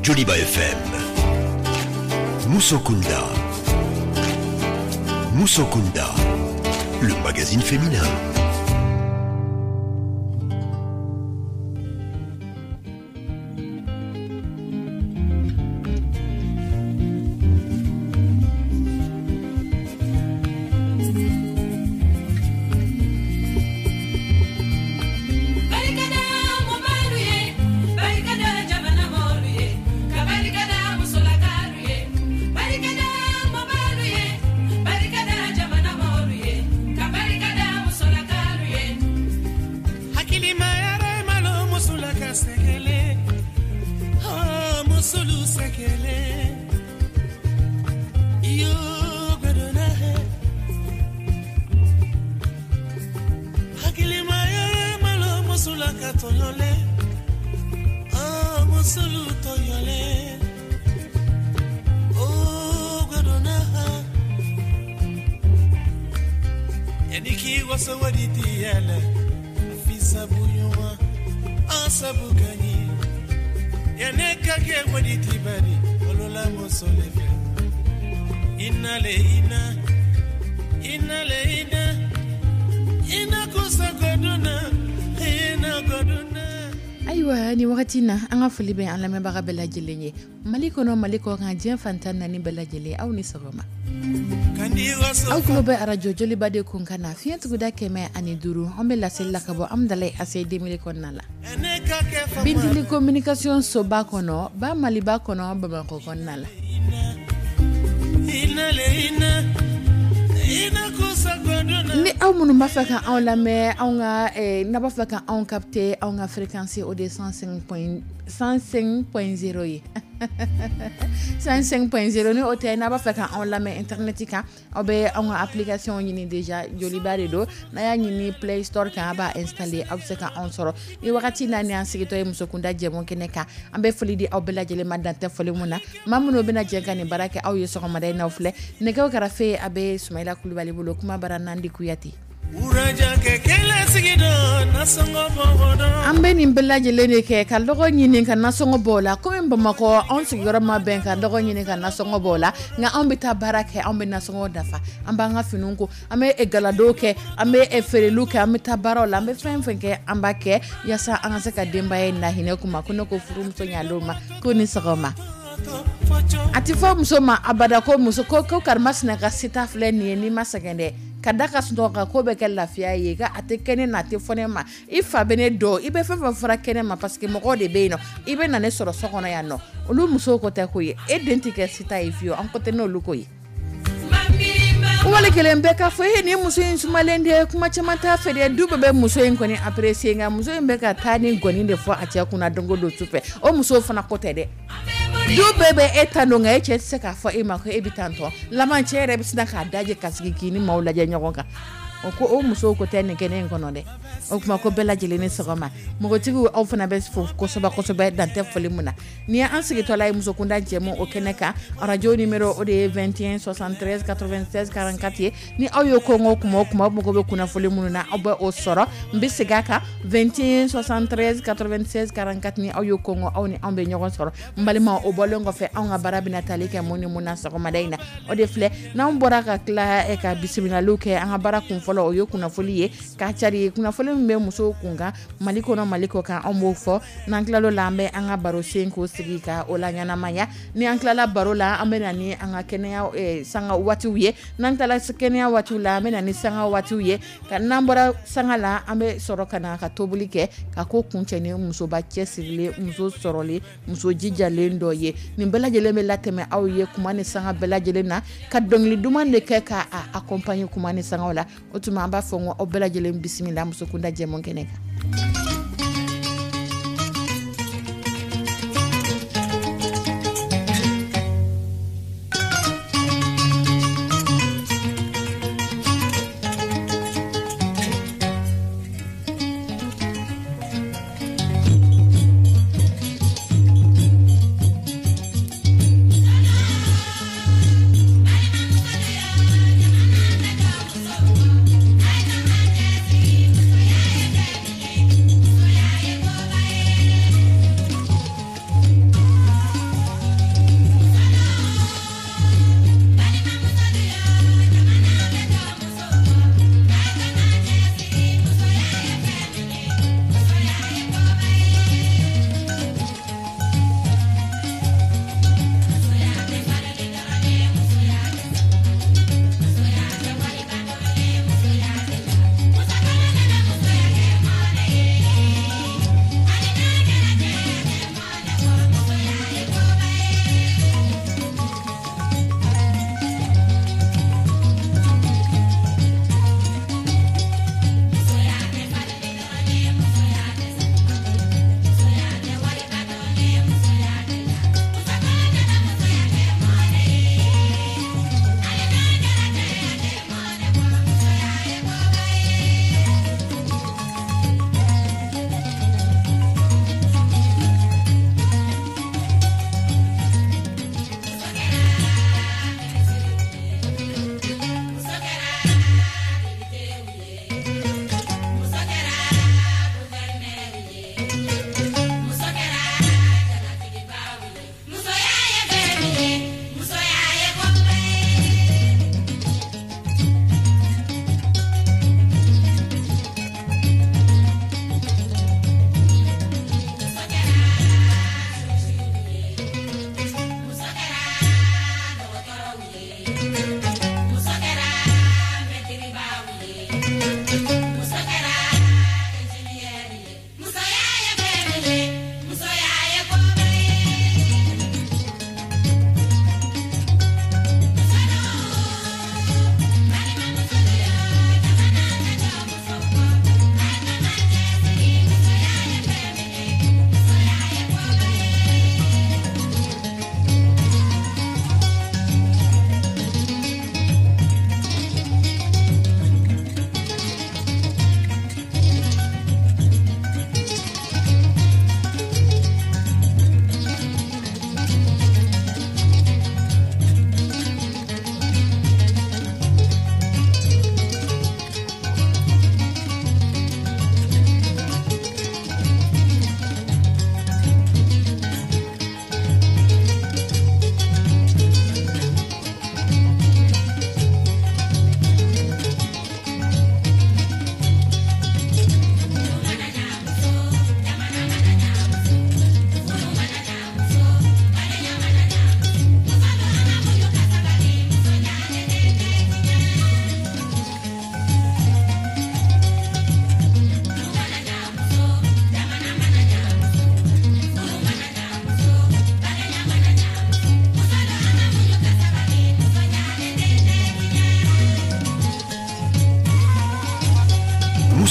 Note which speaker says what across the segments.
Speaker 1: Joliba FM. Musokunda. Musokunda, le magazine féminin.
Speaker 2: Ayiwa, ni wagati na, an ka foli bɛ an lamɛnbaga bɛɛ lajɛlen ye, Mali kɔnɔ, Mali kɔ kan, diɲɛ fantan naani bɛɛ lajɛlen. Aw ni sɔgɔma. Aw tulo bɛ arajo Joliba de kun kan na, fiɲɛ tuguda 105. An bɛ laseli la ka bɔ Amudalayi ACI 2000 kɔnɔna la, Bintili Communication soba kɔnɔ, ba Maliba kɔnɔ, Bamakɔ kɔnɔna la. Ni aw minnu b'a fɛ ka anw lamɛn, anw ka n'a b'a fɛ ka anw capter, anw ka fréquence, o de ye 105.0 ye, 105.0. Ni o tɛ, n'a b'a fɛ ka anw lamɛn internet kan, aw bɛ anw ka application ɲini déjà, Joliba de don. N'a y'a ɲini Play Store kan, a b'a installer, aw bɛ se ka anw sɔrɔ. Ni wagati n'a ni an sigitɔ ye Musokunda jɛmu kɛnɛ kan, an bɛ foli di aw bɛɛ lajɛlen ma, dantɛ foli mun na. Maa minnu bɛna jɛ ka nin baara kɛ aw ye sɔgɔmada in n'aw filɛ, nɛgɛw kɛrɛfɛ, a bɛ Sumayila Kulubali bolo, kuma bara Nandi Kuyate. An bɛ nin bɛɛ lajɛlen de kɛ ka lɔgɔ ɲini ka nasɔngɔ bɔ o la. Komi Bamakɔ, anw sigiyɔrɔ ma bɛn ka lɔgɔ ɲini ka nasɔngɔ bɔ o la, nka anw bɛ taa baara kɛ, anw bɛ nasɔngɔ dafa, an b'an ka finiw ko, an bɛ galadow kɛ, an bɛ feereliw kɛ, an bɛ taa baaraw la, an bɛ fɛn fɛn kɛ, an b'a kɛ yaasa an ka se ka denbaya in lahinɛ. Kuma ko ne ko furumuso ɲalenw ma ko ni sɔgɔma. A tɛ fɔ muso ma abada ko muso ko karimasina ka sita filɛ nin ye, n'i ma sɛgɛn dɛ, ka da ka sunɔgɔ kan, ko bɛ kɛ lafiya ye, ka a tɛ kɛ ne na, a tɛ fɔ ne ma, i fa bɛ ne dɔn, i bɛ fɛn fɛn fɔra kɛnɛ ma, parce que mɔgɔw de bɛ yen nɔ, i bɛ na ne sɔrɔ so kɔnɔ yan nɔ. Olu musow ko tɛ ko ye, e den tɛ kɛ sita ye fiyewu, an ko tɛ n'olu ko ye. Wali kelen bɛɛ k'a fɔ e ni muso in sumalen de ye, kuma caman t'a fɛ dɛ, du bɛɛ bɛ muso in kɔni apprécier, nka muso in bɛ ka taa ni gɔni de fɔ a cɛ kunna don o don sufɛ. O musow fana ko tɛ dɛ, du bɛɛ bɛ e ta don, nka e cɛ tɛ se k'a fɔ e ma ko e bɛ tan tɔ laban. Cɛ yɛrɛ bɛ sin k'a dajɛ ka sigi k'i ni maaw lajɛ ɲɔgɔn kan. O ko o musow ko tɛ nin kɛnɛ in kɔnɔ dɛ. O tuma ko bɛɛ lajɛlen ni sɔgɔma. Npogotigiw, aw fana bɛ fo kosɛbɛ kosɛbɛ, dantɛ foli mun na. Ni ye an sigitɔla ye Musokunda jɛmu o kɛnɛ kan, arajo numéro, o de ye 21 73 96 44 ye. Ni aw ye kɔngɔ kuma o kuma, aw mago bɛ kunnafoli minnu na, aw bɛ o sɔrɔ. N bɛ segin a kan, 21 73 96 44. Ni aw ye kɔngɔ, aw ni anw bɛ ɲɔgɔn sɔrɔ. N balimaw, o bɔlen kɔfɛ, anw ka baara bɛna tali kɛ mun ni mun na sɔgɔmada in na? O de filɛ: n'anw bɔra ka tila ka bisimilaliw kɛ, an ka baara kun fɔlɔ, o ye kunnafoli ye k'a cari. Kunnafoli min bɛ musow kun kan Mali kɔnɔ, Mali kɔ kan, anw b'o fɔ. N'an tilal'o la, an bɛ an ka baro sen k'o sigi ka o la ɲɛnamaya. Ni an tilala baro la, an bɛ na ni an ka kɛnɛya sanga waatiw ye. N'an tilala kɛnɛya waatiw la, an bɛ na ni sanga waatiw ye. Ka n'an bɔra sanga la, an bɛ sɔrɔ ka na ka tobili kɛ ka ko kuncɛ ni musoba cɛsirilen, muso sɔrɔlen, muso jijalen dɔ ye. Nin bɛɛ lajɛlen bɛ latɛmɛ aw ye kuma ni sanga bɛɛ lajɛlen na, ka dɔnkili duman de kɛ ka a accompagner kuma ni sangaw la. O tuma an b'a fɔ ko aw bɛɛ lajɛlen bisimila Musokunda jɛmu kɛnɛ kan.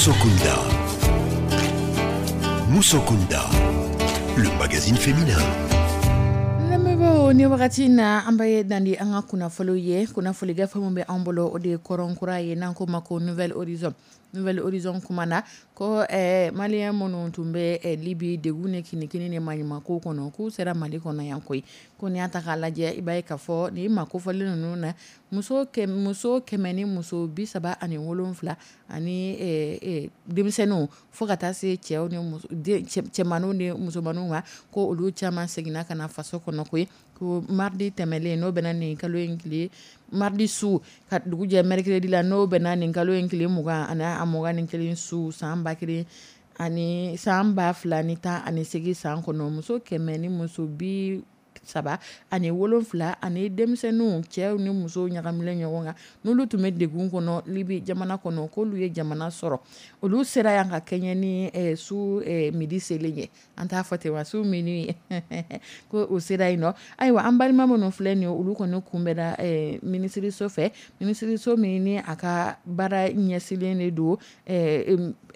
Speaker 1: Musokunda. Musokunda, le magazine féminin.
Speaker 2: Lamɛnbaaw, ni wagati in na, an bɛ dan di an ka kunnafoniw ye. Kunnafoni gafe min bɛ an bolo, o de ye Kɔrɔnkura ye, n'an ko ma ko Nouvel Horizon. Nouvel Horizon kuma na ko Malien minnu tun bɛ Libi degun ni kinikini ni maɲumanko kɔnɔ, k'u sera Mali kɔnɔ yan koyi. Ko n'i y'a ta k'a lajɛ, i b'a ye k'a fɔ nin ma kofɔlen ninnu na, muso 137 ani denmisɛnninw, fo ka taa se cɛw ni cɛmanninw ni musomanninw ma, ko olu caman seginna ka na faso kɔnɔ koyi. Ko mardi tɛmɛlen, n'o bɛnna nin kalo in tile, mardi su ka dugu jɛ mercredi la, n'o bɛnna nin kalo in tile 21 su, san 1000 ani san 2018 san kɔnɔ, muso 137 ani denmisɛnninw, cɛw ni musow ɲagamilen ɲɔgɔn kan, n'olu tun bɛ degun kɔnɔ Libi jamana kɔnɔ, k'olu ye jamana sɔrɔ. Olu sera yan ka kɛɲɛ ni su midi selen ye, an t'a fɔ ten wa, su minuit ye, ko u sera yen nɔ. Ayiwa, an balima minnu filɛ nin ye, olu kɔni kunbɛnna minisiriso fɛ, minisiriso min ni a ka baara ɲɛsinnen de don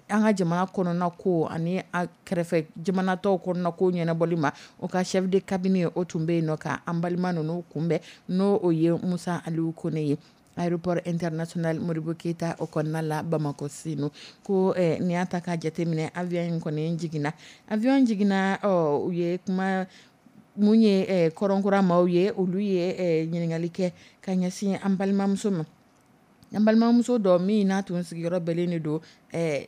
Speaker 2: an ka jamana kɔnɔna ko ani a kɛrɛfɛ jamana tɔw kɔnɔna ko ɲɛnabɔli ma. O ka chef de cabinet, o tun bɛ yen nɔ ka an balima ninnu kunbɛn, n'o o ye Musa Aliyu Kone ye, aéroport international Modibo Keyita o kɔnɔna la, Bamakɔ Senu. Ko n'i y'a ta k'a jateminɛ, avion in kɔni jiginna, avion jiginna, ɔ u ye kuma mun ye Kɔrɔnkura maaw ye, olu ye ɲininkali kɛ ka ɲɛsin an balimamuso ma, an balimamuso dɔ min n'a tun sigiyɔrɔ bɛnnen de don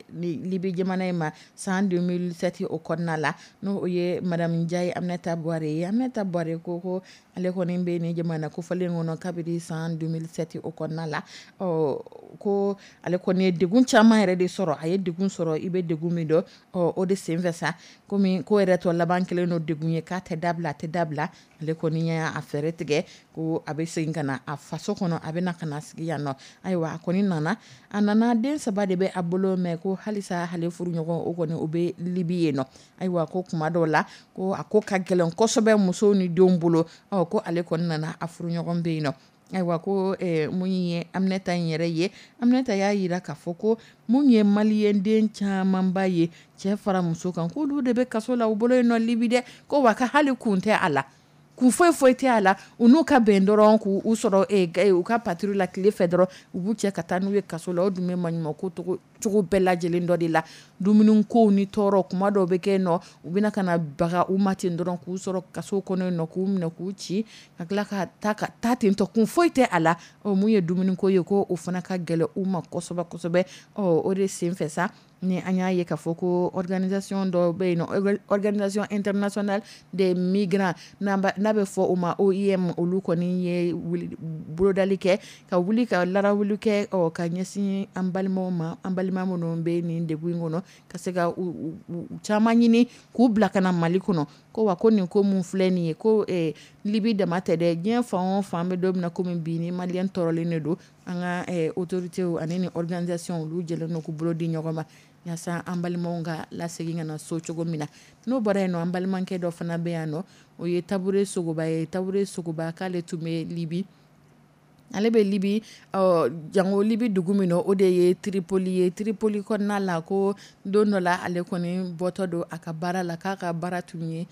Speaker 2: Libi jamana in ma san 2007 o kɔnɔna la, n'o ye madame Njayi Aminata Buware ye. Aminata Buware ko ale kɔni bɛ nin jamana kofɔlen kɔnɔ kabini san 2007 o kɔnɔna la. Ɔ ko ale kɔni ye degun caman yɛrɛ de sɔrɔ, a ye degun sɔrɔ, i bɛ degun min dɔn. Ɔ o de senfɛ sa, komi ko yɛrɛ tɔ laban kelen don degun ye, k'a tɛ dabila, a tɛ dabila, ale kɔni y'a fɛɛrɛ tigɛ ko a bɛ segin ka na a faso kɔnɔ, a bɛ na ka na sigi yan nɔ. Ayiwa, a kɔni nana, a nana, den saba de bɛ a bolo, mɛ ko halisa ale furuɲɔgɔn o kɔni o bɛ Libi yen nɔ. Ayiwa, ko kuma dɔw la ko a ko ka gɛlɛn kosɛbɛ musow ni denw bolo. Ɔ ko ale kɔni nana, a furuɲɔgɔn bɛ yen nɔ. Ayiwa, ko mun ye Aminata in yɛrɛ ye, Aminata y'a jira k'a fɔ ko mun ye Malien den camanba ye, cɛ fara muso kan, k'olu de bɛ kaso la u bolo yen nɔ Libi dɛ. Ko wa ka hali kun tɛ a la, kun foyi foyi tɛ a la, u n'u ka bɛn dɔrɔn k'u sɔrɔ u ka patrouille la tile fɛ dɔrɔn, u b'u cɛ ka taa n'u ye kaso la. O dun bɛ maɲumanko cogo bɛɛ lajɛlen dɔ de la, dumuni kow ni tɔɔrɔ kuma dɔw bɛ kɛ yen nɔ, u bɛna ka na baga u ma ten dɔrɔn, k'u sɔrɔ kaso kɔnɔ yen nɔ, k'u minɛ k'u ci ka tila ka taa ka taa ten tɔ, kun foyi tɛ a la. Ɔ mun ye dumuniko ye, ko o fana ka gɛlɛn u ma kosɛbɛ kosɛbɛ. Ɔ o de senfɛ sa, ni an y'a ye k'a fɔ ko organisation dɔ bɛ yen nɔ, Organisation internationale des migrants, n'a bɛ fɔ o ma OIM, olu kɔni ye bolodali kɛ ka wuli ka larawuli kɛ, ɔ ka ɲɛsin an balimaw ma, an balima minnu bɛ nin degun in kɔnɔ, ka se ka u caman ɲini k'u bila ka na Mali kɔnɔ. Ko wa ko nin ko mun filɛ nin ye, ko Libi dama tɛ dɛ, diɲɛ fan o fan bɛ don min na komi bi, ni Malien tɔɔrɔlen de don, an ka autorités ani ni organisation, olu jɛlen don k'u bolo di ɲɔgɔn ma yaasa an balimaw ka lasegin ka na so cogo min na. N'o bɔra yen nɔ, an balimakɛ dɔ fana bɛ yan nɔ, o ye Tabure Sogoba ye. Tabure Sogoba, k'ale tun bɛ Libi, ale bɛ Libi, ɔ jango Libi dugu min na, o de ye Tripoli ye. Tripoli kɔnɔna la, ko don dɔ la, ale kɔni bɔtɔ don a ka baara la, k'a ka baara tun ye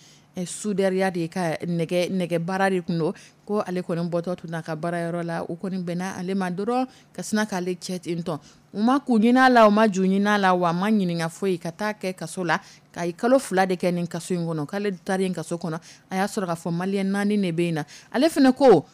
Speaker 2: soudeur de ye, ka nɛgɛ baara de tun don. Ko ale kɔni bɔtɔ tun n'a ka baarayɔrɔ la, o kɔni bɛnna ale ma dɔrɔn ka sina k'ale cɛ ten tɔ. U ma kun ɲini a la, u ma ju ɲini a la, wa a ma ɲininka foyi, ka taa kɛ kaso la, ka kalo 2 de kɛ nin kaso in kɔnɔ. K'ale taara kaso kɔnɔ, a y'a sɔrɔ k'a fɔ Malien naani de bɛ yen na. Ale fana ko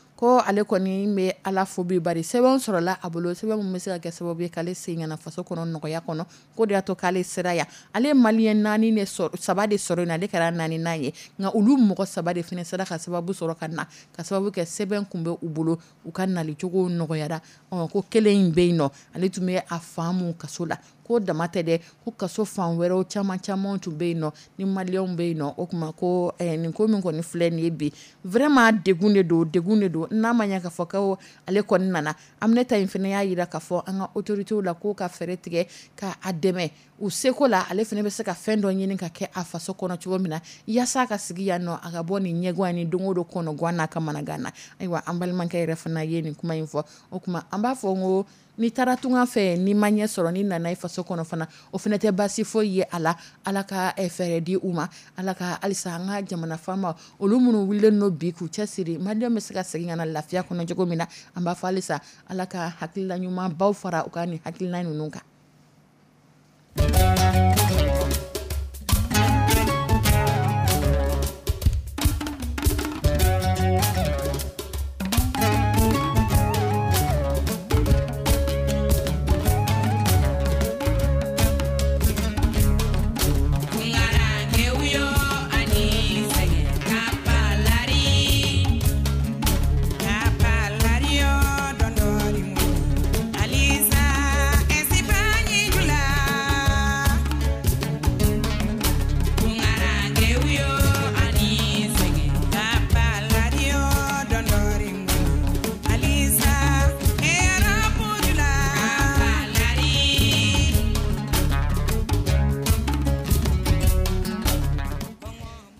Speaker 2: ale kɔni bɛ Ala fo bi, bari sɛbɛn sɔrɔla a bolo, sɛbɛn min bɛ se ka kɛ sababu ye k'ale segin ka na faso kɔnɔ nɔgɔya kɔnɔ, ko de y'a to k'ale sera yan. Ale ye Malien naani de sɔrɔ, saba de sɔrɔ yen, ale kɛra naaninan ye, nka olu mɔgɔ saba de fana sera ka sababu sɔrɔ ka na, ka sababu kɛ sɛbɛn kun bɛ u bolo, u ka nalicogo nɔgɔyara. Ɔ ko kelen in bɛ yen nɔ, ale tun bɛ a faamu kaso la. Ko dama tɛ dɛ, ko kaso fan wɛrɛw caman caman tun bɛ yen nɔ ni Malienw bɛ yen nɔ. O tuma ko nin ko min kɔni filɛ nin ye bi, vraiment degun de don, degun de don. N'a ma ɲɛ k'a fɔ ko ale kɔni nana, Aminata in fana y'a jira k'a fɔ an ka autorités la k'o ka fɛɛrɛ tigɛ ka a dɛmɛ u seko la, ale fana bɛ se ka fɛn dɔ ɲini ka kɛ a faso kɔnɔ cogo min na, yaasa ka sigi yan nɔ, a ka bɔ nin ɲɛgan ni don o don kɔnɔgan n'a ka managan na. Ayiwa, an balimakɛ yɛrɛ fana ye nin kuma in fɔ. O tuma an b'a fɔ n ko N'i taara tunga fɛ, n'i ma ɲɛ sɔrɔ, n'i nana i faso kɔnɔ fana, o fana tɛ baasi foyi ye a la. Ala ka fɛɛrɛ di u ma. Ala ka halisa an ka jamana faama, olu minnu wulilen don bi k'u cɛsiri, maliyɛnw bɛ se ka segin ka na lafiya kɔnɔ cogo min na, an b'a fɔ halisa Ala ka hakilila ɲuman baw fara u ka nin hakilina ninnu kan.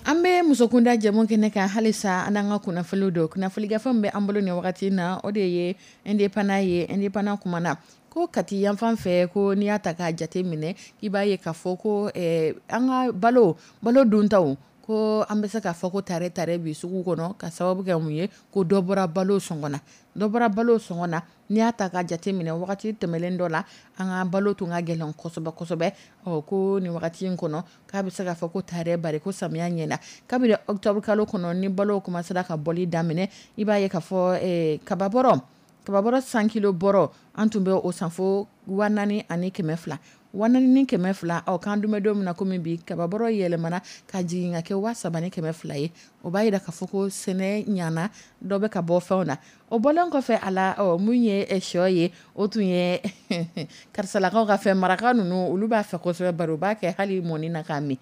Speaker 2: An bɛ musokunda jɛmu kɛnɛ kan halisa, an an ka kunnafoniw don. Kunnafoni gafe min bɛ an bolo nin wagati na, o de ye Indépendant ye. Indépendant kumana ko Kati yanfan fɛ, ko n'i y'a ta k'a jate minɛ, i b'a ye k'a fɔ ko an ka balo balo duntaw, ko an bɛ se k'a fɔ ko tare tare bi sugu kɔnɔ, ka sababu kɛ mun ye? Ko dɔ bɔra balo sɔngɔ na, dɔ bɔra balo sɔngɔ na. N'i y'a ta k'a jate minɛ, wagati tɛmɛnen dɔ la, an ka balo tun ka gɛlɛn kosɛbɛ kosɛbɛ. Ɔ, ko nin wagati in kɔnɔ, k'a bɛ se k'a fɔ ko tare, bari ko samiya ɲɛna. Kabini octobre kalo kɔnɔ ni balo commencera ka bɔli daminɛ, i b'a ye k'a fɔ kababɔrɔ kababɔrɔ 100 kilo bɔrɔ, an tun bɛ o san fo 4200, 4200. Ɔ, k'an dun bɛ don min na komi bi, kababɔrɔ yɛlɛmana ka jigin ka kɛ 3200 ye. O b'a yira k'a fɔ ko sɛnɛ ɲana, dɔ bɛ ka bɔ fɛnw na. O bɔlen kɔfɛ a la, ɔ, mun ye sɔ ye, o tun ye karisalakaw ka fɛn, maraka ninnu olu b'a fɛ kosɛbɛ, bari u b'a kɛ hali mɔni na k'a min.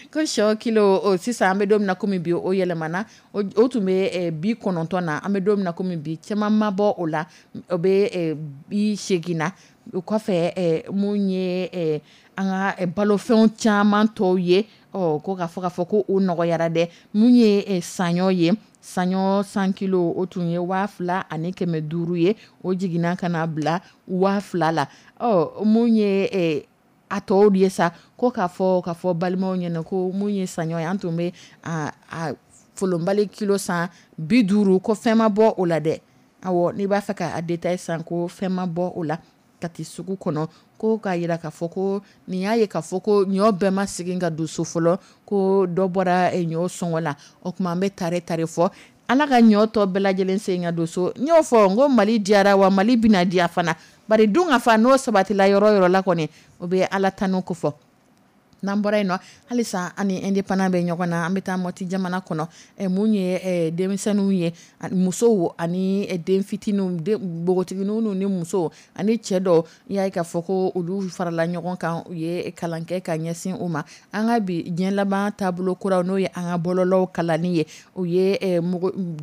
Speaker 2: Ko sɔ kilo o sisan, an bɛ don min na komi bi, o yɛlɛmana. O tun bɛ 90 na, an bɛ don min na komi bi, caman ma bɔ o la, o bɛ 80 na. O kɔfɛ, mun ye an ka balofɛnw caman tɔw ye, ɔ, ko k'a fɔ ko o nɔgɔyara dɛ. Mun ye saɲɔ ye, saɲɔ 100 kilo, o tun ye 2500 ye, o jiginna ka na bila 2000 la. Ɔ, mun ye a tɔw ye sa, ko k'a fɔ balimaw ɲɛna ko mun ye saɲɔ ye, an tun bɛ a folonbali kilo san 50, ko fɛn ma bɔ o la dɛ. Awɔ, n'i b'a fɛ k'a détail san, ko fɛn ma bɔ o la Kati sugu kɔnɔ. Ko k'a jira k'a fɔ ko nin y'a ye k'a fɔ ko ɲɔ bɛɛ ma segin ka don so fɔlɔ, ko dɔ bɔra ɲɔ sɔngɔ la. O tuma an bɛ tare tare fɔ, Ala ka ɲɔ tɔ bɛɛ lajɛlen segin ka don so. N y'o fɔ n ko Mali diyara wa Mali bɛna diya fana, bari dun ka fa n'o sabatila yɔrɔ yɔrɔ la kɔni, o bɛ Ala tanu ko fɔ. N'an bɔra yen nɔ, halisa an ni Indépendant bɛ ɲɔgɔn na. An bɛ taa Mɔti jamana kɔnɔ. Mun ye denmisɛnninw ye, musow ani den fitininw, npogotigininw ni musow ani cɛ dɔw, i y'a ye k'a fɔ ko olu farala ɲɔgɔn kan, u ye kalan kɛ ka ɲɛsin u ma. An ka bi diɲɛ laban taabolo kuraw, n'o ye an ka bɔlɔlɔw kalanni ye, u ye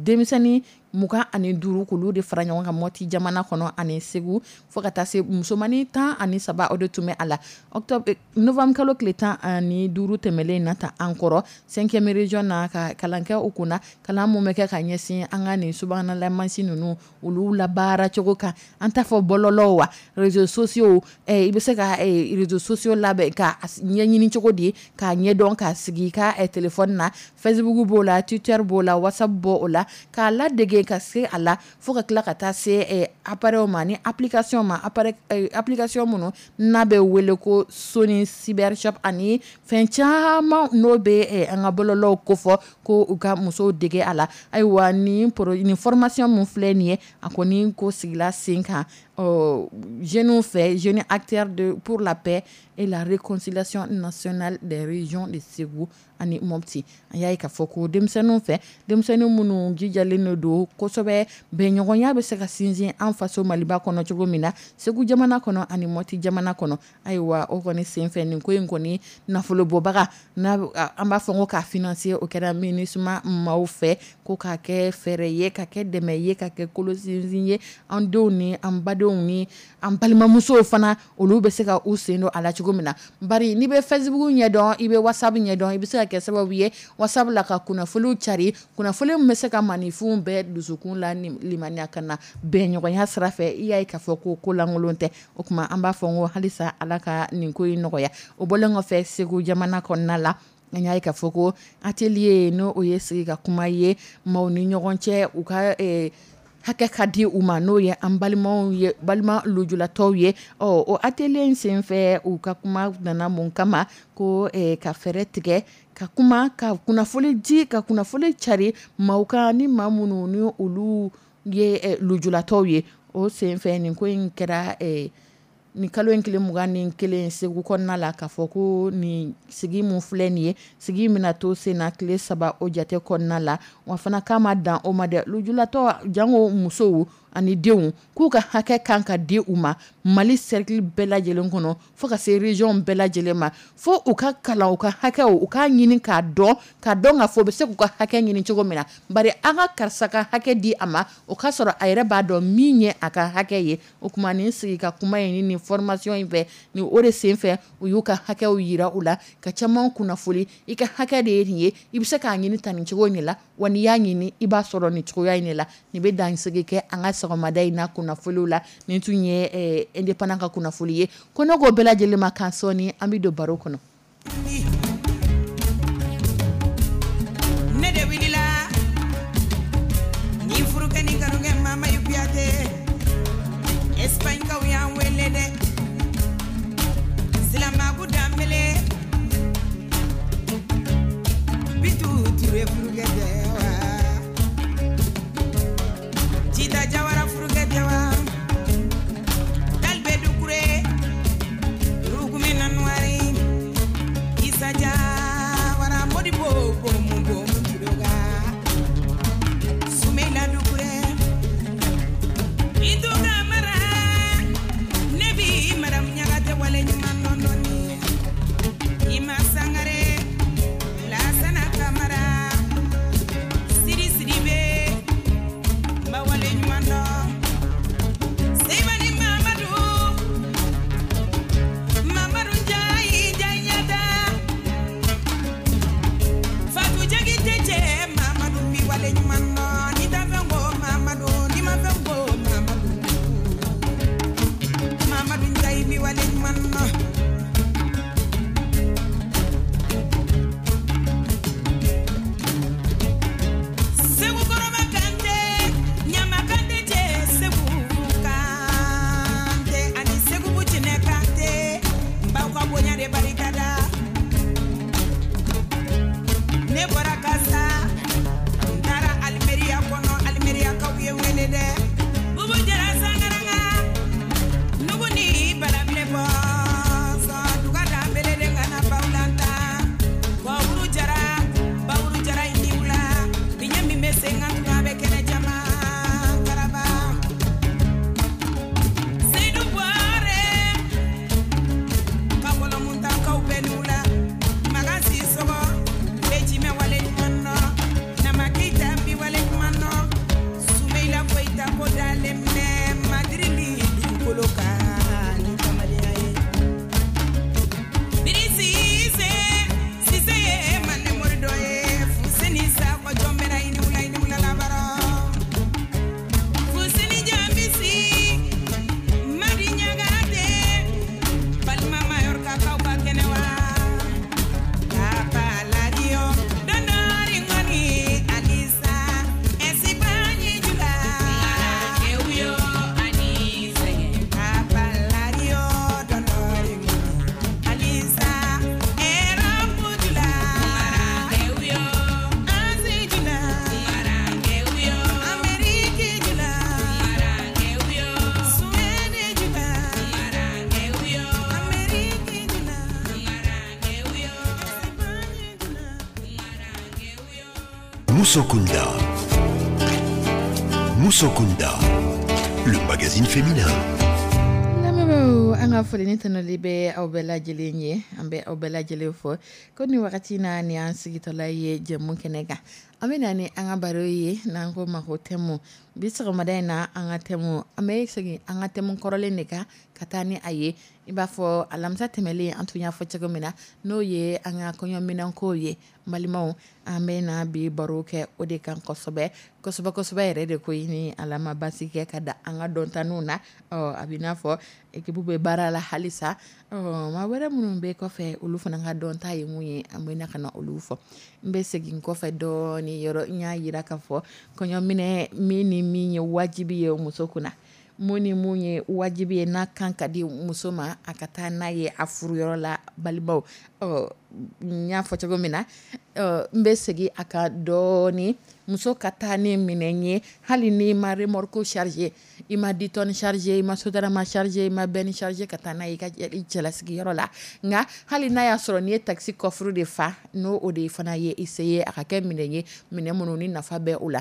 Speaker 2: denmisɛnnin 25 k'olu de fara ɲɔgɔn kan Mɔti jamana kɔnɔ ani Segu, fo ka taa se musomanin 13, o de tun bɛ a la. Octobre, novembre kalo tile 15 tɛmɛlen na ta an kɔrɔ, cinquième région na, ka kalan kɛ u kunna, kalan mun bɛ kɛ ka ɲɛsin an ka nin subahana mansin ninnu olu labaara cogo kan. An t'a fɔ bɔlɔlɔw wa, réseaux sociaux. I bɛ se ka réseaux sociaux labɛn ka ɲɛɲini cogo di, k'a ɲɛdɔn, k'a sigi i ka téléphone na. Facebook b'o la, Twitter b'o la, WhatsApp b'o la, k'a ladege ka se a la, fo ka tila ka taa se appareil ma ni application ma, appareil application minnu n'a bɛ wele ko Sony Cyber Shop ani fɛn caman n'o bɛ an ka bɔlɔlɔw kofɔ, ko u ka musow dege a la. Ayiwa, nin formation mun filɛ nin ye, a kɔni ko sigila sen kan jeunes fɛ, jeunes acteurs pour la paix et la réconciliation nationale des régions de Segu ani Mopti. An y'a ye k'a fɔ ko denmisɛnninw fɛ, denmisɛnnin minnu jijalen don kosɛbɛ, bɛnɲɔgɔnya bɛ se ka sinsin an faso Maliba kɔnɔ cogo min na, Segu jamana kɔnɔ ani Mɔti jamana kɔnɔ. Ayiwa, o kɔni senfɛ, nin ko in kɔni nafolo bɔbaga n'a an b'a fɔ ko k'a financer, o kɛra MINUSMA maaw fɛ, ko k'a kɛ fɛɛrɛ ye, ka kɛ dɛmɛ ye, ka kɛ kolo sinsin ye an denw ni an badenw. balimadenw ni an balimamusow fana, olu bɛ se ka u sen don a la cogo min na. Bari n'i bɛ Facebook ɲɛdɔn, i bɛ WhatsApp ɲɛdɔn, i bɛ se ka kɛ sababu ye WhatsApp la ka kunnafoniw cari, kunnafoni min bɛ se ka maaninfinw bɛɛ dusukun la limaniya ka na bɛnɲɔgɔnya sira fɛ. I y'a ye k'a fɔ ko lankolon tɛ. O tuma an b'a fɔ n ko halisa Ala ka nin ko in nɔgɔya. O bɔlen kɔfɛ, Segu jamana kɔnɔna la, an y'a ye k'a fɔ ko atelier, n'o o ye sigi ka kuma ye maaw ni ɲɔgɔn cɛ, u ka hakɛ ka di u ma, n'o ye an balimaw ye, balima lujuratɔw ye. Ɔ, o atelier in senfɛ, u ka kuma nana mun kama? Ko ka fɛɛrɛ tigɛ ka kuma, ka kunnafoni di, ka kunnafoni cari maaw kan, ni maa minnu ni olu ye lujuratɔw ye. O senfɛ, nin ko in kɛra nin kalo in tile 21 Segu kɔnɔna la, k'a fɔ ko nin sigi mun filɛ nin ye, sigi bɛna to sen na tile 3 o jate kɔnɔna la. Wa fana k'a ma dan o ma dɛ, lujuratɔ jango musow ani denw, k'u ka hakɛ kan ka di u ma Mali cercle bɛɛ lajɛlen kɔnɔ, fo ka se région bɛɛ lajɛlen ma, fo u ka kalan u ka hakɛw, u k'a ɲini k'a dɔn, k'a dɔn k'a fɔ u bɛ se k'u ka hakɛ ɲini cogo min na. Bari an ka karisa ka hakɛ di a ma, o k'a sɔrɔ a yɛrɛ b'a dɔn min ye a ka hakɛ ye. O tuma nin sigi ka kuma in ni nin formation in fɛ, nin o de senfɛ, u y'u ka hakɛw yira u la, ka caman kunnafoni: i ka hakɛ de ye nin ye, i bɛ se k'a ɲini tan nin cogo in de la, wa n'i y'a ɲini, i b'a sɔrɔ nin cogoya in de la. Nin bɛ dansigi kɛ an ka sɔgɔmada in na kunnafoniw la. Nin tun ye Indépendant ka kunnafoni ye. Ko ne ko bɛɛ lajɛlen ma kan, sɔɔni an bɛ don baro kɔnɔ.
Speaker 3: Ne de wulila ni furukɛ ni kanukɛ Mama Kuyate, Espagne kaw y'an wele dɛ, Silamaku Danbele, Bitu Ture furukɛ tɛ wa, Jita Jawara furukɛ tɛ wa, Talibé Dukure, Rugumi Nanuwari, Isa Jawara, Modibo Bomu Bomu Tuloga, Sumeila Dukure, Bintu Kamara, ne bi Madame Ɲagate wale ɲuman dɔn dɔɔni, Ima Sangare, Lasana Kamara, Sidi Sidibe, n ba wale ɲuman dɔn, Seybani Mamadu, Mamadu Njayi Jaɲata, Fatu Jakite cɛ Mamadu bi wale ɲuman dɔn, ni ta fɛn ko Mamadu, ni ma fɛn ko Mamadu, Mamadu Njayi bi wale ɲuman dɔn. Segu Kɔrɔba Kante, Ɲama Kante cɛ Segu Kante, ani Segu Bucinɛ Kante, n b'aw ka bonya de barika da. Ne bɔra Kasa, n taara Alimeriya kɔnɔ, Alimeriyakaw ye n wele dɛ. Bubu Jara Sangaranga, Nugu ni Balabile bɔnsɔn, Duga Danbele de kana Bawulanta, Bawuru Jara, Bawuru Jara i ni wula, biɲɛ min bɛ sen kan tuma bɛ kɛnɛ caman karaba. Seyidu Buware, Kakɔlɔmuntakaw bɛɛ ni wula, Makan Sisɔgɔ, Bɛjimɛ wale ɲuman nɔ, Nama Keyita bi wale ɲuman nɔ, Sumeila Koyita ko dalen bɛ Madirili dugukolo kan ni kamalenya ye. Birisi Sise, Sise ye Mande mori dɔ ye, Fuseni Sakɔ jɔn bɛna i ni wula, i ni wula labara. Fuseni Jambisi, Madi Ɲagate, balima Mayorkakaw ka kɛnɛ wa. Papa Radio, Dondori Ngoni, Alisa, Esibanyi Jula. Papa Radio, Dondori Ngoni, Alisa, Erapu Jula. Azi Jula. Ameriki Jula. Suwede Jula. Ameriki Jula. Esibanyi Jula.
Speaker 1: Moussokunda. Moussokunda, le magazine féminin.
Speaker 2: Lamɛnbaaw, an ka foli ni tanuli bɛ aw bɛɛ lajɛlen ye. An bɛ aw bɛɛ lajɛlen fɔ ko nin wagati na, nin y'an sigitɔla ye jɛmu kɛnɛ kan. An bɛ na ni an ka baro ye n'an ko ma ko thème. Bi sɔgɔmada in na, an ka thème, an bɛ segin an ka thème kɔrɔlen de kan ka taa ni a ye. I b'a fɔ alamisa tɛmɛnlen, an tun y'a fɔ cogo min na, n'o ye an ka kɔɲɔminɛnko ye. N balimaw, an bɛ na bi baro kɛ o de kan kosɛbɛ kosɛbɛ kosɛbɛ yɛrɛ de koyi. Ni Ala ma basi kɛ ka da an ka dɔntanniw na, ɔ a bɛ n'a fɔ équipe bɛ baara la halisa. Ɔ maa wɛrɛ minnu bɛ kɔfɛ, olu fana ka dɔnta ye mun ye, an bɛ na ka na olu fɔ. N bɛ segin kɔfɛ dɔɔni yɔrɔ, n y'a jira k'a fɔ kɔɲɔminɛ min ni min ye wajibi ye muso kunna, mun ni mun ye wajibi ye n'a kan ka di muso ma a ka taa n'a ye a furuyɔrɔ la. Balimaw, ɔ n y'a fɔ cogo min na, n bɛ segin a kan dɔɔni. Muso ka taa ni minɛn ye, hali n'i ma remorque chargé, i ma 10 tonnes chargé, i ma Sotrama chargé, i ma benne chargé ka taa n'a ye i ka cɛlasigiyɔrɔ la, nka hali n'a y'a sɔrɔ n'i ye taxi coffre de fa, n'o o de fana ye i se ye, a ka kɛ minɛn ye, minɛn minnu ni nafa bɛ o la.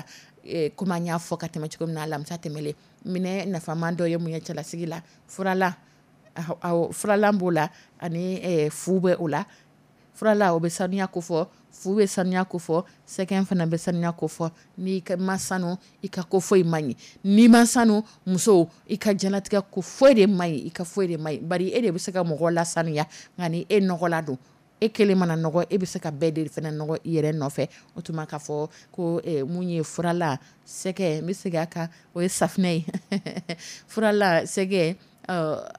Speaker 2: Komi an y'a fɔ ka tɛmɛ cogo min na alamisa tɛmɛnlen, minɛn nafama dɔ ye mun ye cɛlasigi la? Furalan, furalan b'o la, ani fu bɛ o la. Furalan, o bɛ saniya ko fɔ, fu bɛ saniya ko fɔ, sɛgɛn fana bɛ saniya ko fɔ. N'i ma sanu, i ka ko foyi man ɲi. N'i ma sanu, muso, i ka diɲɛlatigɛ ko foyi de man ɲi, i ka foyi de man ɲi. Bari e de bɛ se ka mɔgɔ lasanuya, nka ni e nɔgɔla don, e kelen mana nɔgɔ, e bɛ se ka bɛɛ de fana nɔgɔ i yɛrɛ nɔfɛ. O tuma k'a fɔ ko mun ye furalan, sɛgɛ, n bɛ segin a kan, o ye safunɛ ye, furalan, sɛgɛ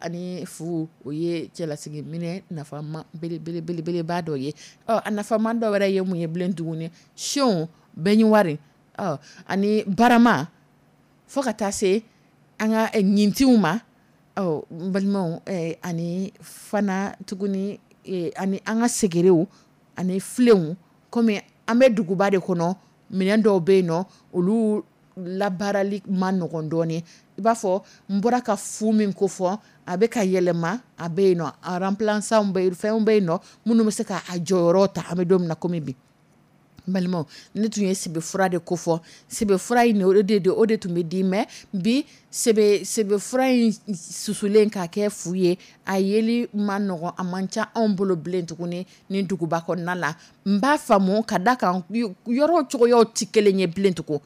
Speaker 2: ani fu, o ye cɛlasigi minɛn nafama belebeleba dɔ ye. Ɔ a nafama dɔ wɛrɛ ye mun ye bilen tuguni? Siyon, baignoire, ɔ ani barama, fo ka taa se an ka ɲintinw ma. Ɔ n balimaw, ani fana tuguni, ani an ka segerew ani filenw. Komi an bɛ duguba de kɔnɔ, minɛn dɔw bɛ yen nɔ, olu labaarali ma nɔgɔn dɔɔnin. I b'a fɔ n bɔra ka fu min ko fɔ, a bɛ ka yɛlɛma, a bɛ yen nɔ, a remplaçant bɛ yen, fɛnw bɛ yen nɔ minnu bɛ se k'a jɔyɔrɔ ta an bɛ don min na komi bi. N balimaw, ne tun ye sebefura de ko fɔ. Sebefura in, o de tun bɛ di, mais bi sebefura in susulen k'a kɛ fu ye, a yeli ma nɔgɔn, a man ca anw bolo bilen tuguni ni duguba kɔnɔna la. N b'a faamu ka da kan yɔrɔ cogoyaw tɛ kelen ye bilen tugun.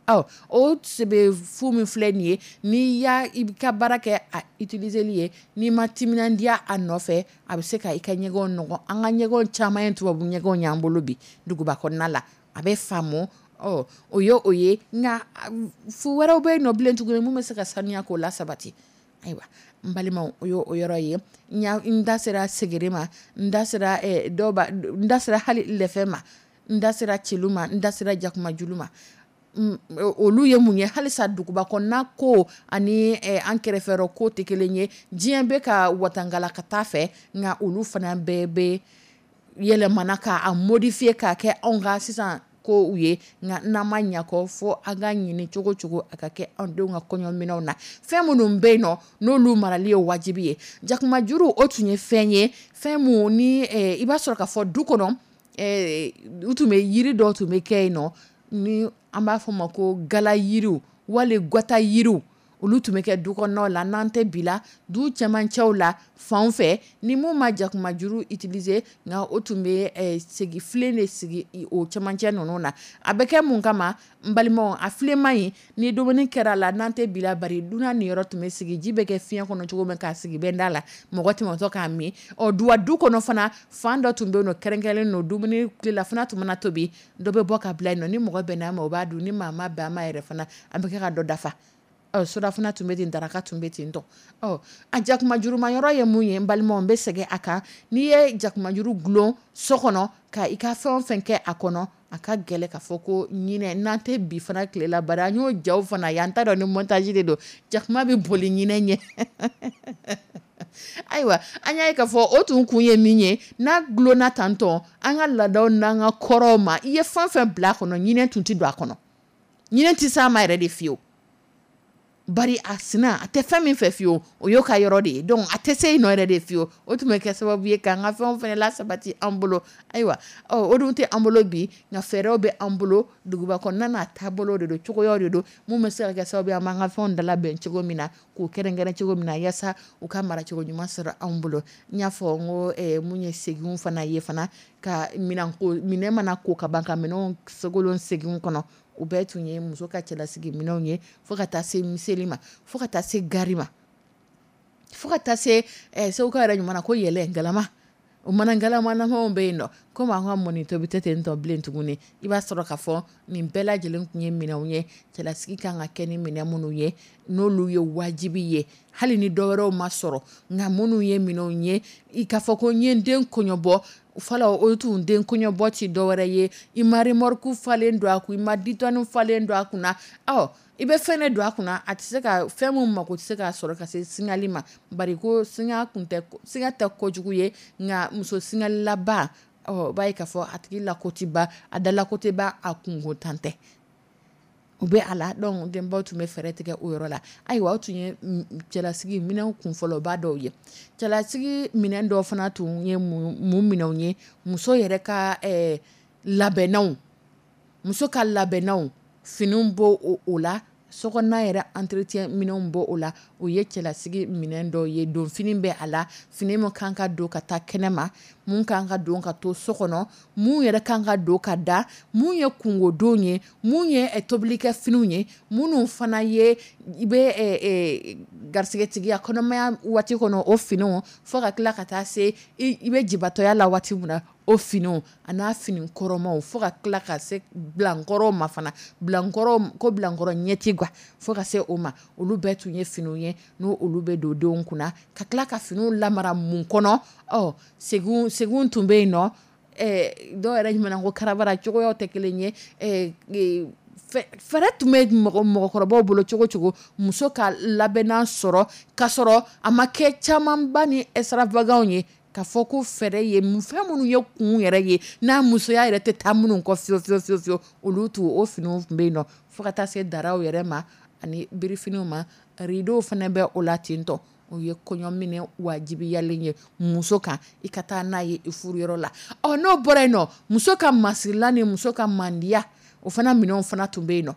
Speaker 2: Ɔ o sebefu min filɛ nin ye, n'i y'a i ka baara kɛ a utiliseli ye, n'i ma timinandiya a nɔfɛ, a bɛ se ka i ka ɲɛgɛnw nɔgɔ. An ka ɲɛgɛnw caman ye tubabu ɲɛgɛnw y'an bolo bi duguba kɔnɔna la, a bɛ faamu. Ɔ o ye o ye, nka fu wɛrɛw bɛ yen nɔ bilen tuguni mun bɛ se ka saniya k'o la sabati. Ayiwa n balimaw, o ye o yɔrɔ ye. N da sera segere ma, n da sera dɔw, n da sera hali lɛfɛ ma, n da sera celu ma, n da sera jakumajulu ma. Olu ye mun ye? Halisa duguba kɔnɔna ko ani an kɛrɛfɛyɔrɔ ko tɛ kelen ye. Diɲɛ bɛ ka watangala ka taa fɛ, nka olu fana bɛɛ bɛ yɛlɛmana k'a modifier k'a kɛ anw ka sisan ko ye. Nka n'an ma ɲɛ kɔ, fo an ka ɲini cogo cogo a ka kɛ anw denw ka kɔɲɔminɛnw na. Fɛn minnu bɛ yen nɔ, n'olu marali ye wajibi ye, jakumajuru, o tun ye fɛn ye, fɛn mun ni i b'a sɔrɔ k'a fɔ du kɔnɔ, u tun bɛ yiri dɔw tun bɛ kɛ yen nɔ, ni an b'a fɔ o ma ko gala yiriw wali gata yiriw, olu tun bɛ kɛ du kɔnɔnaw la. N'an tɛ bi la, du cɛmancɛw la fan fɛ, ni mun ma jakumajuru utiliser, nka o tun bɛ segi filen de sigi o cɛmancɛ ninnu na. A bɛ kɛ mun kama, n balimaw? A filenma in, ni dumuni kɛra la, n'an tɛ bi la, bari dunan niyɔrɔ tun bɛ sigi, ji bɛ kɛ fiɲɛ kɔnɔ cogo min k'a sigi bɛnda la, mɔgɔ tɛmɛtɔ k'a min. Ɔ duwa du kɔnɔ fana, fan dɔ tun bɛ yen nɔ kɛrɛnkɛrɛnnen don, dumuni tilelafana tun mana tobi, dɔ bɛ bɔ ka bila yen nɔ. Ni mɔgɔ bɛnna a ma, o b'a dun, ni maa ma bɛn a ma yɛrɛ fana, an bɛ kɛ ka dɔ dafa. Ɔ surafana tun bɛ ten, daraka tun bɛ ten tɔ. Ɔ a jakumajuruma yɔrɔ ye mun ye, n balimaw? N bɛ segin a kan. N'i ye jakumajuru gulon so kɔnɔ ka i ka fɛn o fɛn kɛ a kɔnɔ, a ka gɛlɛ k'a fɔ ko ɲinɛ. N'an tɛ bi fana tile la, bari an y'o jaw fana ye, an t'a dɔn ni montage de don, jakuma bɛ boli ɲinɛ ɲɛ. Ayiwa, an y'a ye k'a fɔ o tun kun ye min ye, n'a gulonna tantɔ, an ka laadaw n'an ka kɔrɔw ma, i ye fɛn fɛn bila a kɔnɔ, ɲinɛ tun tɛ don a kɔnɔ, ɲinɛ tɛ s'a ma yɛrɛ de fiyewu. Bari a sina a tɛ fɛn min fɛ fiyewu, o y'o ka yɔrɔ de ye, donc a tɛ se yen nɔ yɛrɛ de fiyewu. O tun bɛ kɛ sababu ye k'an ka fɛnw fana lasabati an bolo. Ayiwa, ɔ o dun tɛ an bolo bi, nka fɛɛrɛw bɛ an bolo. Duguba kɔnɔna n'a taabolo de don, cogoyaw de don mun bɛ se ka kɛ sababu ye an b'an ka fɛnw dalabɛn cogo min na, k'u kɛrɛnkɛrɛn cogo min na, yaasa u ka mara cogo ɲuman sɔrɔ anw bolo. N y'a fɔ n ko mun ye seginw fana ye fana. Ka minɛn mana ko ka ban, ka minɛnw sogolon seginw kɔnɔ, o bɛɛ tun ye muso ka cɛlasigi minɛnw ye, fo ka taa se miseli ma, fo ka taa se gari ma, fo ka taa se segukaw yɛrɛ ɲuman na ko yɛlɛ galama. O mana galamanamaw bɛ yen nɔ, komi an ka mɔni tobi tɛ ten tɔ bilen tuguni. I b'a sɔrɔ k'a fɔ nin bɛɛ lajɛlen tun ye minɛnw ye cɛlasigi kan ka kɛ ni minɛn minnu ye, n'olu ye wajibi ye, hali ni dɔwɛrɛw ma sɔrɔ, nka minnu ye minɛnw ye i k'a fɔ ko n ye n den kɔɲɔbɔ fɔlɔ, o tun den kɔɲɔbɔ ti dɔwɛrɛ ye. I ma remorque falen don a kun, i ma 10 tonnes falen don a kunna, ɔ i bɛ fɛn de don a kunna, a tɛ se ka fɛn min mako tɛ se k'a sɔrɔ ka se singali ma, bari ko singa kun tɛ, singa tɛ kojugu ye, nka muso singalilaba, ɔ b'a ye k'a fɔ a tigi lako tɛ ban, a dalako tɛ ban, a kunko tan tɛ, o bɛ a la. Donc denbaw tun bɛ fɛɛrɛ tigɛ o yɔrɔ la. Ayiwa, o tun ye cɛlasigi minɛnw kunfɔlɔba dɔw ye. Cɛlasigi minɛn dɔw fana tun ye mun minɛnw ye? Muso yɛrɛ ka labɛnnaw, muso ka labɛnnaw, finiw b'o o la, sokɔnɔna yɛrɛ entretien minɛnw b'o o la. O ye cɛlasigi minɛn dɔw ye. Donfini bɛ a la, fini min kan ka don ka taa kɛnɛma, mun kan ka don ka to so kɔnɔ, mun yɛrɛ kan ka don ka da, mun ye kungodon ye, mun ye tobilikɛ finiw ye, minnu fana ye i bɛ garisɛgɛtigiya kɔnɔmaya waati kɔnɔ o finiw, fo ka tila ka taa se i bɛ jibatɔya la waati min na o finiw, a n'a fini kɔrɔmaw, fo ka tila ka se bilankɔrɔw ma fana, bilankɔrɔ ko bilankɔrɔ ɲɛti quoi, fo ka se o ma. Olu bɛɛ tun ye finiw ye n'o olu bɛ don denw kunna, ka tila ka finiw lamara mun kɔnɔ. Ɔ segun tun bɛ yen nɔ, dɔw yɛrɛ ɲuman ko karabara, cogoyaw tɛ kelen ye. Fɛɛrɛ tun bɛ mɔgɔkɔrɔbaw bolo cogo cogo muso ka labɛnnan sɔrɔ, k'a sɔrɔ a ma kɛ camanba ni extravagant ye, k'a fɔ ko fɛɛrɛ ye fɛn minnu ye kun yɛrɛ ye, n'a musoya yɛrɛ tɛ taa minnu kɔ fiyewu fiyewu fiyewu fiyewu, olu tun o finiw tun bɛ yen nɔ, fo ka taa se daraw yɛrɛ ma ani birifiniw ma. Rideau fana bɛ o la ten tɔ. O ye kɔɲɔminɛ wajibiyalen ye muso kan, i ka taa n'a ye i furuyɔrɔ la. Ɔ n'o bɔra yen nɔ, muso ka masirila ni muso ka mandiya, o fana minɛnw fana tun bɛ yen nɔ.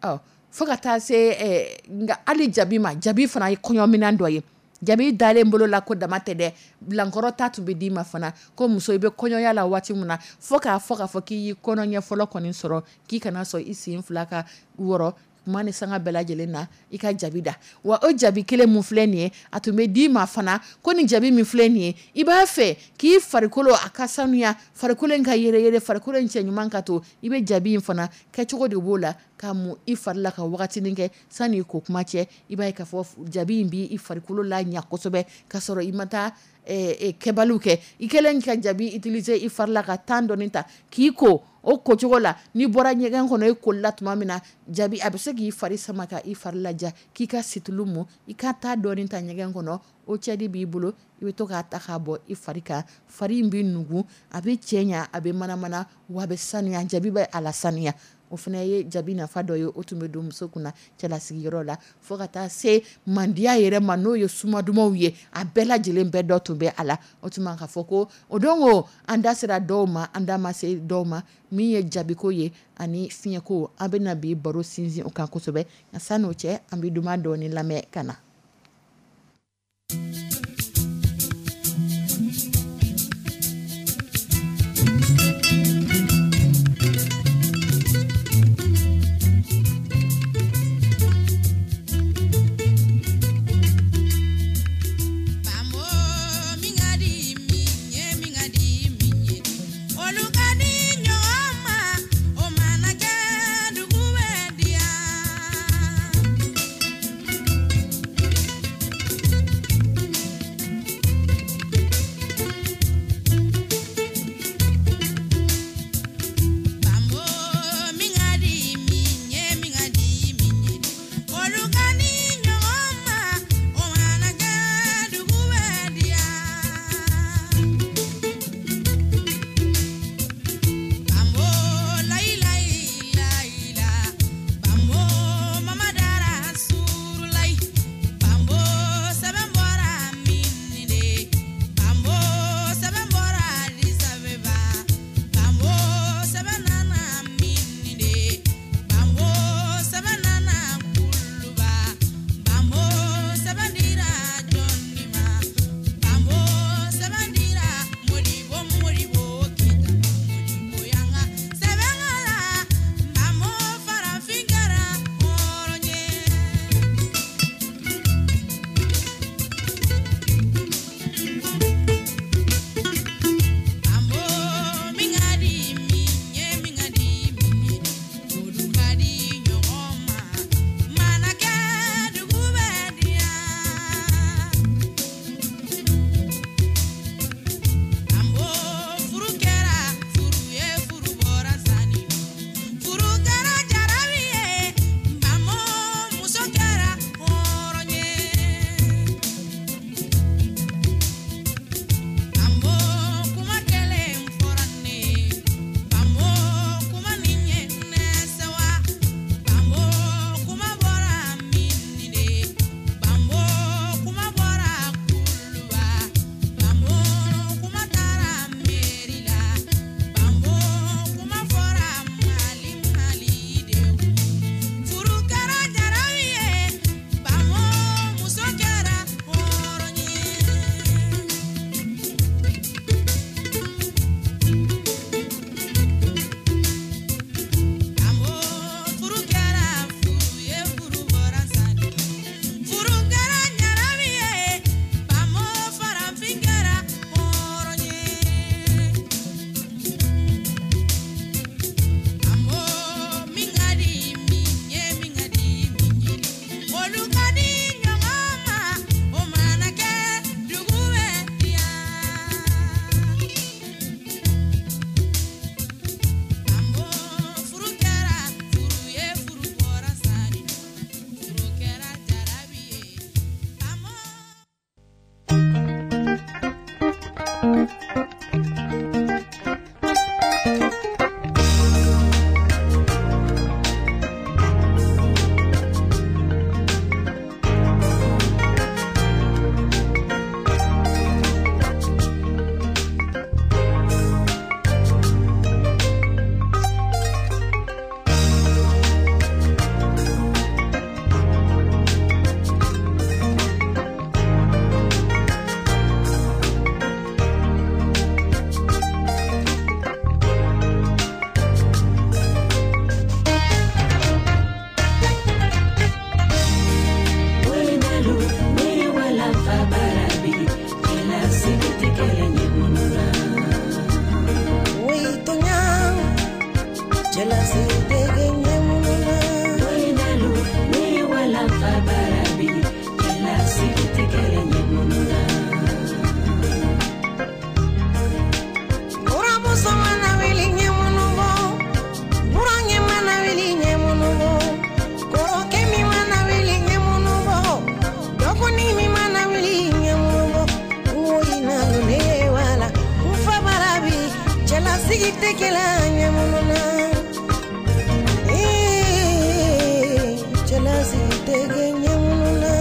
Speaker 2: Ɔ fo ka taa se nka hali jabi ma, jabi fana ye kɔɲɔminɛn dɔ ye. Jabi dalen bolo la ko dama tɛ dɛ, bilankɔrɔ ta tun bɛ d'i ma fana, ko muso i bɛ kɔɲɔya la waati min na, fo k'a fɔ k'i y'i kɔnɔ ɲɛ fɔlɔ kɔni sɔrɔ, k'i kana sɔn i sen fila ka wɔrɔ kuma ni sanga bɛɛ lajɛlen na, i ka jabi da. Wa o jabi kelen mun filɛ nin ye, a tun bɛ d'i ma fana ko nin jabi min filɛ nin ye, i b'a fɛ k'i farikolo a ka sanuya, farikolo in ka yɛrɛ yɛrɛ, farikolo in cɛ ɲuman ka to, i bɛ jabi in fana kɛcogo de b'o la, ka mun i fari la ka wagatinin kɛ sanni i ko kuma cɛ. I b'a ye k'a fɔ jabi in b'i farikolo la ɲa kosɛbɛ, k'a sɔrɔ i ma taa kɛbaliw kɛ. I kɛlen ka jabi utiliser i fari la ka temps dɔɔni ta k'i ko o kocogo la, n'i bɔra ɲɛgɛn kɔnɔ i koli la tuma min na, jabi a bɛ se k'i fari sama ka i fari laja, k'i ka situlu mun, i ka taa dɔɔni ta ɲɛgɛn kɔnɔ, o cɛdi b'i bolo, i bɛ to k'a ta k'a bɔ i fari kan, fari in bɛ nugu, a bɛ cɛɲa, a bɛ manamana, wa a bɛ sanuya, jabi bɛ a la sanuya. O fana ye jabi nafa dɔ ye, o tun bɛ don muso kunna cɛlasigiyɔrɔ la, fo ka taa se mandiya yɛrɛ ma, n'o ye suma dumanw ye, a bɛɛ lajɛlen bɛɛ dɔ tun bɛ a la. O tuma k'a fɔ ko o don ko an da sera dɔw ma, an da ma se dɔw ma, min ye jabiko ye ani fiɲɛko, an bɛna bi baro sinsin o kan kosɛbɛ. Nka san'o cɛ, an bɛ duman dɔɔni lamɛn ka na.
Speaker 3: Tɛ kɛla ɲɛ na, cɛlasigi tɛ kɛ ɲɛ na.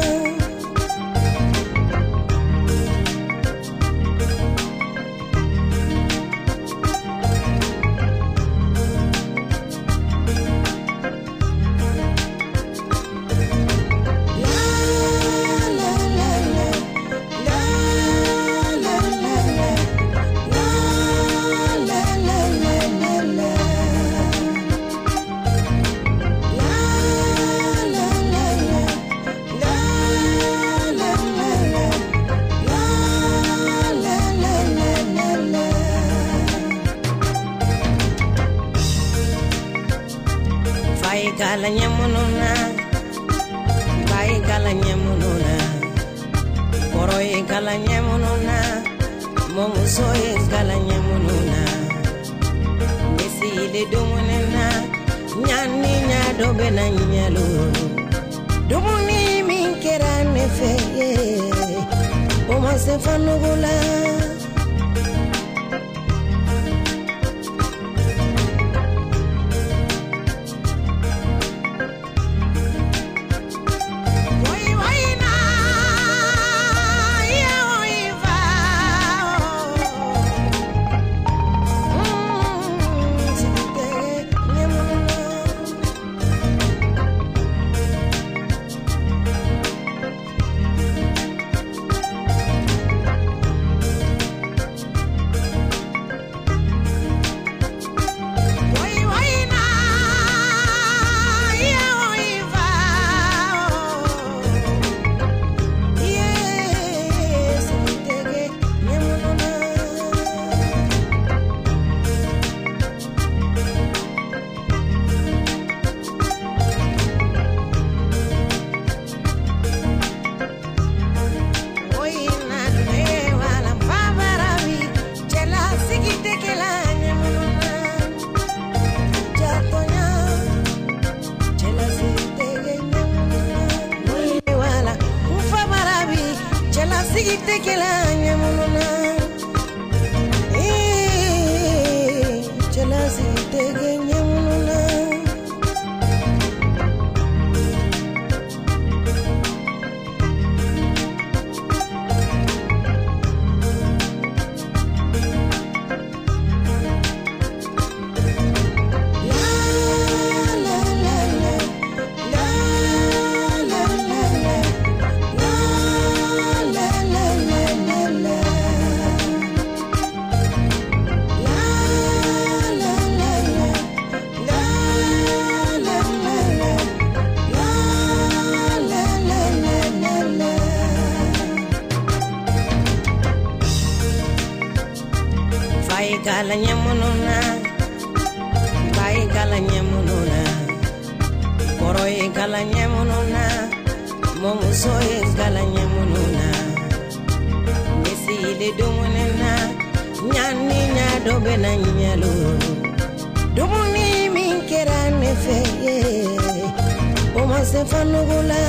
Speaker 3: Gala ɲɛ na, ba ye gala ɲɛ na, kɔrɔ ye gala ɲɛ na, mɔmuso ye gala ɲɛ na. Ne sigilen dumuni na, ɲani ɲa dɔ bɛ na ɲalo. Dumuni min kɛra ne fɛ ye, o ma se fanugu la. Gala ɲɛ na, ba ye gala ɲɛ na, kɔrɔ ye gala ɲɛ na, mɔmuso ye gala ɲɛ na. Ne sigilen dumuni na, ɲani ɲa dɔ bɛ na ɲalo. Dumuni min kɛra ne fɛ ye, o ma se fanugu la.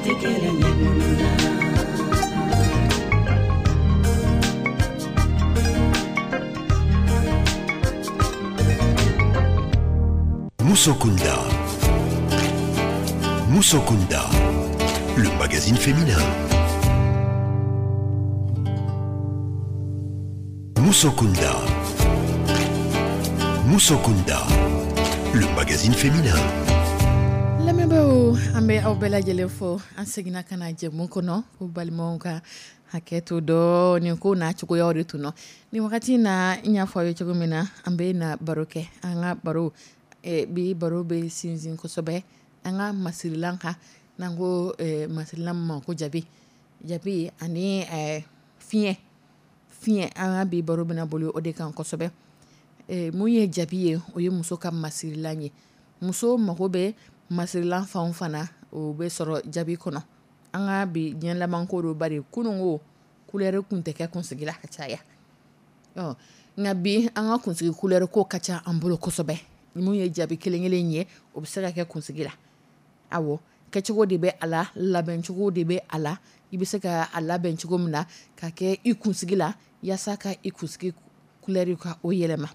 Speaker 3: Tɛ kelen ye minnu na.
Speaker 1: Musokunda. Musokunda, le magazine féminin. Musokunda. Musokunda, le magazine féminin.
Speaker 2: Lamɛnbaaw, an bɛ aw bɛɛ lajɛlen fo. An seginna ka na jɛmu kɔnɔ ko balimaw ka hakɛ to dɔɔnin, ko n'a cogoyaw de tun nɔ nin wagati in na. N y'a fɔ aw ye cogo min na, an bɛ na baro kɛ. An ka baro bi, baro bɛ sinsin kosɛbɛ an ka masirilan kan, n'an ko masirilan ma ko jabi, jabi ani fiɲɛ fiɲɛ. An ka bi baro bɛna boli o de kan kosɛbɛ. Mun ye jabi ye? O ye muso ka masirilan ye. Muso mago bɛ masirilan fan o fan na, o bɛ sɔrɔ jabi kɔnɔ. An ka bi diɲɛ laban ko don, bari kununko couleur tun tɛ kɛ kunsigi la ka caya. Ɔ nka bi, an ka kunsigi couleur ko ka ca an bolo kosɛbɛ. Mun ye jabi kelen kelen ye, o bɛ se ka kɛ kunsigi la. Awɔ, kɛcogo de bɛ a la, labɛncogo de bɛ a la. I bɛ se ka a labɛn cogo min na ka kɛ i kunsigi la, yaasa ka i kunsigi couleur ka o yɛlɛma.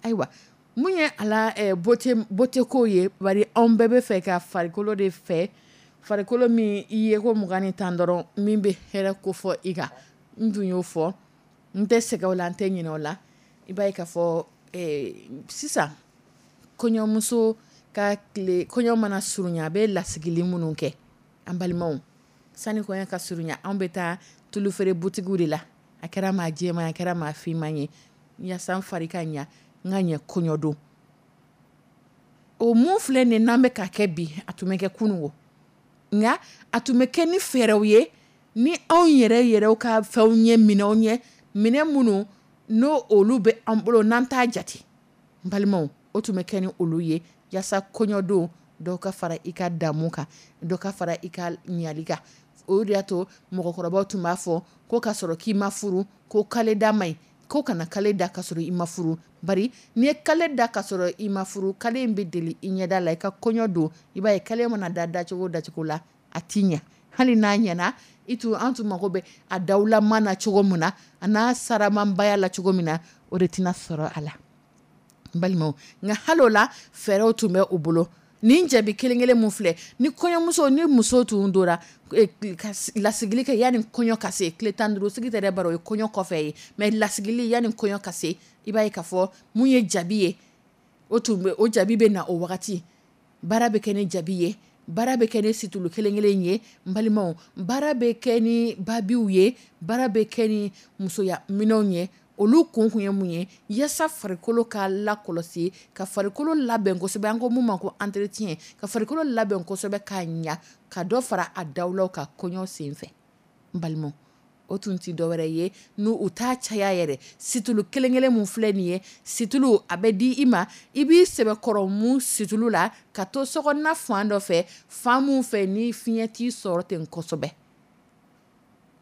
Speaker 2: Ayiwa, mun ye a la beauté, beauté ko ye? Bari anw bɛɛ bɛ fɛ ka farikolo de fɛ, farikolo min i ye ko 20 ni 10 dɔrɔn, min bɛ hɛrɛ ko fɔ i kan. N tun y'o fɔ, n tɛ sɛgɛn o la, n tɛ ɲinɛ o la. I b'a ye k'a fɔ sisan kɔɲɔmuso ka tile, kɔɲɔ mana surunya, a bɛ lasigili minnu kɛ. An balimaw, sani kɔɲɔ ka surunya, anw bɛ taa tulufeere butigiw de la, a kɛra maa jɛman, a kɛra maa finman ye, yaasa n fari ka ɲa, n ka ɲɛ kɔɲɔ don. O mun filɛ nin n'an bɛ ka kɛ bi, a tun bɛ kɛ kunun o, nka a tun bɛ kɛ ni fɛɛrɛw ye, ni anw yɛrɛ yɛrɛw ka fɛnw ye, minɛnw ye, minɛn minnu n'o olu bɛ an bolo n'an t'a jate. N balimaw, o tun bɛ kɛ ni olu ye, yaasa kɔɲɔdon dɔw ka fara i ka damu kan, dɔ ka fara i ka ɲali kan. O de y'a to mɔgɔkɔrɔbaw tun b'a fɔ ko ka sɔrɔ k'i ma furu, ko kale da man ɲi, ko kana kale da ka sɔrɔ i ma furu. Bari n'i ye kale da ka sɔrɔ i ma furu, kale in bɛ deli i ɲɛda la. I ka kɔɲɔ don, i b'a ye kale mana da dacogo dacogo la, a ti ɲɛ. Hali n'a ɲɛna, i tun an tun mago bɛ a dawulama na cogo min na, a n'a saramanbaya la cogo min na, o de tɛna sɔrɔ a la, n balimaw. Nka hali o la, fɛɛrɛw tun bɛ u bolo. Nin jabi kelen kelen mun filɛ ni kɔɲɔmuso ni muso tun dora ka lasigili kɛ yanni kɔɲɔ ka se, tile 15 sigi tɛ dɛ, bari o ye kɔɲɔ kɔfɛ ye, mais lasigili yanni kɔɲɔ ka se, i b'a ye k'a fɔ mun ye jabi ye, o tun bɛ o jabi bɛ na o wagati. Baara bɛ kɛ ni jabi ye, baara bɛ kɛ ni situlu kelen kelen ye, n balimaw, baara bɛ kɛ ni babiw ye, baara bɛ kɛ ni musoya minɛnw ye. Olu kun kun ye mun ye? Yaasa farikolo ka lakɔlɔsi, ka farikolo labɛn kosɛbɛ, an ko mun ma ko entretien, ka farikolo labɛn kosɛbɛ k'a ɲa, ka dɔ fara a dawulaw ka kɔɲɔ senfɛ. N balimaw, o tun ti dɔwɛrɛ ye n'u u t'a caya yɛrɛ. Situlu kelen kelen mun filɛ nin ye, situlu a bɛ di i ma, i b'i sɛbɛkɔrɔ mun situlu la, ka to sokɔnɔna fan dɔ fɛ, fan mun fɛ ni fiɲɛ t'i sɔrɔ ten kosɛbɛ.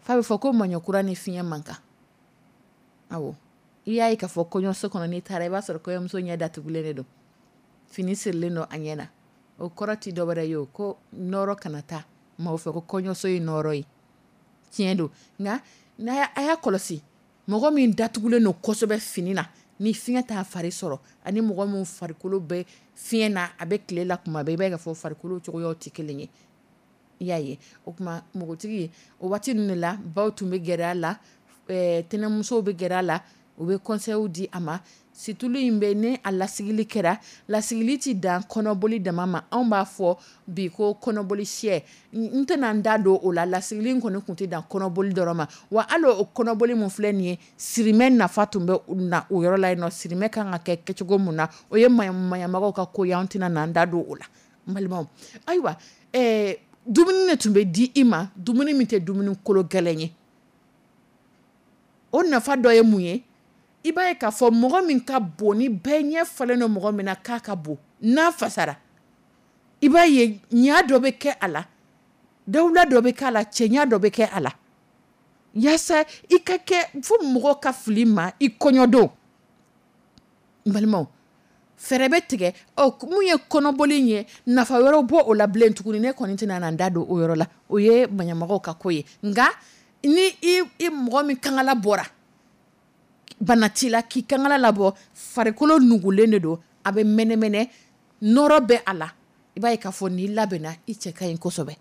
Speaker 2: F'a bɛ fɔ ko maɲɔkura ni fiɲɛ man kan. Awɔ, i y'a ye k'a fɔ kɔɲɔso kɔnɔ, n'i taara, i b'a sɔrɔ kɔɲɔmuso ɲɛ datugulen de don, fini sirilen don a ɲɛ na. O kɔrɔ ti dɔwɛrɛ ye o, ko nɔrɔ kana taa maaw fɛ ko kɔɲɔso ye nɔrɔ ye. Tiɲɛ don, nka n'a a y'a kɔlɔsi, mɔgɔ min datugulen don kosɛbɛ fini na, ni fiɲɛ t'a fari sɔrɔ, ani mɔgɔ min farikolo bɛ fiɲɛ na, a bɛ tile la kuma bɛɛ, i b'a ye k'a fɔ farikolo cogoyaw tɛ kelen ye. I y'a ye, o tuma npogotigi o waati ninnu de la, baw tun bɛ gɛrɛ a la, tɛnɛmusow bɛ gɛrɛ a la, u bɛ conseils di a ma. Situlu in bɛ ni a lasigili kɛra, lasigili ti dan kɔnɔboli dama ma. Anw b'a fɔ bi ko kɔnɔboli sɛ, n tɛna n da don o la. Lasigili in kɔni tun tɛ dan kɔnɔboli dɔrɔn ma wa. Hali o kɔnɔboli mun filɛ nin ye, sirimɛ nafa tun bɛ na o yɔrɔ la yen nɔ. Sirimɛ kan ka kɛ kɛcogo mun na, o ye maɲamagaw ka ko ye, an tɛna n'an da don o la, n balimaw. Ayiwa, dumuni de tun bɛ di i ma, dumuni min tɛ dumuni kolo gɛlɛn ye. O nafa dɔ ye mun ye? I b'a ye k'a fɔ mɔgɔ min ka bon, ni bɛɛ ɲɛ falen don mɔgɔ min na k'a ka bon, n'a fasara, i b'a ye ɲa dɔ bɛ kɛ a la, dawula dɔ bɛ kɛ a la, cɛɲa dɔ bɛ kɛ a la, yaasa i ka kɛ fo mɔgɔ ka fili ma i kɔɲɔdon. N balimaw, Fɛɛrɛ bɛ tigɛ. Ɔ, mun ye kɔnɔboli ye, nafa wɛrɛw bɔ o la bilen tuguni, ne kɔni tɛna na n da don o yɔrɔ la, o ye maɲamɔgɔw ka ko ye. Nka ni i mɔgɔ min kankala bɔra, bana t'i la, k'i kankala labɔ, farikolo nugulen de don, a bɛ mɛnɛmɛnɛ, nɔrɔ bɛ a la, i b'a ye k'a fɔ n'i labɛnna, i cɛ ka ɲi kosɛbɛ.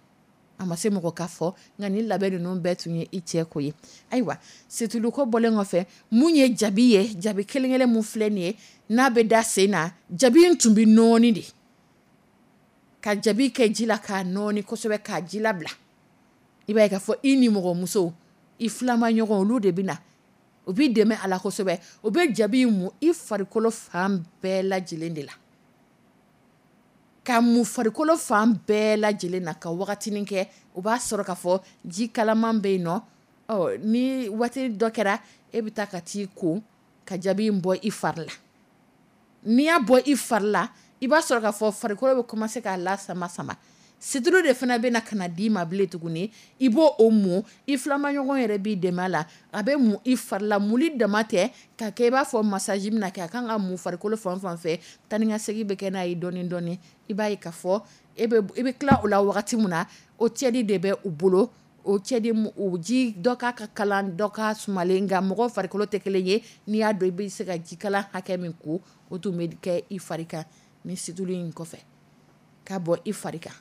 Speaker 2: A ma se mɔgɔ ka fɔ, nka ni labɛn ninnu bɛɛ tun ye i cɛ ko ye. Ayiwa, situlu ko bɔlen kɔfɛ, mun ye jabi ye, jabi kelen kelen mun filɛ nin ye, n'a bɛ da sen na, jabi in tun bɛ nɔɔni de, ka jabi kɛ ji la k'a nɔɔni kosɛbɛ, k'a ji labila. I b'a ye k'a fɔ i ni mɔgɔmuso, i filama ɲɔgɔn, olu de bɛ na, u b'i dɛmɛ a la kosɛbɛ. U bɛ jabi mun i farikolo fan bɛɛ lajɛlen de la, ka mun farikolo fan bɛɛ lajɛlen na ka wagatinin kɛ. O b'a sɔrɔ k'a fɔ ji kalaman bɛ yen nɔ. Ɔ, ni waati dɔ kɛra, e bɛ taa ka t'i ko ka jabi in bɔ i fari la. N'i y'a bɔ i fari la, i b'a sɔrɔ k'a fɔ farikolo bɛ commencer k'a la sama sama. Situlu de fana bɛ na ka na d'i ma bilen tuguni, i b'o o mun. I filamaɲɔgɔn yɛrɛ b'i dɛmɛ a la, a bɛ mun i fari la. Muli dama tɛ ka kɛ i b'a fɔ massage bɛna kɛ, a kan ka mun farikolo fan fan fɛ. Taa ni ka segin bɛ kɛ n'a ye dɔɔni dɔɔni. I b'a ye k'a fɔ e bɛ i bɛ tila o la wagati min na, o tiède de bɛ u bolo. O tiède, o ji dɔ k'a ka kalan, dɔ k'a sumalen, nka mɔgɔ farikolo tɛ kelen ye. N'i y'a dɔn i bɛ se ka ji kalan hakɛ min ko, o tun bɛ kɛ i fari kan ni situlu in kɔfɛ ka bɔ i fari kan,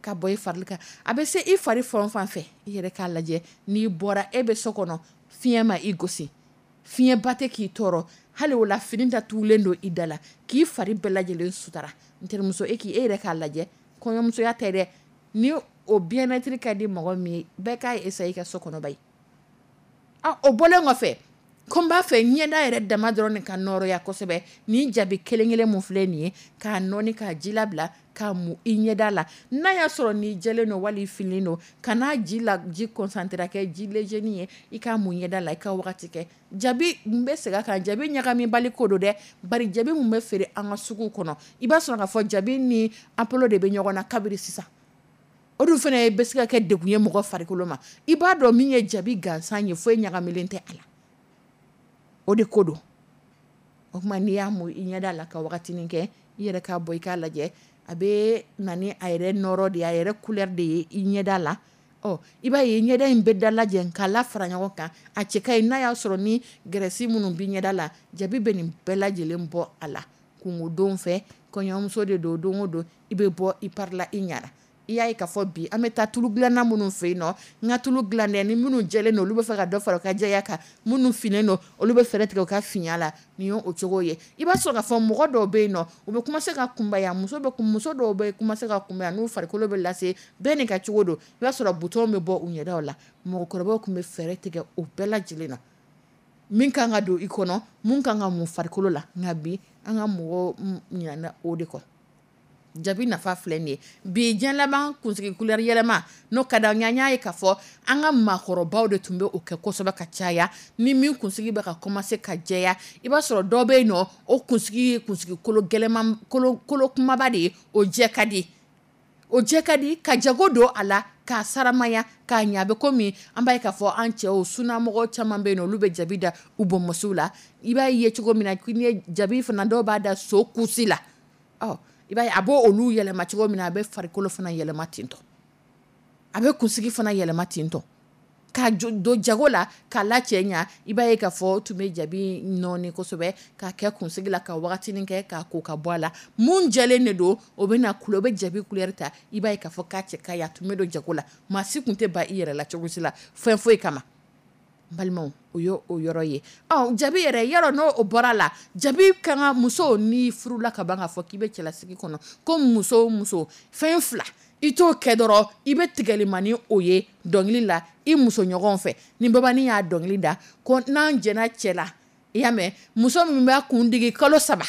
Speaker 2: ka bɔ i fari kan. A bɛ se i fari fan fan fɛ. I yɛrɛ k'a lajɛ, n'i bɔra, e bɛ so kɔnɔ, fiɲɛ ma i gosi, fiɲɛba tɛ k'i tɔɔrɔ, hali o la fini datugulen don i da la, k'i fari bɛɛ lajɛlen sutara. N terimuso, e k'i e yɛrɛ k'a lajɛ, kɔɲɔmusoya tɛ dɛ, ni o bien-être ka di mɔgɔ min ye, bɛɛ k'a essayer i ka so kɔnɔ ba ye. O bɔlen kɔfɛ, ko n b'a fɛ ɲɛda yɛrɛ dama dɔrɔn ka nɔrɔya kosɛbɛ, nin jabi kelen kelen mun filɛ nin ye, k'a nɔɔni, k'a ji labila, k'a mu i ɲɛda la, n'a y'a sɔrɔ n'i jɛlen don wali i finen don, ka n'a ji la, ji concentré kɛ ji léger ye, i k'a mu ɲɛda la, i ka wagati kɛ. Jabi n bɛ segin a kan, jabi ɲagamibali ko don dɛ, bari jabi mun bɛ feere an ka sugu kɔnɔ, i b'a sɔrɔ k'a fɔ jabi ni apolo de bɛ ɲɔgɔn na kabiri sisan. O dun fana bɛ se ka kɛ degun ye mɔgɔ farikolo ma. I b'a dɔn min ye jabi gansan ye, foyi ɲagamilen tɛ a la, o de ko don. O tuma, n'i y'a mun i ɲɛda la ka wagatinin kɛ, i yɛrɛ k'a bɔ, i k'a lajɛ, a bɛ na ni a yɛrɛ nɔrɔ de ye, a yɛrɛ couleur de ye i ɲɛda la. Ɔ, i b'a ye ɲɛda in bɛ da lajɛ k'a la fara ɲɔgɔn kan, a cɛ ka ɲi. N'a y'a sɔrɔ ni graisse minnu b'i ɲɛda la, jabi bɛ nin bɛɛ lajɛlen bɔ a la. Kungo don fɛ, kɔɲɔmuso de don, don o don i bɛ bɔ, i parila, i ɲara. I y'a ye k'a fɔ bi an bɛ taa tulu dilanna minnu fɛ yen nɔ, n ka tulu dilan dɛ, ni minnu jɛlen don, olu bɛ fɛ ka dɔ fara u ka jɛya kan, minnu finnen don, olu bɛ fɛɛrɛ tigɛ u ka finya la. Nin ye o cogo ye. I b'a sɔrɔ k'a fɔ mɔgɔ dɔw bɛ yen nɔ, u bɛ commencer ka kunbaya, muso dɔw bɛ commencer ka kunbaya n'u farikolo bɛ lase, bɛɛ n'i ka cogo don. I b'a sɔrɔ bouton bɛ bɔ u ɲɛdaw la. Mɔgɔkɔrɔbaw tun bɛ fɛɛrɛ tigɛ o bɛɛ lajɛlen na, min kan ka don i kɔnɔ, mun kan ka mun farikolo la. Nka bi, an ka mɔgɔw ɲinɛna o de kɔ. Jabi nafa filɛ nin ye. Bi diɲɛ laban, kunsigi couleur yɛlɛma n'o ka d'an ye, an y'a ye k'a fɔ an ka maakɔrɔbaw de tun bɛ o kɛ kosɛbɛ ka caya. Ni min kunsigi bɛ ka commencer ka jɛya, i b'a sɔrɔ dɔ bɛ yen nɔ, o kunsigi ye kunsigi kolo gɛlɛman, kolo kolo kumaba de ye, o jɛ ka di, o jɛ ka di ka jago don a la, k'a saramaya, k'a ɲɛ. A bɛ komi an b'a ye k'a fɔ an cɛw sunamɔgɔ caman bɛ yen nɔ, olu bɛ jabi da u bɔnmɔsiw la. I b'a ye cogo min na, k'i ye jabi fana, dɔw b'a da so kusi la. Ɔ, i b'a ye a b'o olu yɛlɛma cogo min na, a bɛ farikolo fana yɛlɛma ten tɔ, a bɛ kunsigi fana yɛlɛma ten tɔ, k'a don jago la, k'a la cɛ ɲa. I b'a ye k'a fɔ tun bɛ jabi nɔɔni kosɛbɛ k'a kɛ kunsigi la ka wagatinin kɛ, k'a ko ka bɔ a la. Mun jɛlen de don, o bɛ na o bɛ jabi couleur ta. I b'a ye k'a fɔ k'a cɛ ka ɲi. A tun bɛ don jago la, maa si tun tɛ ban i yɛrɛ la cogo si la, fɛn foyi kama. N balimaw, o ye o yɔrɔ ye. Ɔ, jabi yɛrɛ yɔrɔ, n'o o bɔra la, jabi kan ka muso n'i furula ka ban, k'a fɔ k'i bɛ cɛlasigi kɔnɔ, ko muso o muso, fɛn fila i t'o kɛ dɔrɔn, i bɛ tigɛlima ni o ye dɔnkili la i muso ɲɔgɔn fɛ. Ni babanin y'a dɔnkili da ko n'an jɛnna cɛ la, i y'a mɛn, muso min b'a kun digi kalo 3,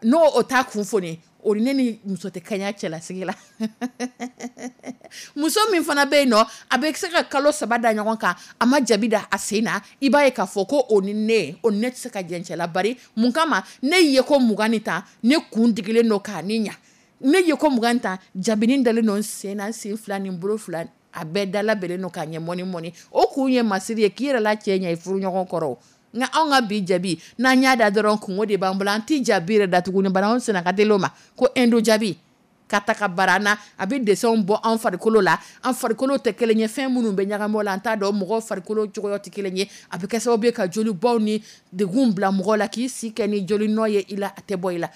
Speaker 2: n'o o t'a kun foni, o ni ne ni muso tɛ kaɲa cɛlasigi la. Muso min fana bɛ yen nɔ, a bɛ se ka kalo 3 da ɲɔgɔn kan, a ma jabi da a sen na, i b'a ye k'a fɔ ko o ni ne, o ni ne tɛ se ka jɛn cɛ la. Bari mun kama? Ne ye ko 20 ni tan, ne kun digilen don k'a ni ɲa, ne ye ko 20 tan, jabinin dalen don n sen na, n sen fila ni n bolo fila, a bɛɛ dala bɛnnen don k'a ɲɛ mɔni mɔni. O kun ye masiri ye k'i yɛrɛ la cɛ ɲɛ i furuɲɔgɔn kɔrɔ. Nka anw ka bi jabi, n'an y'a da dɔrɔn, kungo de b'an bolo. An tɛ jabi yɛrɛ da tuguni, bari anw senna ka teli o ma ko indo jabi ka ta ka bara an na. A bɛ dessinw bɔ an farikolo la. An farikolo tɛ kelen ye. Fɛn minnu bɛ ɲagami o la, an t'a dɔn. Mɔgɔw farikolo cogoya tɛ kelen ye. A bɛ kɛ sababu ye ka jolibaw ni degun bila mɔgɔ la, k'i si kɛ ni joli nɔ ye i la, a tɛ bɔ i la.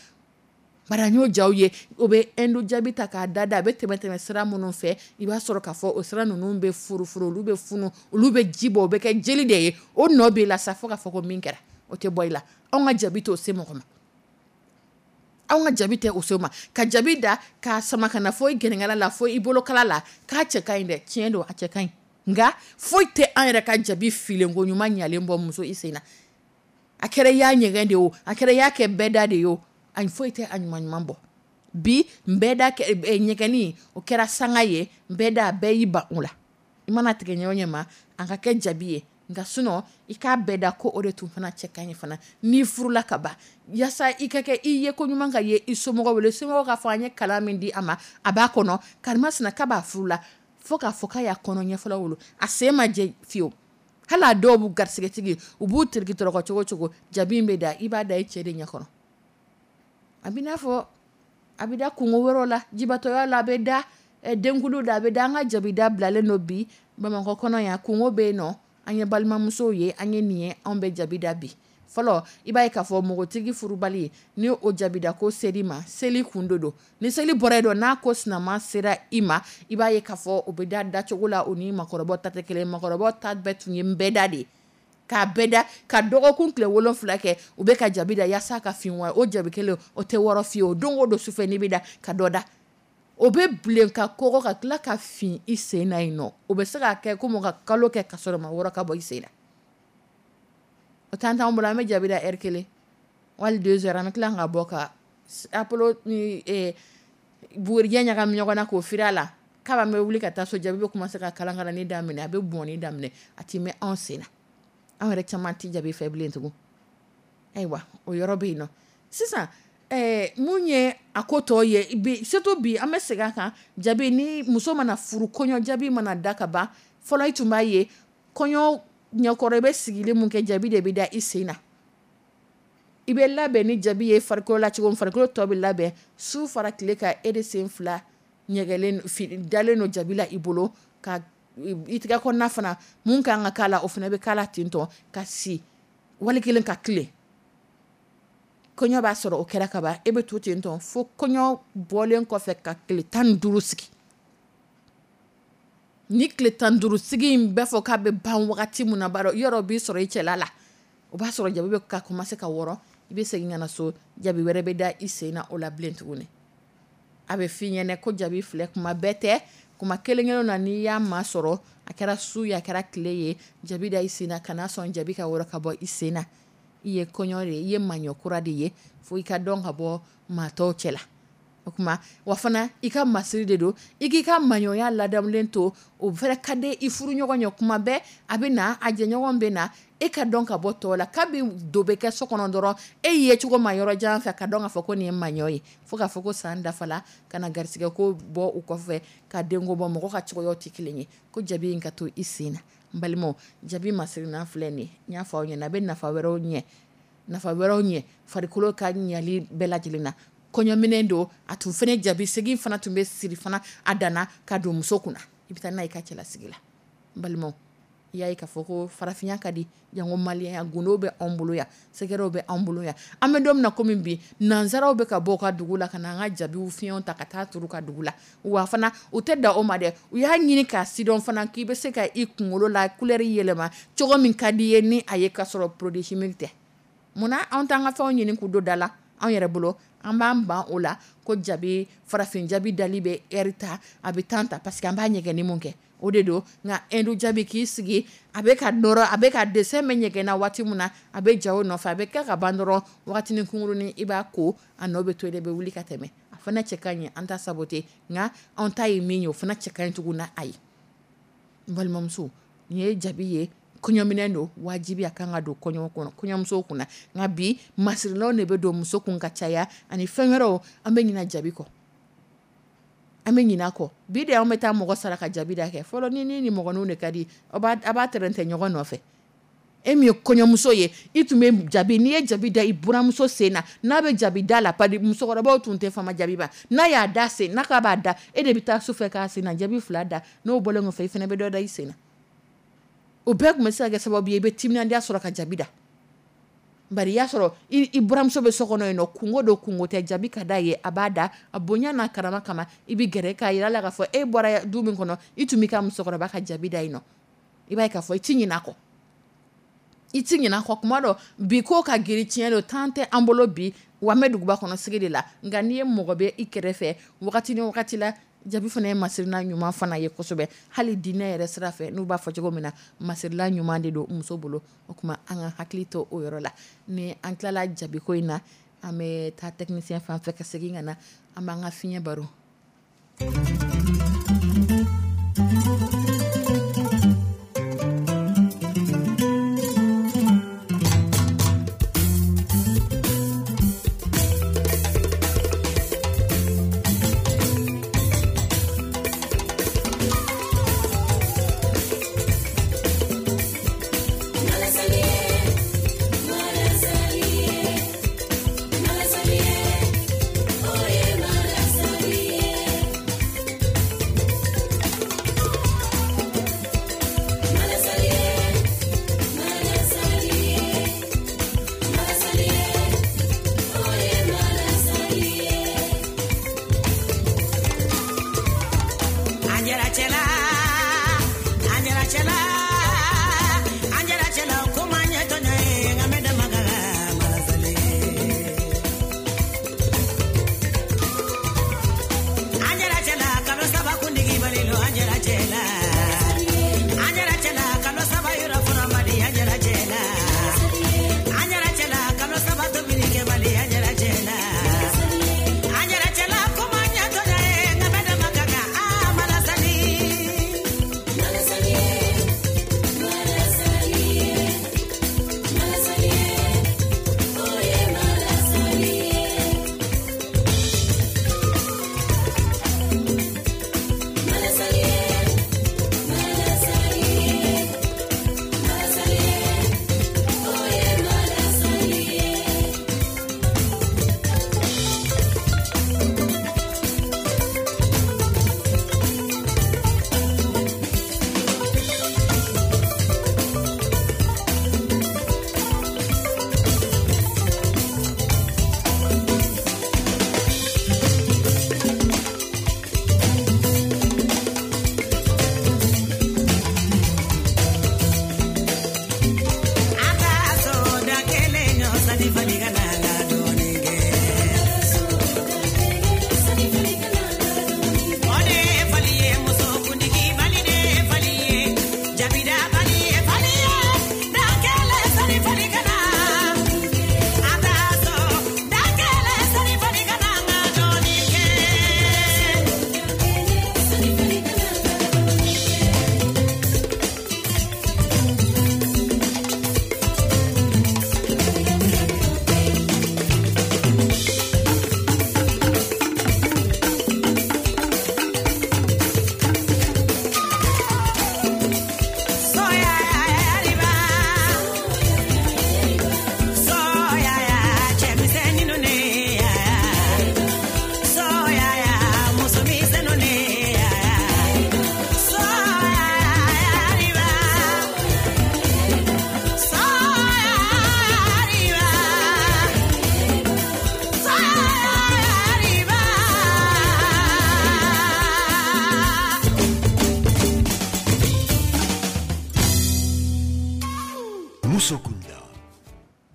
Speaker 2: Bari an y'o jaw ye, o bɛ indo jabi ta k'a da da, a bɛ tɛmɛ tɛmɛ sira minnu fɛ, i b'a sɔrɔ k'a fɔ o sira ninnu bɛ furufuru, olu bɛ funu, olu bɛ ji bɔ, o bɛ kɛ jeli de ye. O nɔ b'i la sa fo k'a fɔ ko min kɛra, o tɛ bɔ i la. Anw ka jabi t'o se mɔgɔ ma. Anw ka jabi tɛ o se ma. Ka jabi da k'a sama ka na fo i gɛnɛkala la, fo i bolokala la, k'a cɛ ka ɲi dɛ. Tiɲɛ don, a cɛ ka ɲi, nka foyi tɛ an yɛrɛ ka jabi filenko ɲuman ɲalen bɔ muso i sen na. A kɛra i y'a ɲɛgɛn de o, a kɛra i y'a kɛ bɛɛda de ye o, ayi, foyi tɛ a ɲuman ɲuman bɔ. Bi bɛɛda ɲɛgɛnni, o kɛra sanga ye. Bɛɛda, bɛɛ y'i ban o la. I mana tigɛ ɲɛ o ɲɛ ma, a ka kɛ jabi ye. Nka sinon i k'a bɛɛ da ko o de tun fana cɛ ka ɲi fana. N'i furula ka ban, yaasa i ka kɛ i ye ko ɲuman ka ye i somɔgɔw wele, somɔgɔw k'a fɔ an ye kalan min di a ma, a b'a kɔnɔ karimasina k'a b'a furu la, fo k'a fɔ k'a y'a kɔnɔ ɲɛfɔlɔ wolo, a sen ma jɛ fiyewu. Hali a dɔw b'u garisigɛtigi, u b'u teriki tɔrɔkɔ cogo cogo, jabi in bɛ da, i b'a da i cɛ de ɲɛkɔrɔ. A bɛ n'a fɔ a bɛ da kungo wɛrɛw la, jibatɔya la, a bɛ da denkulu da, a bɛ da. An ka jabi da bilalen don bi Bamakɔ kɔnɔ yan. Kungo bɛ yen nɔ. An ye balimamusow ye, an ye nin ye, anw bɛ jabi da bi. Fɔlɔ, i b'a ye k'a fɔ npogotigi furubali ni o jabida ko seri ma, seli kun de don. Ni seli bɔra yen dɔn, n'a ko sinama sera i ma, i b'a ye k'a fɔ o bɛ da dacogo la, o ni makɔrɔbaw ta tɛ kelen. Makɔrɔbaw ta bɛɛ tun ye nbɛda de ye, k'a bɛɛ da ka dɔgɔkun tile 7 kɛ, u bɛ ka jabi da yaasa ka fin wa. O jabi kelen o tɛ wɔrɔ fiyewu. O don o don sufɛ, n'i bɛ da ka dɔ da, o bɛ bilen ka kɔgɔ ka tila ka fin i sen na yen nɔ. O bɛ se ka kɛ komi ka kalo kɛ ka sɔrɔ ma wɔrɔ ka bɔ i sen na. O t'an t'anw bolo. An bɛ jabi da heure kelen wali 2 heures, an bɛ tila ka bɔ ka apolo ni bugurijɛ ɲagami ɲɔgɔn na k'o firi a la. K'a bɛ wuli ka taa so, jabi bɛ commencer ka kalankalanni daminɛ, a bɛ bɔnni daminɛ, a ti mɛn anw sen na. Anw yɛrɛ caman tɛ jabi fɛ bilen tugun. Ayiwa, o yɔrɔ bɛ yen nɔ. Sisan mun ye a ko tɔ ye bi? Surtout bi, an bɛ segin a kan. Jabi ni muso mana furu, kɔɲɔ jabi mana da ka ban, fɔlɔ i tun b'a ye kɔɲɔ ɲɛkɔrɔ, i bɛ sigili mun kɛ, jabi de bɛ da i sen na. I bɛ labɛn ni jabi ye farikolo la cogo min, farikolo tɔ bɛ labɛn su fara tile kan, e de sen fila ɲɛgɛnlen dalen don jabi la i bolo, ka i tigɛ kɔnɔna fana, mun kan ka k'a la, o fana bɛ k'a la ten tɔ, ka si wali kelen ka tile. Kɔɲɔ b'a sɔrɔ o kɛra ka ban, e bɛ to ten tɔ fo kɔɲɔ bɔlen kɔfɛ ka tile 15 sigi. Ni tile 15 sigi in bɛɛ fɔ k'a bɛ ban wagati min na, b'a yɔrɔ b'i sɔrɔ i cɛla la, o b'a sɔrɔ jabi bɛ ka commencer ka wɔrɔ. I bɛ segin ka na so, jabi wɛrɛ bɛ da i sen na o la bilen tuguni. A bɛ f'i ɲɛna ko jabi filɛ, kuma bɛɛ tɛ, kuma kelen kelen na, n'i y'a masɔrɔ, a kɛra su ye, a kɛra tile ye, jabi da i sen na, kana sɔn jabi ka wɔrɔ ka bɔ i sen na. I ye kɔɲɔ de ye, i ye maɲɔ kura de ye, fo i ka dɔn ka bɔ maa tɔw cɛ la. O tuma wa fana, i ka masiri de don, i k'i ka maɲɔya ladamulen to. O fana ka di i furuɲɔgɔn ye. Kuma bɛɛ a bɛ na, a jɛɲɔgɔn bɛ na, e ka dɔn ka bɔ tɔw la. Kabi do bɛ kɛ so kɔnɔ dɔrɔn, e ye cogo ma yɔrɔ jan fɛ ka dɔn k'a fɔ ko nin ye maɲɔ ye, fo k'a fɔ ko san dafala ka na garisigɛ ko bɔ u kɔfɛ ka denko bɔ. Mɔgɔ ka cogoyaw tɛ kelen ye. Ko jabi in ka to i sen na. N balimaw, jabi masirinan filɛ nin ye. N y'a fɔ aw ɲɛna, a bɛ nafa wɛrɛw ɲɛ, nafa wɛrɛw ɲɛ farikolo ka ɲali bɛɛ lajɛlen na. Kɔɲɔminɛ don, a tun fana jabi segin fana tun bɛ siri fana a danna ka don muso kunna, i bɛ taa n'a ye i ka cɛlasigi la. N balimaw, i y'a ye k'a fɔ ko farafinya ka di, janko maliyɛnya. Gundo bɛ anw bolo yan, sɛgɛrɛw bɛ anw bolo yan. An bɛ don min na komi bi, nanzaraw bɛ ka bɔ u ka dugu la ka na an ka jabiw fiɲɛw ta ka taa turu ka dugu la. Wa fana u tɛ da o ma dɛ, u y'a ɲini k'a sidɔn fana k'i bɛ se ka i kunkolo la couleur yɛlɛma cogo min ka di i ye ni a ye, ka sɔrɔ produit chimique tɛ. Munna anw t'an ka fɛnw ɲini k'u don da la anw yɛrɛ bolo? An b'an ban o la ko jabi, farafin jabi dali bɛ heure ta, a bɛ temps ta, parce que an b'a ɲɛgɛnni mun kɛ, o de don. Nka Inde jabi, k'i sigi, a bɛ ka nɔrɔ, a bɛ ka dessin bɛ ɲɛgɛn na waati min na, a bɛ ja o nɔfɛ, a bɛ kɛ ka ban dɔrɔn, wagatinin kunkurunin i b'a ko, a nɔ bɛ to yen, i bɛ wuli ka tɛmɛ. A fana cɛ ka ɲi, an ta saboter, nka anw ta ye min ye, o fana cɛ ka ɲi tugun na. A ye n balimamuso, nin ye jabi ye, kɔɲɔminɛ don, wajibi a kan ka don kɔɲɔ kɔnɔ, kɔɲɔmuso kunna. Nka bi masirilanw de bɛ don muso kun ka caya ani fɛn wɛrɛw. An bɛ ɲina jabi kɔ, an bɛ ɲinɛ a kɔ. Bi de an bɛ taa mɔgɔ sara ka jabi da kɛ. Fɔlɔ ni ni mɔgɔninw de ka di, a b'a tɛrɛntɛ ɲɔgɔn nɔfɛ. E min ye kɔɲɔmuso ye, i tun bɛ jabi, n'i ye jabi da i buramuso sen na, n'a bɛ jabi da la, pari musokɔrɔbaw tun tɛ fama jabi ba, n'a y'a da sen n'a k'a b'a da, e de bɛ taa sufɛ k'a sen na jabi 2 da, n'o bɔlen kɔfɛ i fana bɛ dɔ da i sen na. O bɛɛ tun bɛ se ka kɛ sababu ye i bɛ timinandiya sɔrɔ ka jabi da. Bari i y'a sɔrɔ i buramuso bɛ so kɔnɔ yen nɔ, kunko don kunko tɛ, jabi ka d'a ye, a b'a da, a bonya n'a karama kama, i bɛ gɛrɛ k'a yira la k'a fɔ e bɔra du min kɔnɔ, i tun b'i ka musokɔrɔba ka jabi da yen nɔ. I b'a ye k'a fɔ i ti ɲinɛ a kɔ. I ti ɲinɛ a kɔ. Kuma dɔ bi ko ka girin, tiɲɛ don, temps tɛ an bolo bi, wa an bɛ duguba kɔnɔ sigi de la, nka n'i ye mɔgɔ bɛ i kɛrɛfɛ wagati ni wagati la, jabi fana ye masirina ɲuman fana ye kosɛbɛ, hali diinɛ yɛrɛ sira fɛ, n'u b'a fɔ cogo min na, masirila ɲuman de don muso bolo. O tuma an ka hakili to o yɔrɔ la. Ni an tilala jabiko in na, an bɛ taa technicien fan fɛ ka segin ka na, an b'an ka fiɲɛ baro.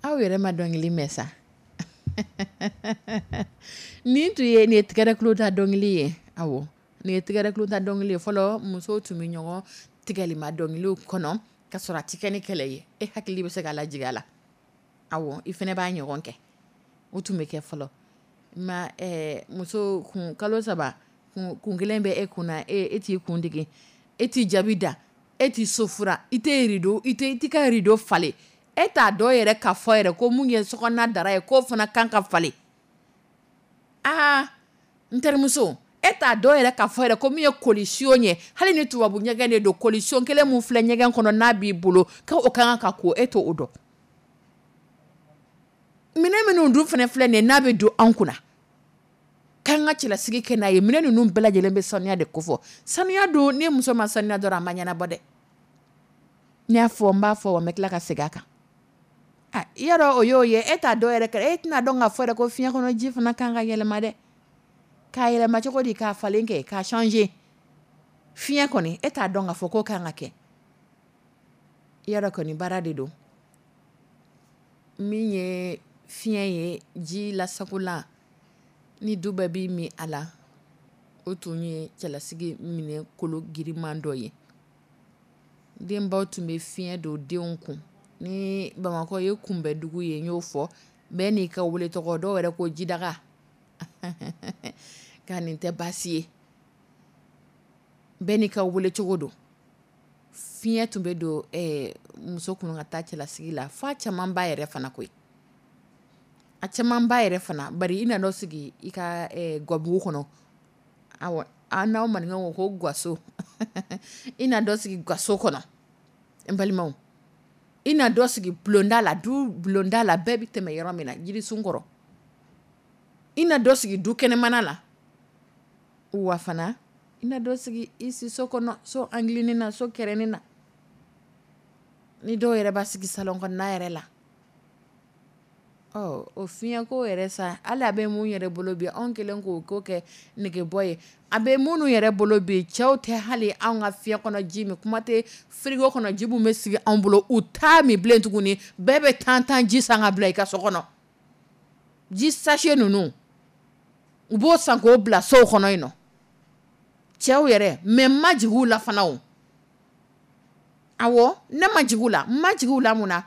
Speaker 2: Aw yɛrɛ ma dɔnkili mɛn sa. Nin tun ye nin ye tigɛrɛ kulo ta dɔnkili ye. Awɔ, nin ye tigɛrɛ kulo ta dɔnkili ye. Fɔlɔ musow tun bɛ ɲɔgɔn tigɛlima dɔnkiliw kɔnɔ ka sɔrɔ a tɛ kɛ ni kɛlɛ ye. E hakili bɛ se ka lajigin a la. Awɔ, i fana b'a ɲɔgɔn kɛ. O tun bɛ kɛ fɔlɔ. Ma muso kun kalo 3 kun kelen bɛ e kun na, e t'i kun digi, e t'i jaabi da, e t'i so fura, i tɛ rideau, i tɛ i t'i ka rideau falen. E t'a dɔn yɛrɛ k'a fɔ yɛrɛ ko mun ye sokɔnɔna dara ye k'o fana kan ka falen. Aa, n terimuso, e E t'a dɔn yɛrɛ k'a fɔ yɛrɛ ko min ye kolisiyon ye, hali ni tubabu ɲɛgɛn de don, kolisiyon kelen min filɛ ɲɛgɛn kɔnɔ n'a b'i bolo, k'o ka kan ka ko, e t'o dɔn. Minɛn minnu dun fana filɛ nin ye, n'a bɛ don an kunna k'an ka cɛlasigi kɛ n'a ye, minɛn ninnu bɛɛ lajɛlen bɛ sanuya de kofɔ. Sanuya don, ni muso ma sanuya dɔrɔn, a ma ɲɛnabɔ dɛ. N y'a fɔ, n b'a fɔ, wa n bɛ tila ka segin a kan. I y'a dɔn, o y'o ye, e t'a dɔn yɛrɛ, e tɛna dɔn k'a fɔ yɛrɛ ko fiɲɛ kɔnɔ ji fana kan ka yɛlɛma dɛ. K'a yɛlɛma cogo di? K'a falen kɛ, k'a changer. Fiɲɛ kɔni, e t'a dɔn k'a fɔ k'o kan ka kɛ. I y'a dɔn kɔni, baara de don. Min ye fiɲɛ ye, ji lasagola ni du bɛɛ b'i min a la, o tun ye cɛlasigi minɛ kolo giriman dɔ ye. Denbaw tun bɛ fiɲɛ don denw kun. Ni Bamakɔ ye kunbɛdugu ye, n y'o fɔ bɛɛ n'i ka wele tɔgɔ, dɔw yɛrɛ ko jidaga, nka nin tɛ baasi ye, bɛɛ n'i ka wele cogo don. Fiɲɛ tun bɛ don muso kun ka taa cɛlasigi la, f'a caman ba yɛrɛ fana koyi, a caman ba yɛrɛ fana. Bari i nan'o sigi i ka gabugu kɔnɔ, awɔ, an n'aw maninkaw ko ko gaso, i na dɔ sigi gaso kɔnɔ, n balimaw, i na dɔ sigi bulonda la, du bulonda la, bɛɛ bɛ tɛmɛ yɔrɔ min na, jirisun kɔrɔ, i na dɔ sigi du kɛnɛmana la, wa fana i na dɔ sigi i si so kɔnɔ, so angilinin na, so kɛrɛnin na, ni dɔw yɛrɛ b'a sigi salon kɔnɔna yɛrɛ la. Ɔ, o fiɲɛko yɛrɛ sa, hali a bɛ mun yɛrɛ bolo bi, anw kɛlen k'o ko kɛ negebɔ ye, a bɛ minnu yɛrɛ bolo bi, cɛw tɛ hali anw ka fiɲɛ kɔnɔ ji min, kuma tɛ frigo kɔnɔ ji min bɛ sigi anw bolo, u t'a min bilen tuguni. Bɛɛ bɛ tan ji san ka bila i ka so kɔnɔ, ji sachet ninnu, u b'o san k'o bila sow kɔnɔ yen nɔ, cɛw yɛrɛ. Mais n ma jigin u la fana o, awɔ, ne ma jigin u la. N ma jigin u la mun na?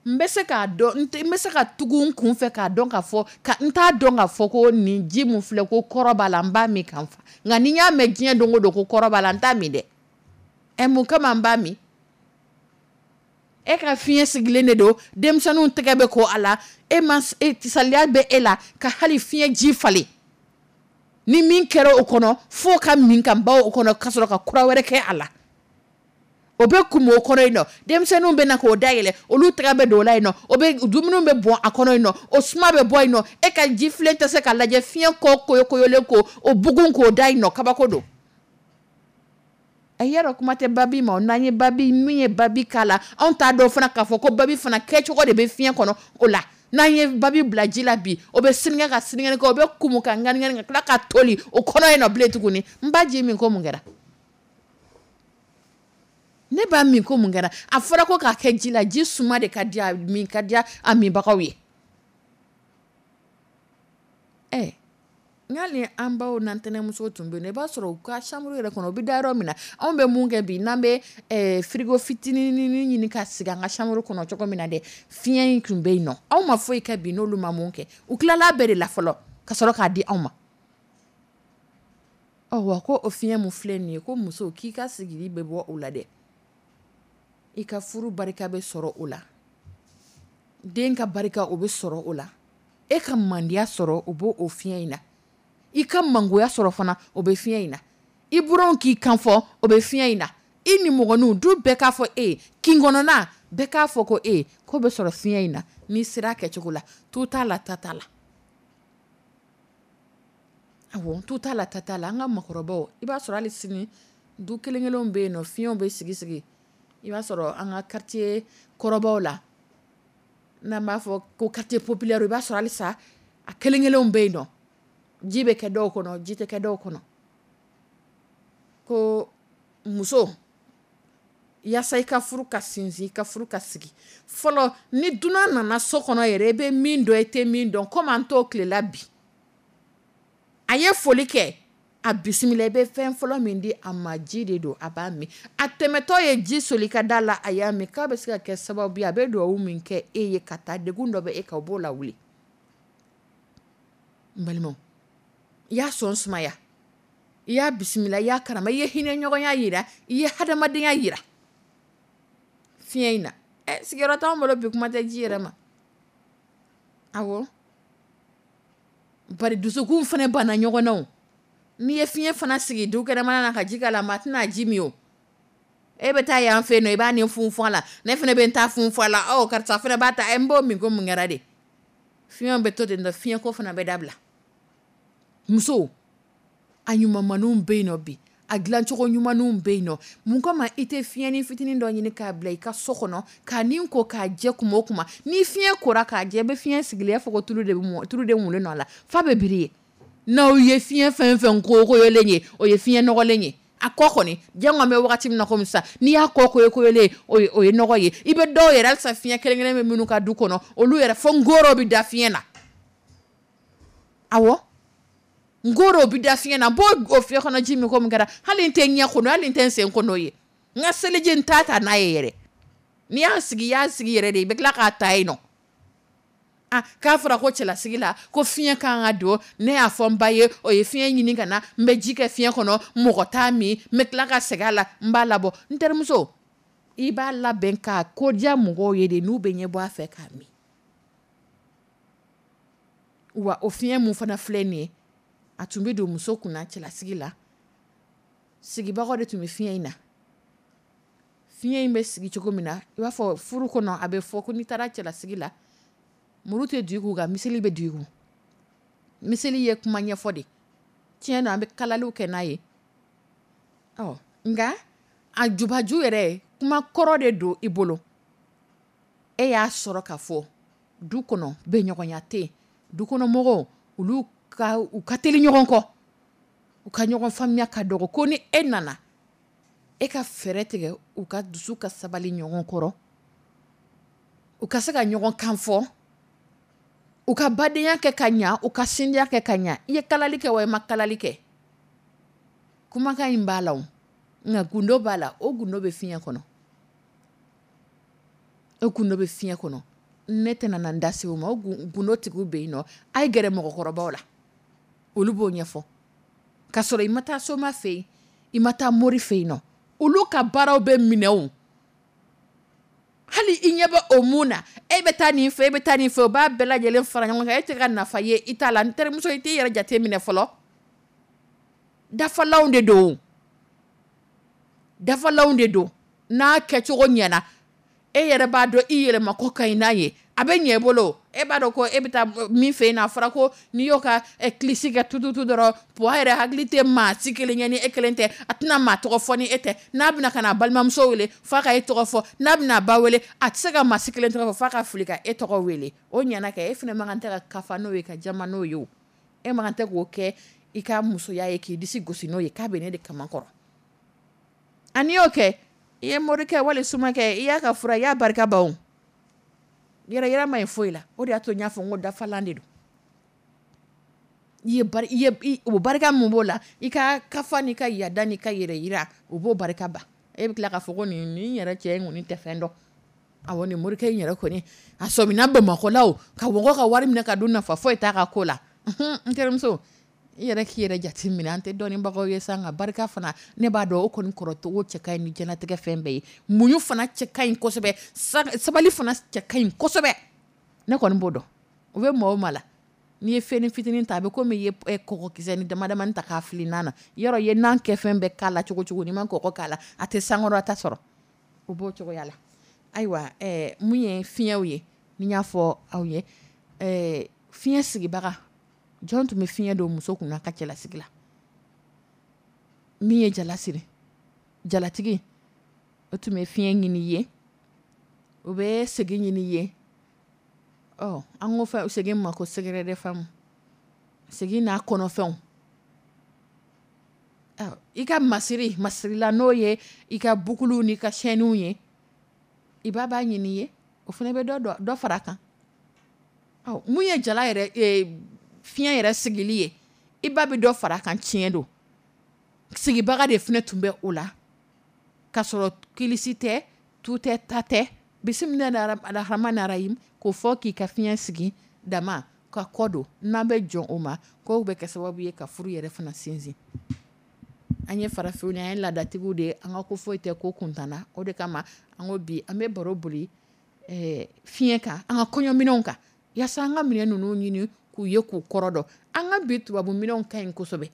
Speaker 2: N bɛ se k'a dɔn, n bɛ se ka tugu n kun fɛ k'a dɔn k'a fɔ, ka n t'a dɔn k'a fɔ ko nin ji mun filɛ, ko kɔrɔ b'a la, n b'a min ka n fa. Nka ni n y'a mɛn diɲɛ don o don ko kɔrɔ b'a la, n t'a min dɛ. Ɛ, mun kama n b'a min? E ka fiɲɛ sigilen de don, denmisɛnninw tɛgɛ bɛ ko a la, e ma saliya bɛ e la ka hali fiɲɛ ji falen. Ni min kɛra o kɔnɔ, f'o ka min ka ban o kɔnɔ, ka sɔrɔ ka kura wɛrɛ kɛ a la. O bɛ kun o kɔnɔ yen nɔ, denmisɛnninw bɛ na k'o dayɛlɛ, olu tɛgɛ bɛ don o la yen nɔ, o bɛ dumuni bɛ bɔn a kɔnɔ yen nɔ, o suma bɛ bɔ yen nɔ. E ka ji filen tɛ se ka lajɛ, fiɲɛ kɔ koyokoyolen ko o bugun k'o da yen nɔ, kabako don. A yɛrɛ kuma tɛ babi ma, n'an ye babi min ye babi k'a la, anw t'a dɔn fana k'a fɔ ko babi fana kɛcogo de bɛ fiɲɛ kɔnɔ o la. N'an ye babi bila ji la bi, o bɛ sinikɛ ka sinikɛnɛ kɛ, o bɛ kumu ka ŋani ka tila ka toli o kɔnɔ yen nɔ bilen tuguni. N ba ji min ko mun kɛra? Ne b'a min ko mun kɛra? A fɔra ko k'a kɛ ji la, ji suma de ka di a min, ka di a minbagaw ye. Ɛ, n'ale an baw n'an tɛnɛmuso tun bɛ yen, i b'a sɔrɔ u ka chambre yɛrɛ kɔnɔ, u bɛ da yɔrɔ min na, anw bɛ mun kɛ bi, n'an bɛ frigo fitinin ɲini ka sigi an ka chambre kɔnɔ cogo min na dɛ, fiɲɛ in tun bɛ yen nɔ. Anw ma foyi kɛ bi n'olu ma mun kɛ, u tilala bɛɛ de la fɔlɔ ka sɔrɔ k'a di anw ma. Ɔ, wa ko o fiɲɛ mun filɛ nin ye, ko muso k'i ka sigili bɛ bɔ o la dɛ, i ka furu barika bɛ sɔrɔ o la, den ka barika o bɛ sɔrɔ o la, e ka mandiya sɔrɔ o b'o o fiɲɛ in na, i ka mangoya sɔrɔ fana o bɛ fiɲɛ in na, i buranw k'i kan fɔ o bɛ fiɲɛ in na, i nimɔgɔninw du bɛɛ k'a fɔ e ye, kin kɔnɔna bɛɛ k'a fɔ ko e ye, k'o bɛ sɔrɔ fiɲɛ in na n'i sera a kɛcogo la. Tu t'a la, ta t'a la. Awɔ, tu t'a la, ta t'a la. An ka makɔrɔbaw, i b'a sɔrɔ hali sini du kelen kelenw bɛ yen nɔ, fiɲɛw bɛ sigi sigi. I b'a sɔrɔ an ka quartier kɔrɔbaw la, n'an b'a fɔ ko quartier populaire, i b'a sɔrɔ halisa a kelen kelenw bɛ yen nɔ, ji bɛ kɛ dɔw kɔnɔ, ji tɛ kɛ dɔw kɔnɔ. Ko muso, yaasa i ka furu ka sinsin, i ka furu ka sigi, fɔlɔ ni dunan nana so kɔnɔ yɛrɛ, i bɛ min dɔn, i tɛ min dɔn, komi an t'o tile la bi, a ye foli kɛ, a bisimila, i bɛ fɛn fɔlɔ min di a ma, ji de don, a b'a min. A tɛmɛtɔ ye ji soli ka da la, a y'a min, k'a bɛ se ka kɛ sababu ye, a bɛ dugawu min kɛ e ye ka taa, degun dɔ bɛ e kan, o b'o lawuli. N balimaw, i y'a sɔn sumaya, i y'a bisimila, i y'a karama, i ye hinɛ ɲɔgɔnya yira, i ye hadamadenya yira fiɲɛ in na. Ɛ, sigiyɔrɔ t'anw bolo bi, kuma tɛ ji yɛrɛ ma. Awɔ, bari dusukun fana banna ɲɔgɔn na o. N'i ye fiɲɛ fana sigi du kɛnɛmana na ka ji k'a la, maa tɛna ji min o. E bɛ taa yan fɛ yen nɔ, i b'a ni funfun a la, ne fana bɛ n ta funfun a la, ɔ karisa fana b'a ta, n b'o min ko mun kɛra de? Fiɲɛw bɛ to ten tɔ, fiɲɛko fana bɛ dabila. Musow, a ɲumanmanninw bɛ yen nɔ bi, a dilancogo ɲumanninw bɛ yen nɔ. Mun kama i tɛ fiɲɛnin fitinin dɔ ɲini k'a bila i ka so kɔnɔ, k'a ni ko k'a jɛ kuma o kuma? Ni fiɲɛ kora k'a jɛ, i bɛ fiɲɛ sigilen, i b'a fɔ ko tulu de bɛ mɔ, tulu de mulen don a la, f'a bɛ biri ye. N'aw ye fiɲɛ fɛn fɛn koyokoyolen ye, o ye fiɲɛ nɔgɔlen ye. A kɔ kɔni, jango an bɛ wagati min na komi sisan, n'i y'a kɔ koyokoyolen ye, o ye nɔgɔ ye. I bɛ dɔw yɛrɛ, halisa fiɲɛ kelen kelen bɛ minnu ka du kɔnɔ, olu yɛrɛ fo ngoro bɛ da fiɲɛ na. Awɔ, ngoro bɛ da fiɲɛ na. N b'o o fiɲɛ kɔnɔ ji min ko min kɛra, hali n tɛ ɲɛ ko n'o ye, hali n tɛ n sen ko n'o ye. N ka seliji n t'a ta n'a ye yɛrɛ. N'i y'a sigi, i y'a sigi yɛrɛ de, i bɛ tila k'a ta yen nɔ. Ah, k'a fɔra ko cɛlasigi la ko fiɲɛ kan ka don, ne y'a fɔ n ba ye, o ye fiɲɛ ɲini ka na, n bɛ ji kɛ fiɲɛ kɔnɔ, mɔgɔ t'a min, n bɛ tila ka segin a la, n b'a labɔ. N terimuso, i b'a labɛn k'a kodiya mɔgɔw ye de, n'u bɛ ɲɛ bɔ a fɛ k'a min. Wa o fiɲɛ mun fana filɛ nin ye, a tun bɛ don muso kunna cɛlasigi la, sigibagaw de tun bɛ fiɲɛ in na. Fiɲɛ in bɛ sigi cogo min na, i b'a fɔ furu kɔnɔ, a bɛ fɔ ko n'i taara cɛlasigi la, muru tɛ don i kun, nka miseli bɛ don i kun. Miseli ye kuma ɲɛfɔ de. Tiɲɛ na, an bɛ kalaliw kɛ n'a ye. Ɔ nka a jubaju yɛrɛ, kuma kɔrɔ de don i bolo. E y'a sɔrɔ k'a fɔ du kɔnɔ bɛnɲɔgɔnya tɛ yen. Du kɔnɔ mɔgɔw, olu ka u ka teli ɲɔgɔn kɔ, u ka ɲɔgɔn faamuya ka dɔgɔ. Ko ni e nana, e ka fɛɛrɛ tigɛ u ka dusu ka sabali ɲɔgɔn kɔrɔ, u ka se ka ɲɔgɔn kan fɔ, u ka badenya kɛ ka ɲa, u ka sindiya kɛ ka ɲa. I ye kalali kɛ wa i ma kalali kɛ, kumakan in b'a la o, nka gundo b'a la. O gundo bɛ fiɲɛ kɔnɔ, o gundo bɛ fiɲɛ kɔnɔ. Ne tɛna na n da se o ma. O gundo tigiw bɛ yen nɔ, a ye gɛrɛ mɔgɔkɔrɔbaw la, olu b'o ɲɛfɔ. K'a sɔrɔ i ma taa soma fɛ yen, i ma taa mori fɛ yen nɔ, olu ka baaraw bɛ minɛ o. Hali i ɲɛ bɛ o mun na, e bɛ taa nin fɛ, e bɛ taa nin fɛ, o b'a bɛɛ lajɛlen fara ɲɔgɔn kan, e tɛ ka nafa ye i t'a la. N terimuso, i t'i yɛrɛ jate minɛ fɔlɔ. Dafalanw de don, dafalanw de don. N'a kɛcogo ɲɛna, e yɛrɛ b'a dɔn i yɛrɛma ko ka ɲi n'a ye, a bɛ ɲɛ i bolo. E b'a dɔn ko e bɛ taa min fɛ yen, a fɔra ko n'i y'o ka kilisi kɛ tututu dɔrɔn, puwa yɛrɛ hakili tɛ maa si kelen ye ni e kelen tɛ, a tɛna maa tɔgɔ fɔ ni e tɛ. N'a bɛna ka na balimamuso wele, f'a ka e tɔgɔ fɔ. N'a bɛna a ba wele, a tɛ se ka maa si kelen tɔgɔ fɔ, f'a ka fili ka e tɔgɔ wele. O ɲɛna kɛ, e fana man kan tɛ ka kafa n'o ye, ka jama n'o ye o. E man kan tɛ k'o kɛ i ka musoya ye, k'i disi gosi n'o ye k'a bɛ ne de kama kɔrɔ. A n'i y'o kɛ, i ye morikɛ wali sumakɛ, i y'a ka fura, i y'a barika ban o. Yɛrɛ yɛrɛ ma ye foyi la. O de y'a to n y'a fɔ n ko dafalan de don. I ye bari, i ye, i, o barika mun b'o la, i ka kafa n'i ka yada n'i ka yɛrɛ yira, o b'o barika ban. E bɛ tila k'a fɔ ko nin yɛrɛ cɛ in kɔni tɛ fɛn dɔn. Awɔ, nin morikɛ in yɛrɛ kɔni, a sɔmina Bamakɔ la o, ka mɔgɔ ka wari minɛ ka dun, nafa foyi t'a ka ko la. N terimuso, i yɛrɛ k'i yɛrɛ jate minɛ. An tɛ dɔnnibagaw ye sa, nka barika fana, ne b'a dɔn o kɔni kɔrɔcogo cɛ ka ɲi ni diɲɛlatigɛ fɛn bɛɛ ye. Muɲu fana cɛ ka ɲi kosɛbɛ, sabali fana cɛ ka ɲi kosɛbɛ. Ne kɔni b'o dɔn. O bɛ maa o maa la, n'i ye fɛn fitinin ta, a bɛ komi i ye kɔgɔkisɛ ni dama damani ta k'a fili nan na. Yɔrɔ i ye nan kɛ fɛn bɛɛ k'a la cogo cogo, n'i ma kɔgɔ k'a la, a tɛ sankɔrɔta sɔrɔ. O b'o cogoya la. Ayiwa, mun ye fiɲɛw ye, ni n y'a fɔ aw ye, fiɲɛ sigibaga, jɔn tun bɛ fiɲɛ don muso kunna ka cɛlasigi la? Min ye jala siri, jalatigi, o tun bɛ fiɲɛ ɲini i ye, o bɛ segin ɲini i ye. Ɔ, an ko fɛn segin ma ko secret de femme, segin n'a kɔnɔfɛnw. Ɔ, i ka masiri, masirila n'o ye i ka bukulu n'i ka chaîne ye, i ba b'a ɲini i ye, o fana bɛ dɔ fara a kan. Ɔ, mun ye jala yɛrɛ, fiɲɛ yɛrɛ sigili ye, i ba bɛ dɔ fara a kan, tiɲɛ don. Sigibaga de fana tun bɛ o la, k'a sɔrɔ kilisi tɛ, tu tɛ, ta tɛ. Bisimila arahamani arahim, k'o fɔ k'i ka fiɲɛ sigi dama ka kɔ don. N'an bɛ jɔn o ma, k'o bɛ kɛ sababu ye ka furu yɛrɛ fana sinsin. An ye farafinw ye, an ye laadatigiw de ye, an ka ko foyi tɛ ko kuntan na. O de kama an ko bi an bɛ baro boli fiɲɛ kan, an ka kɔɲɔminɛnw kan, yaasa an ka minɛn ninnu ɲini k'u ye k'u kɔrɔ dɔn. An ka bi tubabu minɛnw ka ɲi kosɛbɛ,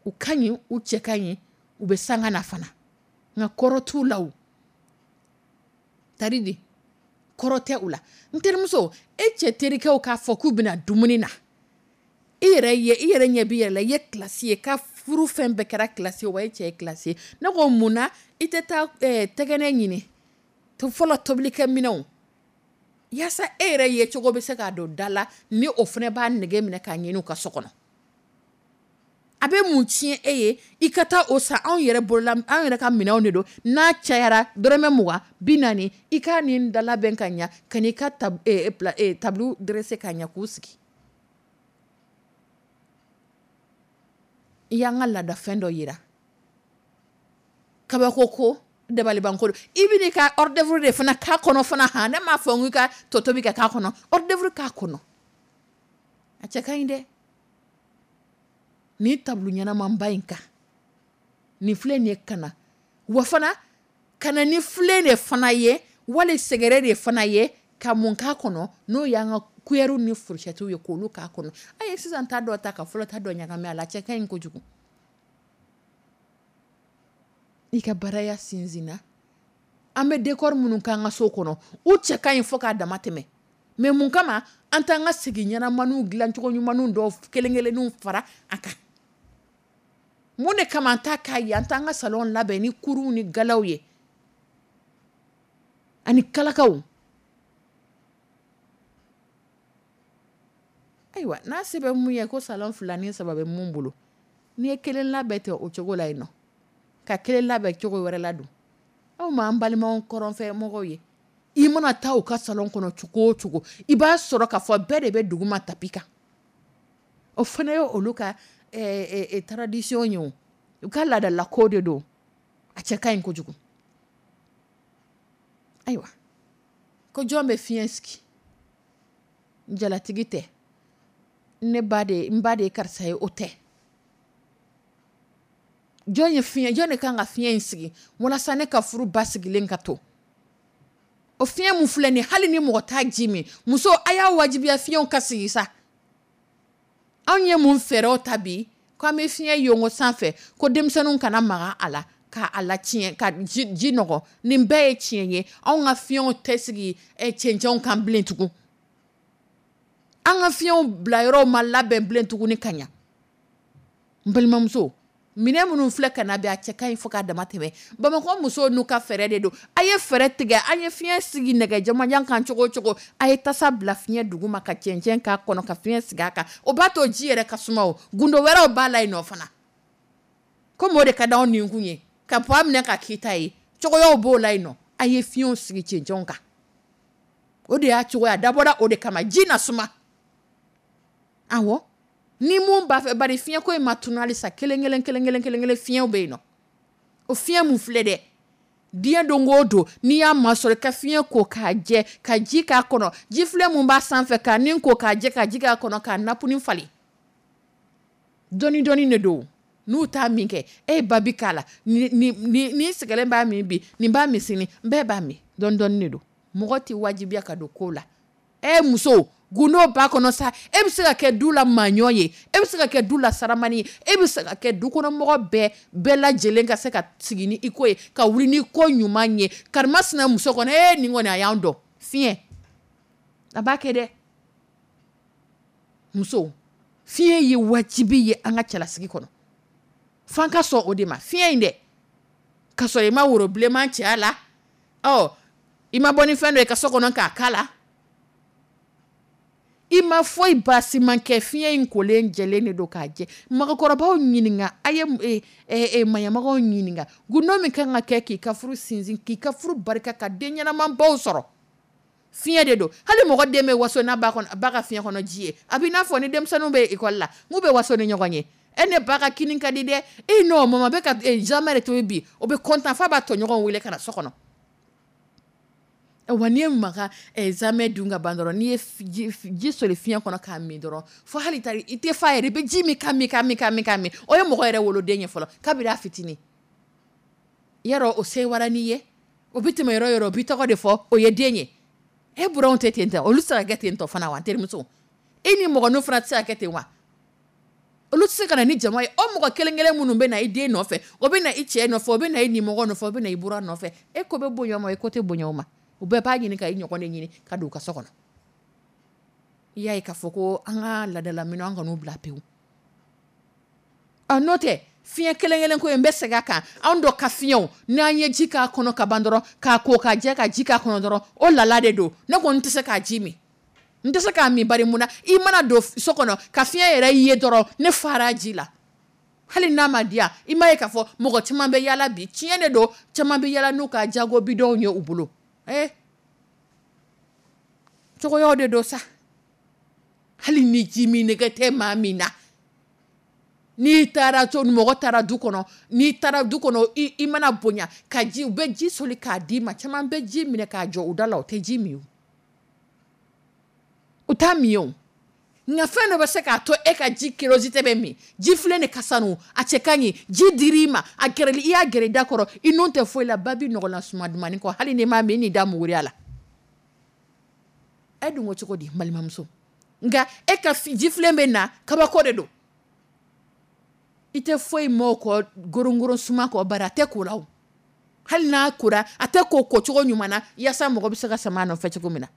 Speaker 2: U ka ɲi, u cɛ ka ɲi, u bɛ sanga na fana, nka kɔrɔ t'u la. O tari de kɔrɔ tɛ u la. N terimuso, e cɛ terikɛw k'a fɔ k'u bɛna dumuni na, i yɛrɛ ye, i yɛrɛ ɲɛ b'i yɛrɛ la, i ye classe ye, ka furu fɛn bɛɛ kɛra classe ye, wa e cɛ ye classe ye. Ne ko mun na i tɛ taa tɛgɛnɛ ɲini to fɔlɔ tobilikɛ minɛnw, yaasa e yɛrɛ ye cogo bɛ se k'a don da la, ni o fana b'a nege minɛ k'a ɲini u ka so kɔnɔ? A bɛ mun tiɲɛ e ye i ka taa o san? Anw yɛrɛ bolola, anw yɛrɛ ka minɛnw de don. N'a cayara dɔrɔmɛ 20, 40, i ka nin da labɛn ka ɲa, ka n'i ka tableau dressé ka ɲa k'u sigi. I y'an ka laadafɛn dɔ yira, kabako ko dabalibanko don. I bɛ n'i ka hors d'œuvre de fana k'a kɔnɔ fana. Han, ne m'a fɔ n k'i ka tɔ tobi ka k'a kɔnɔ, hors d'œuvre k'a kɔnɔ, a cɛ ka ɲi dɛ. Nin tableau ɲɛnamanba in kan, nin filɛ nin ye, ka na wa fana ka na ni filen de fana ye, wali sɛgɛrɛ de fana ye, ka mun k'a kɔnɔ, n'o y'an ka cuillère ni fourchette ye, k'olu k'a kɔnɔ. A ye sisan ta dɔ ta ka fɔlɔ ta dɔ ɲagami a la, a cɛ ka ɲi kojugu. I ka baraya sinsinna. An bɛ décor minnu k'an ka so kɔnɔ, u cɛ ka ɲi fo k'a dama tɛmɛ, mais mun kama an t'an ka sigi ɲɛnamaniw dilancogo ɲumanw dɔw kelen kelenninw fara a kan? Mun de kama an t'a k'a ye, an t'an ka salon labɛn ni kuruw ni galaw ye ani kalakaw? Ayiwa, n'a se bɛ mun ye, ko salon 2 ni 3 bɛ mun bolo, n'i ye kelen labɛn tɛ o cogo la yen nɔ, ka kelen labɛn cogo wɛrɛ la dun. Aw ma an balimaw kɔrɔnfɛ mɔgɔw ye, i mana taa u ka salon kɔnɔ cogo o cogo, i b'a sɔrɔ k'a fɔ bɛɛ de bɛ duguma tapi kan. O fana ye olu ka tradition ye, o u ka laadalako de don. A cɛ ka ɲi kojugu. Ayiwa, ko jɔn bɛ fiɲɛ sigi? Jalatigi tɛ, ne ba de, n ba de ye karisa ye, o tɛ. Jɔn ye fiɲɛ, jɔn de kan ka fiɲɛ in sigi walasa ne ka furu basigilen ka to? O fiɲɛ mun filɛ nin, hali ni mɔgɔ t'a ji min, muso, a y'a wajibiya fiɲɛw ka sigi sa. Anw ye mun fɛɛrɛw ta bi k'an bɛ fiɲɛ yongo sanfɛ, ko denmisɛnninw kana maga a la k'a la tiɲɛ, ka ji nɔgɔ? Nin bɛɛ ye tiɲɛ ye. Anw ka fiɲɛw tɛ sigi cɛncɛnw kan bilen tugun. An ka fiɲɛw bila yɔrɔw ma labɛn bilen tuguni ka ɲa. N balimamuso, minɛn minnu filɛ ka na bi, a cɛ ka ɲi fo k'a dama tɛmɛ. Bamakɔ musow n'u ka fɛɛrɛ de don. A ye fɛɛrɛ tigɛ, an ye fiɲɛ sigi nɛgɛ jamajan kan cogo o cogo, a ye tasa bila fiɲɛ duguma ka cɛncɛn k'a kɔnɔ, ka fiɲɛ sigi a kan. O b'a to ji yɛrɛ ka suma. O gundo wɛrɛw b'a la yen nɔ fana, komi o de ka d'anw ninkun ye, ka poids minɛ ka k'i ta ye, cogoyaw b'o la yen nɔ. A ye fiɲɛw sigi cɛncɛnw kan, o de y'a cogoya dabɔra o de kama, ji na suma. Awɔ, ni mun b'a fɛ, bari fiɲɛko in ma tunu halisa, kelen kelen kelen kelen kelen kelen fiɲɛw bɛ yen nɔ. O fiɲɛ mun filɛ dɛ, diɲɛ don o don, n'i y'a masɔrɔ ka fiɲɛ ko k'a jɛ, ka ji k'a kɔnɔ, ji filɛ mun b'a sanfɛ, k'a nin ko k'a jɛ, ka ji k'a kɔnɔ, k'a napuni falen dɔɔni dɔɔni de don. N'u t'a min kɛ, e ye babi k'a la, ni sɛgɛlen b'a min bi, nin b'a min sini, bɛɛ b'a min dɔɔni dɔɔni de don. Mɔgɔ tɛ wajibiya ka don ko la. E muso, gundo b'a kɔnɔ sa. E bɛ se ka kɛ du la maaɲɔ ye, e bɛ se ka kɛ du la saramani ye, e bɛ se ka kɛ du kɔnɔ mɔgɔ bɛɛ lajɛlen ka se ka sigi ni i ko ye, ka wuli ni ko ɲuman ye. Karima sina muso kɔnɔ, e nin kɔni a y'an dɔn fiɲɛ a b'a kɛ dɛ. Muso, fiɲɛ ye wajibi ye an ka cɛlasigi kɔnɔ, f'an ka sɔn o de ma. Fiɲɛ in dɛ, ka sɔrɔ i ma woro bilenman cɛ a la, ɔ i ma bɔ ni fɛn dɔ ye ka so kɔnɔ k'a k'a la, i ma foyi baasi man kɛ, fiɲɛ in kolen jɛlen de don k'a jɛ. Mɔgɔkɔrɔbaw ɲininka, a ye maɲamɔgɔw ɲininka, gundo min kan ka kɛ k'i ka furu sinsin, k'i ka furu barika, ka den ɲɛnamabaw sɔrɔ, fiɲɛ de don. Hali mɔgɔ den bɛ waso n'a ba kɔnɔ, ba ka fiɲɛ kɔnɔ ji ye. A b'i n'a fɔ ni denmisɛnninw bɛ ekɔli la, n'u bɛ waso ni ɲɔgɔn ye, e ne ba ka kini ka di dɛ, e n'o mama bɛ ka jamais de tobi bi, o bɛ content f'a b'a tɔɲɔgɔnw wele ka na so kɔnɔ. Wa n'i ye maga zamɛ dun ka ban dɔrɔn, n'i ye ji soli fiɲɛ kɔnɔ k'a min dɔrɔn, fo hali i tɛ fa yɛrɛ, i bɛ ji min ka min ka min ka min ka min. O ye mɔgɔ yɛrɛ woloden ye fɔlɔ, kabini a fitinin. Yarɔ, o sewara n'i ye, o bɛ tɛmɛ yɔrɔ yɔrɔ, o b'i tɔgɔ de fɔ, o ye den ye. E buranw tɛ ten tɔ, olu tɛ se ka kɛ ten tɔ fana wa? N terimuso, e ni mɔgɔninw fana tɛ se ka kɛ ten wa? Olu tɛ se ka na ni jama ye. O mɔgɔ kelen kelen minnu bɛ na i den nɔfɛ, o bɛ na i cɛ nɔfɛ, o bɛ na i nimɔgɔ nɔfɛ, o bɛ na i buran nɔfɛ, e ko bɛ bonya o ma, i ko tɛ bonya o ma. U bɛɛ b'a ɲini ka i ɲɔgɔn de ɲini ka don u ka so kɔnɔ. I y'a ye k'a fɔ ko an ka laadalaminɛnw, an kan'u bila pewu. N'o tɛ fiɲɛ kelen kelen ko in, n bɛ segin a kan. Anw dɔ ka fiɲɛw, n'an ye ji k'a kɔnɔ ka ban dɔrɔn, k'a ko ka jɛ ka ji k'a kɔnɔ dɔrɔn, o lala de don. Ne kɔni tɛ se k'a ji min, n tɛ se k'a min. Bari mun na? I mana don so kɔnɔ ka fiɲɛ yɛrɛ ye dɔrɔn, ne fara ji la, hali n'a ma diya. I m'a ye k'a fɔ mɔgɔ caman bɛ yaala bi, tiɲɛ de don, caman bɛ yaala n'u ka jago bidɔnw ye u bolo. Cogoyaw de don sa. Hali ni ji min nɛgɛ tɛ maa min na, n'i taara to mɔgɔ taara du kɔnɔ, n'i taara du kɔnɔ, i mana bonya ka ji, u bɛ ji soli k'a d'i ma. Caman bɛ ji minɛ k'a jɔ u da la, u tɛ ji min, u t'a min o. Nka fɛn dɔ bɛ se k'a to e ka ji curiosité bɛ min. Ji filɛ nin ka sanu, a cɛ ka ɲi, ji dir'i ma, a gɛrɛli, i y'a gɛrɛ i da kɔrɔ, i nun tɛ foyi la, ba bi nɔgɔnna suma dumani kɔ, hali n'i m'a min, n'i da muguriya la. E dun ko cogo di, n balimamuso? Nka e ka ji filen bɛ na, kabako de don. I tɛ foyi mɔ kɔ gorongoron suma kɔ, bari a tɛ ko la o. Hali n'a kora, a tɛ ko kocogo ɲuman na yaasa mɔgɔ bɛ se ka sama a nɔfɛ cogo min na.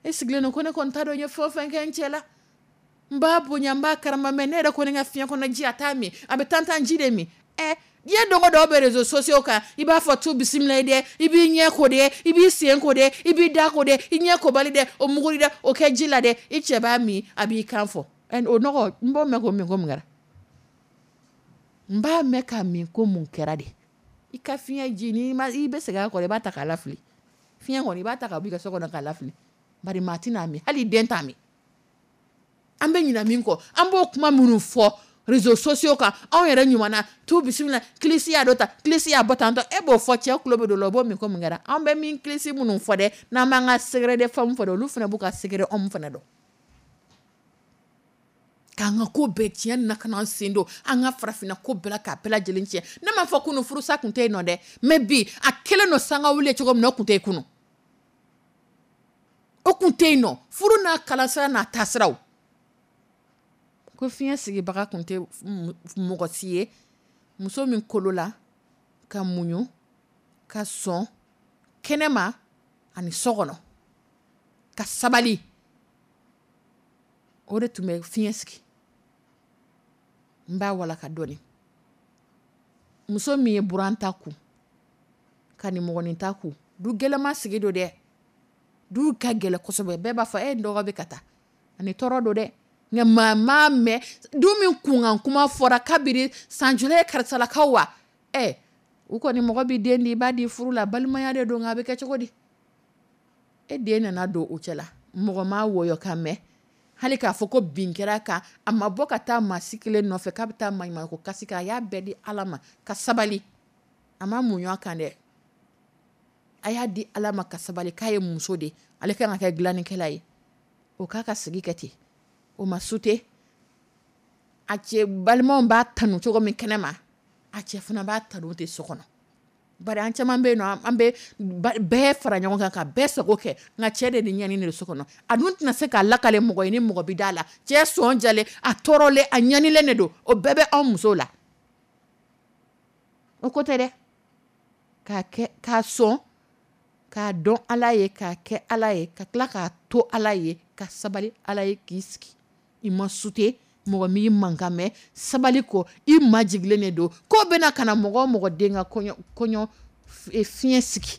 Speaker 2: E sigilen don ko ne kɔni t'a dɔn n ye fɛn o fɛn kɛ n cɛ la, n b'a bonya, n b'a karama, mais ne yɛrɛ kɔni ka fiɲɛ kɔnɔ ji, a t'a min, a bɛ tantan ji de min. Diɲɛ don o don bɛ réseaux sociaux kan, i b'a fɔ tu bisimila dɛ, i b'i ɲɛ ko dɛ, i b'i sen ko dɛ, i b'i da ko dɛ, i ɲɛ kobali dɛ, o muguri dɛ, o kɛ ji la dɛ, i cɛ b'a min, a b'i kan fɔ. O nɔgɔ, n b'o mɛn k'o min ko mun kɛra? N b'a mɛn k'a min ko mun kɛra de? I ka fiɲɛ ji, n'i ma, i bɛ segin a kɔrɔ, i b'a ta k'a lafili. Fiɲɛ kɔni, i b'a ta ka bɔ i ka so kɔnɔ k'a lafili. Bari maa tɛna min, hali den t'a min. An bɛ ɲinɛ min kɔ, an b'o kuma minnu fɔ réseaux sociaux kan, anw yɛrɛ ɲuman na, tu bisimila, kilisi y'a dɔ ta, kilisi y'a bɔ tan tɔ, e b'o fɔ, cɛ tulo bɛ don o la, o b'o min ko mun kɛra? An bɛ min kilisi minnu fɔ dɛ, n'an b'an ka secret de femme fɔ dɛ, olu fana b'u ka secret homme fana dɔn. K'an ka ko bɛɛ tiɲɛ na ka n'an sen don an ka farafinna ko bɛɛ la k'a bɛɛ lajɛlen tiɲɛ. Ne m'a fɔ kunun furusa tun tɛ yen nɔ dɛ, mais bi a kɛlen don sanga wuli cogo min na, o tun tɛ yen kunun, o tun tɛ yen nɔ. Furu n'a kalasira n'a taasiraw, ko fiɲɛ sigibaga tun tɛ mɔgɔ si ye, muso min kolo la ka muɲu ka sɔn kɛnɛma ani so kɔnɔ ka sabali, o de tun bɛ fiɲɛ sigi. N b'a walaka dɔɔni. Muso min ye buran ta kun ka nimɔgɔnin ta kun, du gɛlɛma sigi don dɛ, du ka gɛlɛ kosɛbɛ. Bɛɛ b'a fɔ e dɔgɔ bɛ ka taa ani tɔɔrɔ don dɛ, nka maa m'a mɛn du min kunkan kuma fɔra kabiri san joli ye karisalakaw wa? U kɔni mɔgɔ b'i den di, i b'a di furu la, balimaya de don, nka a bɛ kɛ cogo di? E den nana don o cɛ la, mɔgɔ m'a wɔyɔ ka mɛn, hali k'a fɔ ko bin kɛra kan, a ma bɔ ka taa maa si kelen nɔfɛ k'a bɛ taa maɲumanko kasi kɛ, a y'a bɛɛ di Ala ma ka sabali, a ma muɲu a kan dɛ, a y'a di Ala ma ka sabali k'a ye muso de, ale kan ka kɛ dilannikɛla ye, o k'a ka sigi kɛ ten, o ma sute. A cɛ balimaw b'a tanu cogo min kɛnɛ ma, a cɛ fana b'a tanu ten so kɔnɔ. Bari an caman bɛ yen nɔ, an bɛ bɛɛ fara ɲɔgɔn kan ka bɛɛ sago kɛ, nka cɛ de ni ɲani de so kɔnɔ. A dun tɛna se k'a lakale mɔgɔ ye ni mɔgɔ bɛ da la. Cɛ sɔn jalen, a tɔɔrɔlen, a ɲanilen de don, o bɛɛ bɛ anw musow la. O ko tɛ dɛ, k'a kɛ, k'a sɔn, k'a dɔn Ala ye, k'a kɛ Ala ye, ka tila k'a to Ala ye, ka sabali Ala ye, k'i sigi. I ma sute, mɔgɔ m'i mankan mɛn, sabali kɔ, i majigilen de don. Ko bɛna ka na mɔgɔ o mɔgɔ den ka kɔɲɔ fiɲɛ sigi,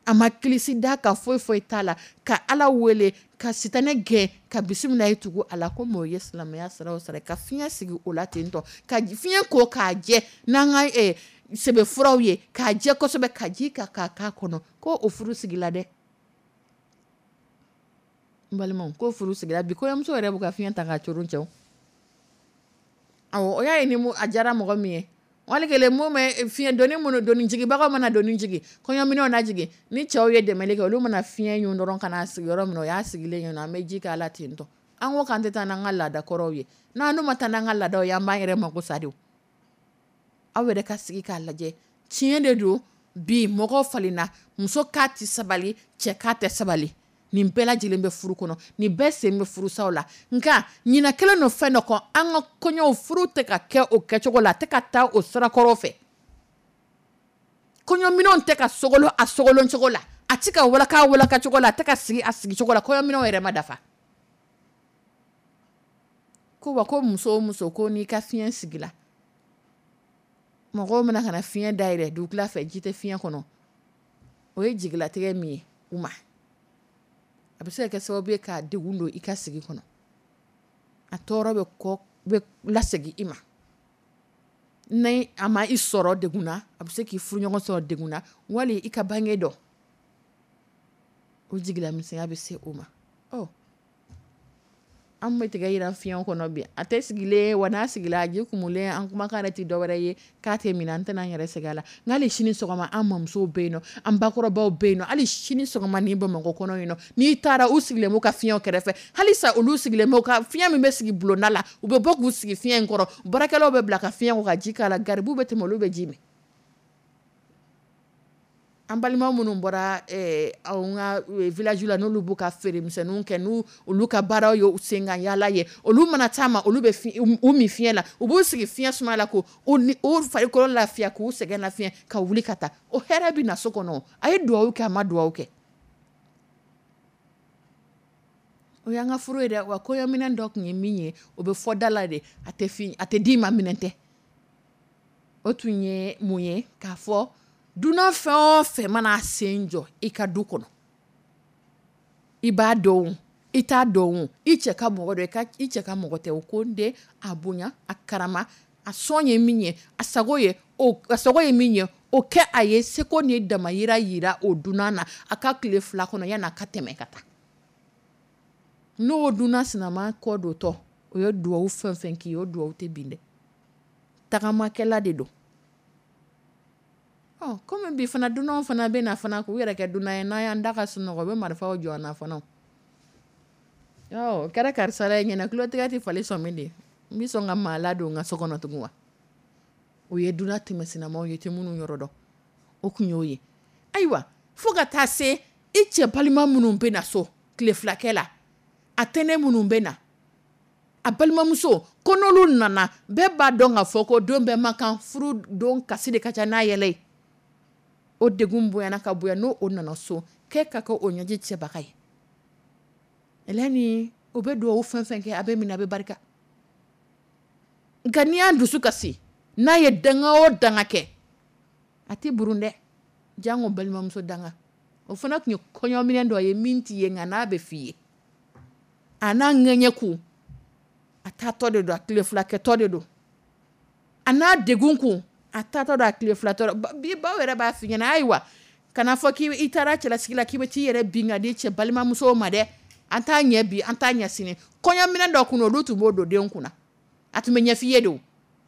Speaker 2: a ma kilisi da ka foyi foyi t'a la, ka Ala wele, ka sitanɛ gɛn, ka bisimila ye tugu a la, ko mɔgɔ ye silamɛya sira o sira, ka fiɲɛ sigi o la ten tɔ, ka fiɲɛ ko k'a jɛ n'an ka sɛbɛfuraw ye, k'a jɛ kosɛbɛ, ka ji ka k'a k'a kɔnɔ, ko o furu sigila dɛ. N balimaw, ko furu sigila bi, kɔɲɔmuso yɛrɛ b'u ka fiɲɛ ta k'a coron cɛw. Awɔ, o y'a ye ni a diyara mɔgɔ min ye. Wali kelen mun bɛ fiɲɛ doni minnu doni jigibagaw mana doni jigin, kɔɲɔminɛnw na jigin, ni cɛw ye dɛmɛli kɛ, olu mana fiɲɛ ɲun dɔrɔn ka n'a sigi yɔrɔ min na, o y'a sigilen ye nɔ, an bɛ ji k'a la ten tɔ. An ko k'an tɛ taa n'an ka laada kɔrɔw ye, n'an dun ma taa n'an ka laadaw ye, an b'an yɛrɛ mako sa de. Aw yɛrɛ ka sigi k'a lajɛ, tiɲɛ de don bi mɔgɔw falenna, muso k'a tɛ sabali, cɛ k'a tɛ sabali. Nin bɛɛ lajɛlen bɛ furu kɔnɔ, nin bɛɛ sen bɛ furusaw la. Nka ɲinɛ kɛlen don fɛn dɔ kɔ, an ka kɔɲɔw, furu tɛ ka kɛ o kɛcogo la, a tɛ ka taa o sirakɔrɔ fɛ. Kɔɲɔminɛnw tɛ ka sogolon a sogolon cogo la, a tɛ ka walaka a walaka cogo la, a tɛ ka sigi a sigi cogo la. Kɔɲɔminɛnw yɛrɛ ma dafa. Ko wa ko muso o muso, ko n'i ka fiɲɛ sigila, mɔgɔw bɛna ka na fiɲɛ dayɛlɛ dugukila fɛ, ji tɛ fiɲɛ kɔnɔ, o ye jigilatigɛ min ye u ma, a bɛ se ka kɛ sababu ye k'a degun don i ka sigi kɔnɔ. A tɔɔrɔ bɛ kɔ bɛ lasegin i ma. Ni a ma i sɔrɔ degun na, a bɛ se k'i furuɲɔgɔn sɔrɔ degun na, wali i ka bange dɔ, o jigilamisɛnya bɛ se o ma. Ɔ, an bɛ tigɛ yira fiɲɛ kɔnɔ bi, a tɛ sigilen wa, n'a sigila a ji kumulen. An kumakan yɛrɛ tɛ dɔwɛrɛ ye k'a tɛ minɛ, an tɛna an yɛrɛ sɛgɛn a la. Nka hali sini sɔgɔma, an mamusow bɛ yen nɔ, an bakɔrɔbaw bɛ yen nɔ, hali sini sɔgɔma ni Bamakɔ kɔnɔ yen nɔ, n'i taara, u sigilen b'u ka fiɲɛw kɛrɛfɛ. Halisa olu sigilen b'u ka fiɲɛ min bɛ sigi bulonda la, u bɛ bɔ k'u sigi fiɲɛ in kɔrɔ. Baarakɛlaw bɛ bila ka fiɲɛ ko ka ji k'a la, garibuw bɛ tɛmɛ, olu bɛ ji min. An balima minnu bɔra anw ka village la, n'olu b'u ka feeremisɛnninw kɛ, n'u olu ka baaraw ye sen kan yaala ye, olu mana taa ma, olu bɛ u min fiɲɛ la, u b'u sigi fiɲɛ suma la, k'u u farikolo lafiya, k'u sɛgɛn lafiya, ka wuli ka taa. O hɛrɛ bɛ na so kɔnɔ. A ye dugawu kɛ, a ma dugawu kɛ, o y'an ka furu ye dɛ. Wa kɔɲɔminɛn dɔ tun ye min ye, o bɛ fɔ da la de, a tɛ fi, a tɛ d'i ma, minɛn tɛ. O tun ye mun ye? K'a fɔ dunan fɛn o fɛn mana sen jɔ i ka du kɔnɔ, i b'a dɔn, i t'a dɔn, i cɛ ka mɔgɔ dɔn, i cɛ ka mɔgɔ tɛ, o ko n den, a bonya, a karama, a sɔn ye min ye, a sago ye o, a sago ye min ye, o kɛ a ye. Seko ni damayira yira o dunan na a ka tile 2 kɔnɔ yan'a ka tɛmɛ ka taa. N'o dunan sinama kɔ dontɔ, o ye duwawu fɛn fɛn k'i ye, o duwawu tɛ bin dɛ. Tagamakɛla de don. Ɔ, komi bi fana dunanw fana bɛ na fana k'u yɛrɛ kɛ dunan ye, n'an y'an da ka sunɔgɔ, u bɛ marifaw jɔ an na fana. Ɔ, o kɛra karisa la ɲɛna, tulotigɛ tɛ fali sɔmi de, n bɛ sɔn ka maa ladon n ka so kɔnɔ tugun wa? O ye dunan tɛmɛ sinamaw ye, tɛ minnu yɔrɔ dɔn, o kun y'o ye. Ayiwa, fo ka taa se i cɛ balima minnu bɛ na so tile filakɛ la, a tɛnɛ minnu bɛ na, a balimamuso, ko n'olu nana, bɛɛ b'a dɔn k'a fɔ ko don bɛɛ man kan, furu don kasi de ka ca n'a yɛlɛ ye. O degun bonyana ka bonya, n'o o nana so, k'e ka kɛ o ɲɛji cɛbaga ye. Eleni, o bɛ duwawu fɛn fɛn kɛ, a bɛ minɛ, a bɛ barika. Nka n'i y'a dusu kasi, n'a ye danga o danga kɛ, a tɛ burun dɛ, jango balimamuso danga. O fana tun ye kɔɲɔminɛn dɔ ye min t'i ye, nka n'a bɛ f'i ye, a n'a ŋɛɲɛ kun, a taatɔ de don, a tile fila kɛtɔ de don, a n'a degun kun, a taatɔ don, a tile fila tɔ. Bi baw yɛrɛ b'a f'i ɲɛna, ayiwa, kana fɔ k'i taara cɛlasigi la k'i bɛ t'i yɛrɛ bin ka di cɛ balimamusow ma dɛ. An t'a ɲɛ bi, an t'a ɲɛ sini. Kɔɲɔminɛn dɔ kun, olu tun b'o don den kunna, a tun bɛ ɲɛf'i ye de o.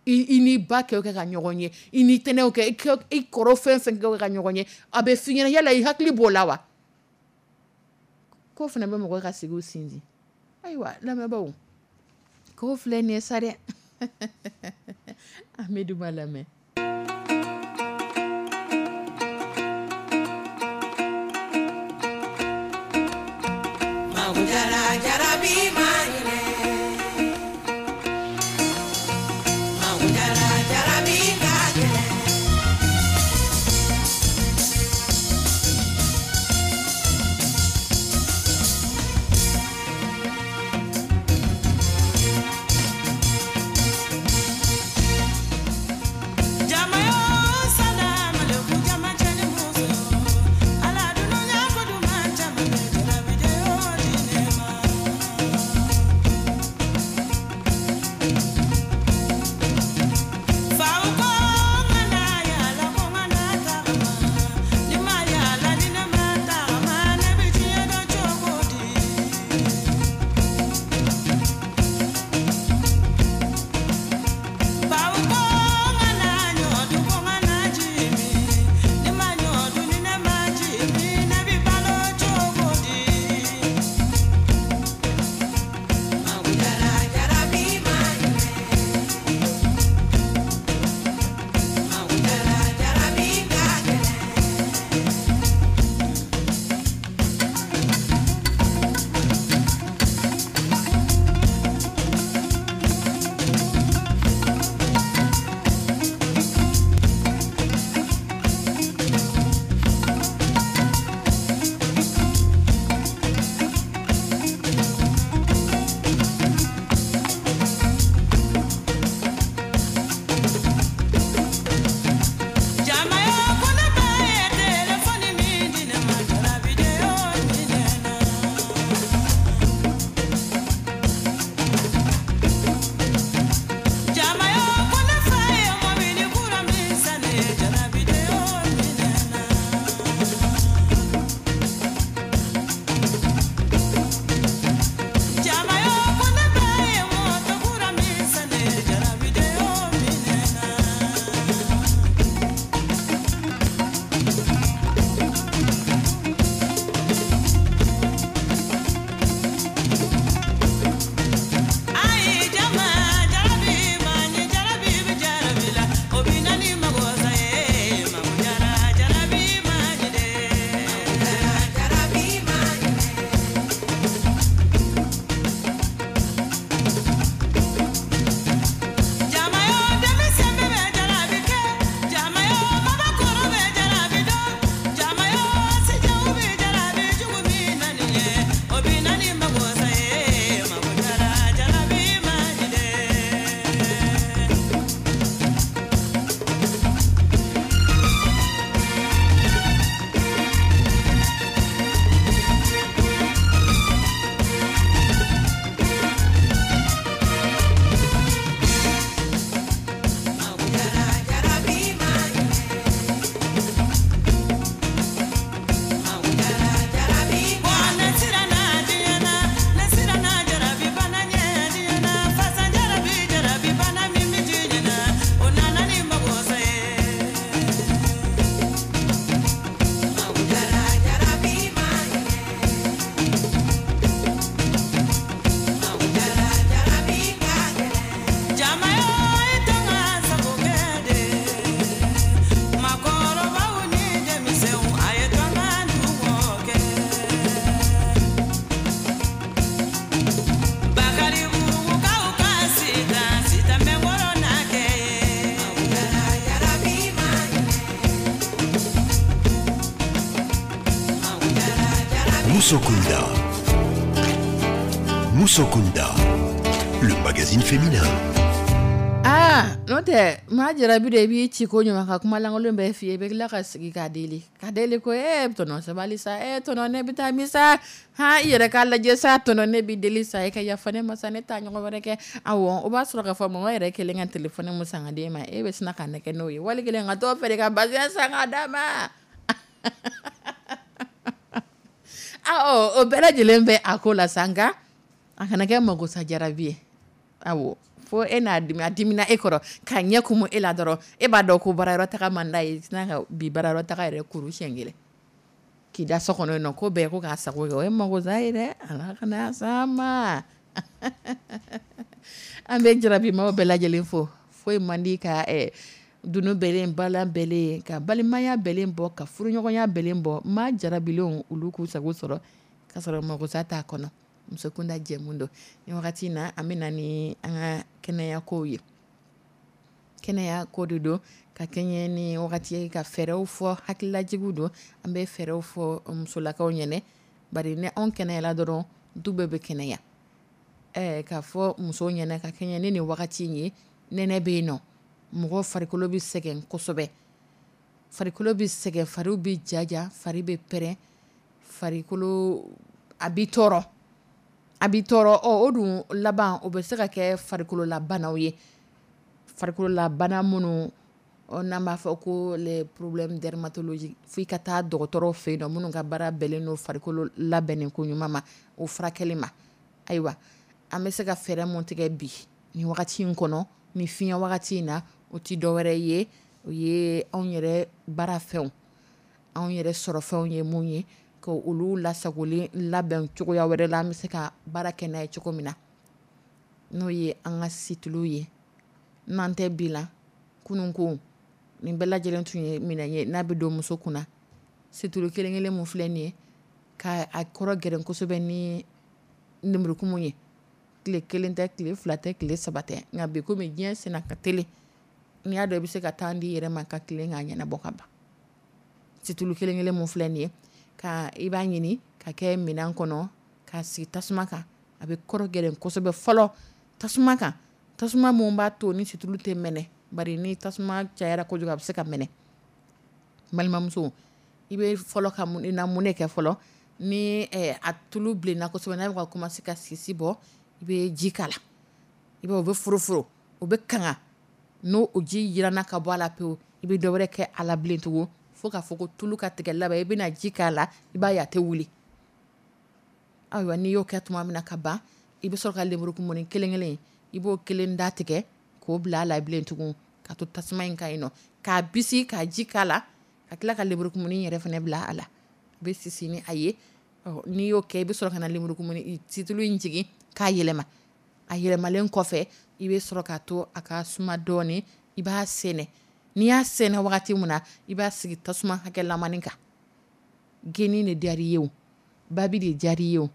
Speaker 2: I n'i ba kɛ ka ɲɔgɔn ye, i n'i tɛnɛw kɛ, i kɔrɔ fɛn fɛn kɛ ka ɲɔgɔn ye, a bɛ f'i ɲɛna, yala i hakili b'o la wa? K'o fana bɛ mɔgɔ ka sigiw sinsin. Ayiwa, lamɛnbaaw, k'o filɛ nin ye sa dɛ. An bɛ duba lamɛn.
Speaker 1: Musokunda. Musokunda, le magazine féminin.
Speaker 2: Aa, n'o tɛ maa jarabi de, i b'i ci ko ɲuman ka kuma lankolon bɛɛ f'i ye, i bɛ tila ka sigi k'a deli, ka deli ko e tɔnɔ sabali sa, e tɔnɔ ne bɛ taa min sa, han, i yɛrɛ k'a lajɛ sa, tɔnɔ ne b'i deli sa, e ka yafa ne ma sa, ne t'a ɲɔgɔn wɛrɛ kɛ. Awɔ, o b'a sɔrɔ k'a fɔ mama yɛrɛ kelen ka telefɔni mun san ka d'e ma, e bɛ sina ka nɛgɛ n'o ye, wali kelen ka t'o feere ka bazɛn san k'a d'a ma. Aa, o bɛɛ lajɛlen bɛ a ko la sa, nka a kana kɛ magosa jarabi ye. Awɔ, fo e n'a dimi, a dimina e kɔrɔ k'a ɲɛ kumu e la dɔrɔn, e b'a dɔn ko baarayɔrɔ taga man d'a ye, sina ka bi baarayɔrɔ taga yɛrɛ kuru siɲɛ kelen k'i da so kɔnɔ yen nɔ, ko bɛɛ ko k'a sago kɛ, o ye magosa ye dɛ, ala kana s'an ma. An bɛ jarabimaw bɛɛ lajɛlen fo, foyi man di ka dunu bɛlen, balan bɛlen, ka balimaya bɛlen bɔ, ka furuɲɔgɔnya bɛlen bɔ. Maa jarabilenw olu k'u sago sɔrɔ k'a sɔrɔ magosa t'a kɔnɔ. Musokunda jɛmu don ni wagati in na, an bɛ na ni an ka kɛnɛya kow ye. Kɛnɛya ko de don ka kɛɲɛ ni wagati ye, ka fɛɛrɛw fɔ, hakililajigiw don. An bɛ fɛɛrɛw fɔ musolakaw ɲɛnɛ, bari ni anw kɛnɛyala dɔrɔn, du bɛɛ bɛ kɛnɛya. K'a fɔ musow ɲɛnɛ ka kɛɲɛ ni nin wagati in ye, nɛnɛ bɛ yen nɔ, mɔgɔ farikolo bɛ sɛgɛn kosɛbɛ, farikolo bɛ sɛgɛn, fariw bɛ jaja, fari bɛ pɛrɛn, farikolo a bɛ tɔɔrɔ, a bɛ tɔɔrɔ. Ɔ, o dun laban o bɛ se ka kɛ farikololabanaw ye, farikololabana minnu n'an b'a fɔ ko les problèmes dermatologiques, f'i ka taa dɔgɔtɔrɔw fɛ yen nɔ minnu ka baara bɛnnen don farikolo labɛnnen ko ɲuman ma, o furakɛli ma. Ayiwa, an bɛ se ka fɛɛrɛ mun tigɛ bi nin wagati in kɔnɔ, ni fiɲɛ wagati in na, o ti dɔwɛrɛ ye, o ye anw yɛrɛ baarafɛnw, anw yɛrɛ sɔrɔfɛnw ye mun ye, ka olu lasagolen labɛn cogoya wɛrɛ la, an bɛ se ka baara kɛ n'a ye cogo min na, n'o ye an ka situlu ye. N'an tɛ bi la, kunun ko nin bɛɛ lajɛlen tun ye minɛn ye n'a bɛ don muso kunna. Situlu kelen kelen mun filɛ nin ye, ka a kɔrɔ gɛrɛn kosɛbɛ ni lemurukumu ye, tile kelen tɛ, tile fila tɛ, tile saba tɛ, nka bi komi diɲɛ senna ka teli, n'i y'a dɔn i bɛ se ka temps di yɛrɛ ma ka tilen k'a ɲɛnabɔ ka ban. Situlu kelen kelen mun filɛ nin ye, ka i b'a ɲini ka kɛ minɛn kɔnɔ ka sigi tasuma kan, a bɛ kɔrɔ gɛrɛn kosɛbɛ fɔlɔ tasuma kan, tasuma mun b'a to ni situlu tɛ mɛnɛ, bari ni tasuma cayara kojugu a bɛ se ka mɛnɛ. Balimamuso, i bɛ fɔlɔ ka mun na, mun de kɛ fɔlɔ, ni a tulu bilenna kosɛbɛ, n'a bɛ ka commencer ka sisi bɔ, i bɛ ji k'a la, i b'a o bɛ foroforo, o bɛ kanga, n'o o ji jiranna ka bɔ a la pewu, i bɛ dɔ wɛrɛ kɛ a la bilen tugun, fo k'a fɔ ko tulu ka tigɛ laban, i bɛna ji k'a la, i b'a ye a tɛ wuli. Ayiwa, n'i y'o kɛ tuma min na ka ban, i bɛ sɔrɔ ka lemurukumuni kelen kelen, i b'o kelen da tigɛ k'o bila a la bilen tugun, ka to tasuma in kan yen nɔ, k'a bisi ka ji k'a la, ka tila ka lemurukumuni yɛrɛ fana bila a la, i bɛ sisi ni a ye. Ɔ, n'i y'o kɛ, i bɛ sɔrɔ ka na lemurukumuni situlu in jigin k'a yɛlɛma. A yɛlɛmalen kɔfɛ, i bɛ sɔrɔ k'a to a ka suma dɔɔnin, i b'a sɛnɛ. N'i y'a sɛnɛ wagati min na, i b'a sigi tasuma hakɛlamani kan. Geni de diyara i ye o, babi de diyara i ye o,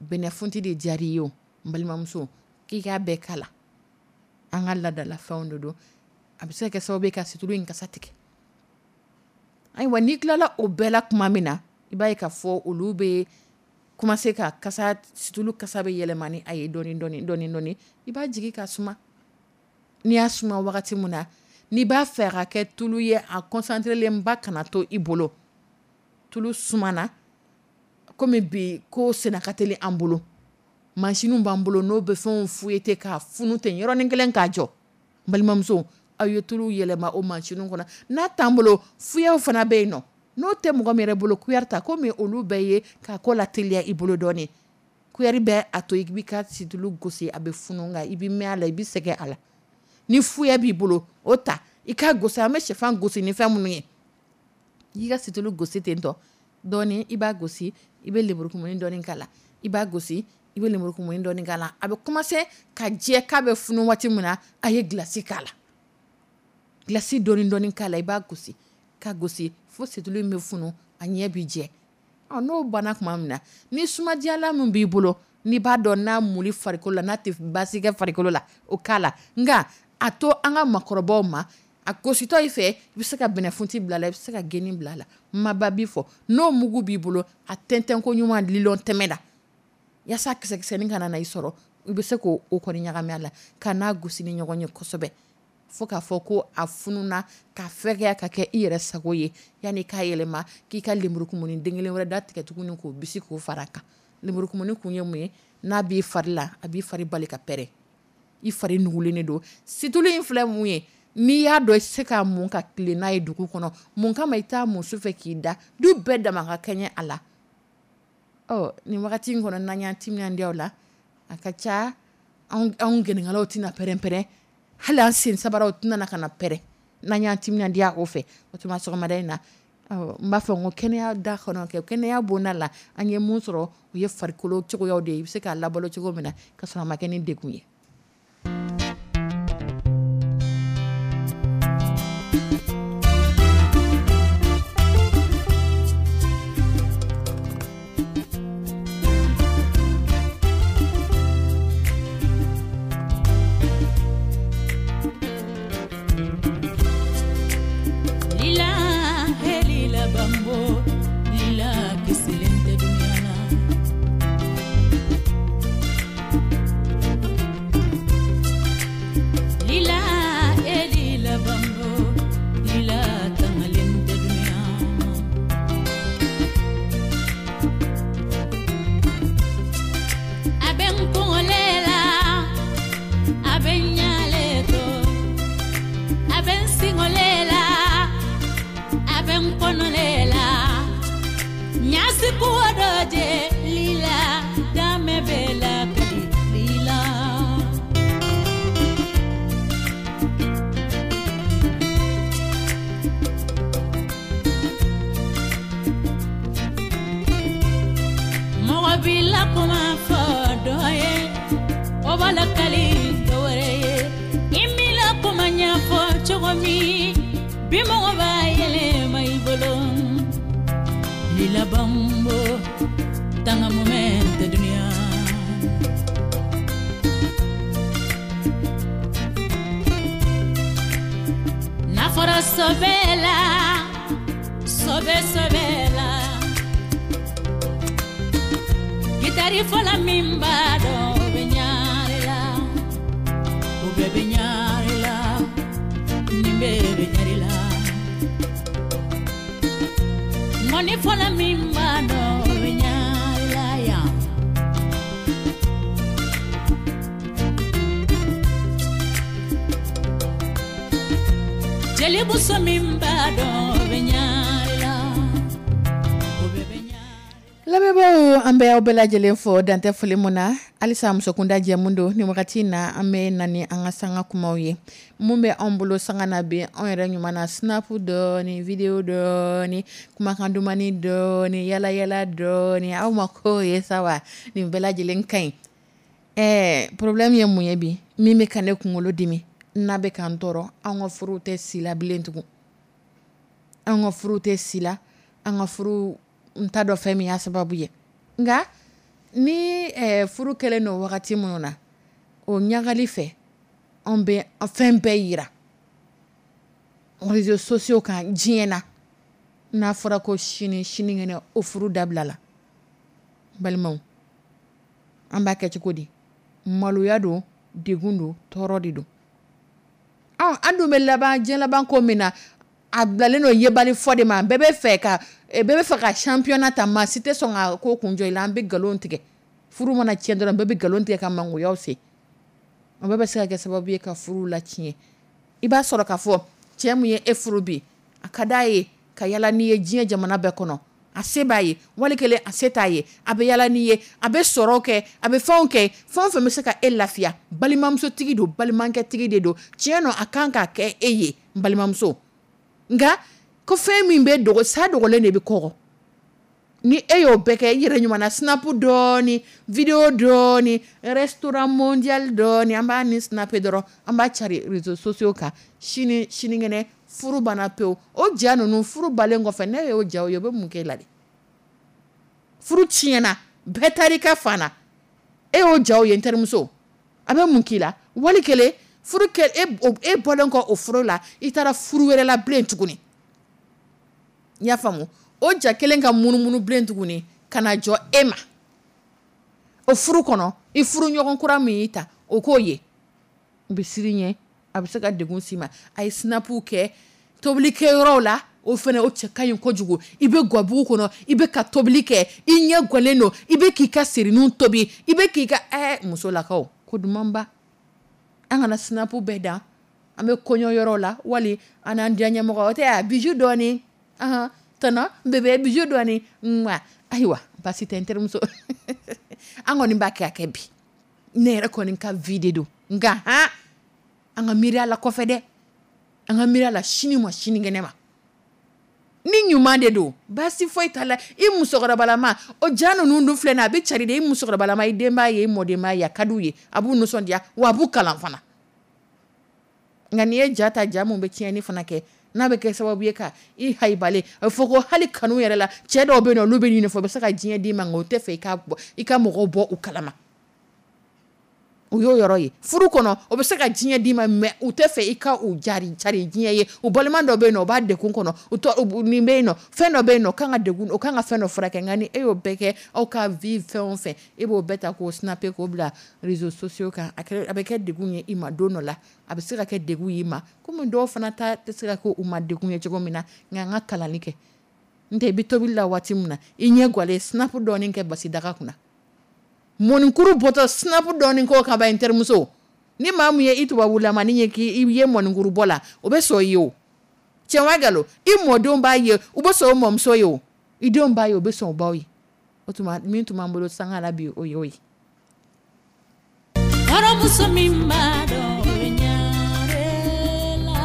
Speaker 2: bɛnɛfunti de diyara i ye o, n balimamuso, k'i k'a bɛɛ kala. An ka laadalafɛnw de don, a bɛ se ka kɛ sababu ye ka situlu in kasa tigɛ. Ayiwa, n'i tilala o bɛɛ la tuma min na, i b'a ye k'a fɔ olu bɛ commencer ka kasa, situlu kasa bɛ yɛlɛma ni a ye dɔɔni dɔɔni dɔɔni dɔɔni, i b'a jigin ka suma. N'i y'a suma wagati min na, n'i b'a fɛ a ka kɛ tulu ye, a concentré ba kana to i bolo. Tulu sumana, komi bi ko senna ka teli an bolo, mansinw b'an bolo n'o bɛ fɛnw fouetter k'a funu ten yɔrɔnin kelen k'a jɔ. N balimamuso, aw ye tulu yɛlɛma o mansinw kɔnɔ. N'a t'an bolo, fuyaw fana bɛ yen nɔ, n'o tɛ mɔgɔ min yɛrɛ bolo, kuyɛri ta, komi olu bɛɛ ye k'a ko la teliya i bolo dɔɔnin. Kuyɛri bɛ a to i b'i ka situlu gosi, a bɛ funu, nka i bɛ mɛn a la, i bɛ sɛgɛn a la. Ni fuya b'i bolo, o ta i k'a gosi. An bɛ sɛfan gosi ni fɛn minnu ye, i ka situlu gosi ten tɔ dɔɔnin, i b'a gosi, i bɛ lemurukumuni dɔɔnin k'a la, i b'a gosi, i bɛ lemurukumuni dɔɔnin k'a la. A bɛ commencer ka jɛ k'a bɛ funu waati min na, a ye glace k'a la, glace dɔɔnin dɔɔnin k'a la, i b'a gosi ka gosi fo situlu in bɛ funu, a ɲɛ bɛ jɛ. Ɔ, n'o banna tuma min na, ni sumadiyalan min b'i bolo, n'i b'a dɔn n'a muli farikolo la, n'a tɛ baasi kɛ farikolo la, o k'a la. Nka a to an ka makɔrɔbaw ma, A gositɔ i fɛ, i bɛ se ka bɛnɛfunti bila a la, i bɛ se ka geni bila a la. Maba bi fɔ n'o mugu b'i bolo, a tɛntɛn ko ɲuman lilɔn tɛmɛ na yaasa kisɛkisɛnin kana na i sɔrɔ, i bɛ se k'o kɔni ɲagami a la ka n'a gosi ni ɲɔgɔn ye kosɛbɛ fo k'a fɔ ko a fununa ka fɛgɛya ka kɛ i yɛrɛ sago ye, yanni k'a yɛlɛma k'i ka lenburukumuni den kelen wɛrɛ da tigɛ tuguni k'o bisi k'o fara a kan. Lenburukumuni kun ye mun ye? N'a b'i fari la, a b'i fari bali ka pɛrɛn, i fari nugulen de don. Situlu in filɛ mun ye, n'i y'a dɔn i tɛ se k'a mun ka tilen n'a ye dugu kɔnɔ, mun kama i t'a mun sufɛ k'i da, du bɛɛ dama ka kɛɲɛ a la. Ɔ nin wagati in kɔnɔ, n'an y'an timinandiya o la, a ka ca anw gɛnɛkalaw tɛna pɛrɛn-pɛrɛn, hali an sen sabaraw tɛna na ka na pɛrɛn n'an y'an timinandiya o fɛ. O tuma sɔgɔmada in na, n b'a fɔ n ko kɛnɛya da kɔnɔ kɛ kɛnɛya bonda la, an ye mun sɔrɔ, o ye farikolo cogoyaw de ye, i bɛ se k'a labalo cogo min na ka sɔrɔ a ma kɛ ni degun ye.
Speaker 3: Lila, he lila bambo, lila kisilen tɛ dunya la. Lila, he lila bambo, lila tangalen tɛ dunya ma. A bɛ n kunkolo la, a bɛ n ɲalen to, a bɛ n singole la, a bɛ n kɔnɔle la. Ɲasi kuwo dɔ jɛ lila, danmɛ bɛ la kadi lila. Mɔgɔ b'i la kuma fɔ dɔ ye, o b'a lakali dɔ wɛrɛ ye. I m'i la kuma ɲɛfɔ cogo min, bi mɔgɔ b'a yɛlɛma i bolo. Lila bambo, tanga mumɛ tɛ dunya. N'a fɔra sɔbɛ la, sɔbɛ sɔbɛ la, gitari fɔla min b'a dɔn, o bɛ ɲare la, o bɛɛ bɛ ɲare la, nin bɛɛ bɛ ɲare la. Ŋɔni fɔla min b'a dɔn, o bɛ ɲare la yan. Jelimuso min b'a dɔn, o bɛ ɲare la, o bɛɛ bɛ ɲare la.
Speaker 2: Lamɛnbaaw, an bɛ aw bɛɛ lajɛlen fo dantɛ foli mun na. Halisa musokunda jɛmu don. Nin wagati in na, an bɛ na ni an ka sanga kumaw ye. Mun bɛ anw bolo sanga na bi, anw yɛrɛ ɲuman na snap dɔɔni, video dɔɔni, kumakan dumani dɔɔni, yala yala dɔɔni, aw ma ko ye sa wa? Nin bɛɛ lajɛlen ka ɲi. Problème ye mun ye bi? Min bɛ ka ne kunkolo dimi, n'a bɛ ka n tɔɔrɔ, anw ka furuw tɛ si la bilen tugun. Anw ka furuw tɛ si la, an ka furu n t'a dɔn fɛn min y'a sababu ye. Nka ni furu kɛlen don wagati minnu na, o ɲagali fɛ, anw bɛ fɛn bɛɛ yira réseaux sociaux kan diɲɛ na. N'a fɔra ko sini, sinikɛnɛ, o furu dabila la. Balimaw, an b'a kɛ cogo di? Maloya don, degun don, tɔɔrɔ de don. An dun bɛ laban diɲɛ laban ko min na, a bilalen don yebali fɔ de ma. Bɛɛ bɛ fɛ ka, bɛɛ bɛ fɛ ka championnat ta, maa si tɛ sɔn ka ko kun jɔ i la. An bɛ nkalon tigɛ. Furu mana tiɲɛ dɔrɔn, bɛɛ bɛ nkalon tigɛ ka mangoyaw se. O bɛɛ bɛ se ka kɛ sababu ye ka furu latiɲɛ. I b'a sɔrɔ k'a fɔ cɛ mun ye e furu bi, a ka d'a ye ka yala n'i ye diɲɛ jamana bɛɛ kɔnɔ. A se b'a ye, wali kelen a se t'a ye, a bɛ yala n'i ye, a bɛ sɔrɔ kɛ, a bɛ fɛnw kɛ, fɛn o fɛn bɛ se ka e lafiya. Balimamusotigi don, balimakɛtigi de don. Tiɲɛ don, a kan ka kɛ e ye, n balimamuso. Nka ko fɛn min bɛ dogo, sa dogolen de bɛ kɔgɔ. Ni e y'o bɛɛ kɛ, i yɛrɛ ɲuman na snap dɔɔni, video dɔɔni, restaurant mondial dɔɔni, an b'a ni snap dɔrɔn, an b'a cari réseaux sociaux kan. Sini, sinikɛnɛ, furu banna pewu. O ja ninnu, furu balen kɔfɛ, ne y'o jaw ye, o bɛ mun k'e la de? Furu tiɲɛna, bɛɛ taar'i ka fan na. E y'o jaw ye, n terimuso, a bɛ mun k'i la? Wali kelen, Furu kɛ e bɔlen kɔ o furu la, i taara furu wɛrɛ la bilen tuguni. I y'a faamu? O ja kelen ka munumunu bilen tuguni ka na jɔ e ma. O furu kɔnɔ, i furu ɲɔgɔn kura min y'i ta, o k'o ye. U bɛ siran ɲɛ, a bɛ se ka degun s'i ma. A ye snapu kɛ tobili kɛyɔrɔw la, o fana o cɛ ka ɲi kojugu. I bɛ gabugu kɔnɔ, i bɛ ka tobili kɛ, i ɲɛ gɔlen don, i bɛ k'i ka sirininw tobi, i bɛ k'i ka musolakaw ko dumanba. An kana snapu bɛɛ dan, an bɛ kɔɲɔ yɔrɔ la wali an n'an diya ɲɛmɔgɔ, o tɛ a bijou dɔɔni, tɔnɔ bébé bijou dɔɔni, ayiwa baasi tɛ n terimuso. An kɔni b'a kɛ a kɛ bi, ne yɛrɛ kɔni ka vie de don, nka han an ka miiri a la kɔfɛ dɛ, an ka miiri a la sini ma sinikɛnɛ ma. Ni ɲuman de don, baasi foyi t'a la. I musokɔrɔbalama, o ja ninnu dun filɛ nin ye, a bɛ cari de. I musokɔrɔbalama, i den b'a ye, i mɔden b'a ye, a ka d'u ye, a b'u nisɔndiya, wa a b'u kalan fana. Nka n'i ye ja ta, ja mun bɛ tiɲɛni fana kɛ, n'a bɛ kɛ sababu ye ka i hayibalen, a bɛ fɔ ko hali kanu yɛrɛ la, cɛ dɔw bɛ yen nɔ, olu bɛ ɲini fɔ, u bɛ se ka diɲɛ d'i ma, nka o tɛ fɛ i ka mɔgɔw bɔ u kalama. O y'o yɔrɔ ye. Furu kɔnɔ, o bɛ se ka diɲɛ d'i ma, mais u tɛ fɛ i ka u jari cari diɲɛ ye. U balima dɔ bɛ yen nɔ, o b'a degun kɔnɔ, nin bɛ yen nɔ, fɛn dɔ bɛ yen nɔ, o kan ka degun, o kan ka fɛn dɔ furakɛ. Nka ni e y'o bɛɛ kɛ, aw ka vie fɛn o fɛn, e b'o bɛɛ ta k'o snapper k'o bila réseaux sociaux kan, a bɛ kɛ degun ye i ma don dɔ la, a bɛ se ka kɛ degun ye i ma, komi dɔw fana ta tɛ se ka kɛ u ma degun ye cogo min na. Nka an ka kalali kɛ, n tɛ i bɛ tobili la waati min na, i ɲɛ gwalen, snap dɔɔni kɛ basi daga kunna, mɔnikuru bɔtɔ snap dɔɔni k'o kan ba n terimuso. Ni maa min ye i tubabulamanin ye k'i ye mɔnikuru bɔ la, o bɛ sɔn i ye o. Tiɲɛ wa nkalon? I mɔdenw b'a ye, u bɛ sɔn o mɔmuso ye o. I denw b'a ye, u bɛ sɔn o baw ye. O tuma min tun b'an bolo sanga la bi, o y'o ye.
Speaker 4: Kɔrɔmuso min b'a dɔn ɲare la.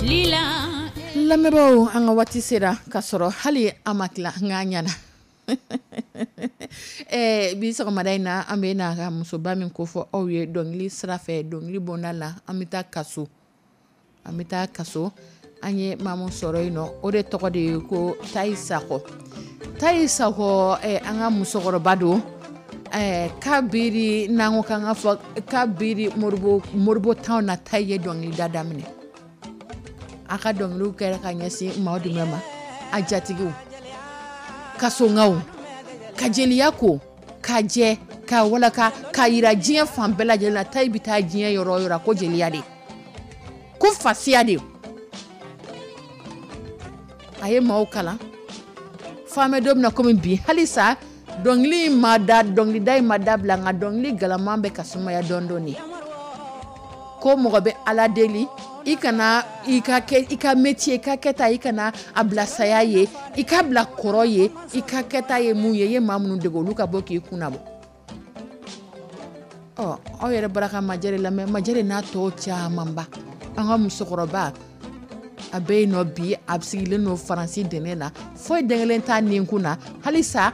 Speaker 4: Lila.
Speaker 2: Lamɛnbaaw, an ka waati sera ka sɔrɔ hali an ma tila, nka an ɲɛna. Bi sɔgɔmada in na, an bɛ na ka musoba min kofɔ aw ye dɔnkili sira fɛ, dɔnkili bɔnda la, an bɛ taa kaso. An bɛ taa kaso. An ye maa min sɔrɔ yen nɔ, o de tɔgɔ de ye ko Tayi Sakɔ. Tayi Sakɔ, an ka musokɔrɔba don. Kabiri n'an ko k'an ka fɔ kabiri Moribo tanw na, Tayi ye dɔnkilida daminɛ. A ka dɔnkiliw kɛra ka ɲɛsin maaw jumɛn ma? A jatigiw, kasongaw, ka jeliya ko, ka jɛ, ka walaka, ka yira diɲɛ fan bɛɛ lajɛlen na. Tayi bɛ taa diɲɛ yɔrɔ o yɔrɔ, ko jeliya de, ko fasiya de. A ye maaw kalan. F'an bɛ don min na komi bi, halisa dɔnkili in ma da, dɔnkilida in ma dabila, nka dɔnkili galaman bɛ ka sumaya dɔɔni dɔɔni. Ko mɔgɔ bɛ Ala deli, i kana i ka kɛ, i ka métier, i ka kɛta, i kana a bila saya ye, i ka bila kɔrɔ ye, i ka kɛta ye mun ye, i ye maa minnu dege olu ka bɔ k'i kunna bɔ. Ɔ, aw yɛrɛ bɔra ka Majɛri lamɛn, Majɛri n'a tɔw camanba. An ka musokɔrɔba, a bɛ yen nɔ bi, a sigilen don Faransi dɛmɛ na, foyi den kelen t'a ninkun na. Halisa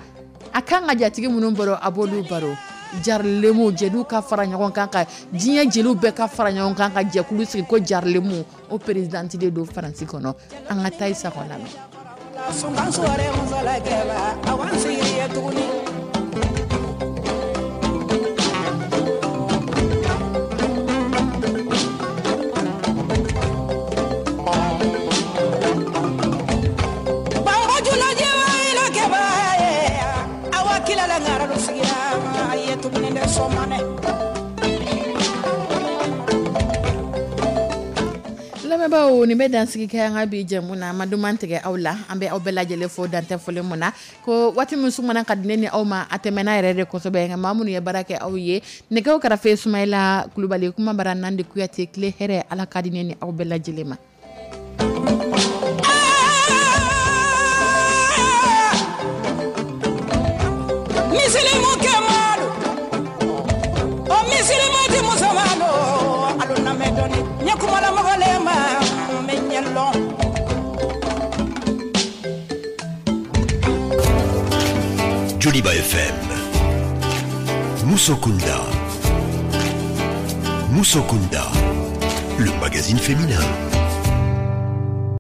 Speaker 2: a kan ka jatigi minnu baro, a b'olu baro. Jarilemu, jeliw ka fara ɲɔgɔn kan, ka diɲɛ jeliw bɛɛ ka fara ɲɔgɔn kan, ka jɛkulu sigi ko Jarilemu, o présidente de don Faransi kɔnɔ. An ka Tayi Sakɔ lamɛn. Lamɛnbaaw, nin bɛ dansigi kɛ an ka bi jɛmu na. An ma duman tigɛ aw la, an bɛ aw bɛɛ lajɛlen fo dantɛ foli mun na. Ko waati min sumana ka di ne ni aw ma, a tɛmɛna yɛrɛ de kosɛbɛ. Nka maa minnu ye baara kɛ aw ye, nɛgɛw karafe Sumayila Kulubali, kuma bara Nandi Kuyate, tile hɛrɛ, Ala ka di ne ni aw bɛɛ lajɛlen ma.
Speaker 3: Misilimu kɛmalu, o misilimu ti musomalu, alu na mɛn dɔɔni, ɲɛ kumala mɔgɔ le ma, n bɛ ɲɛ lɔn.
Speaker 1: Joliba FM, Musokunda. Musokunda, le magazine féminin.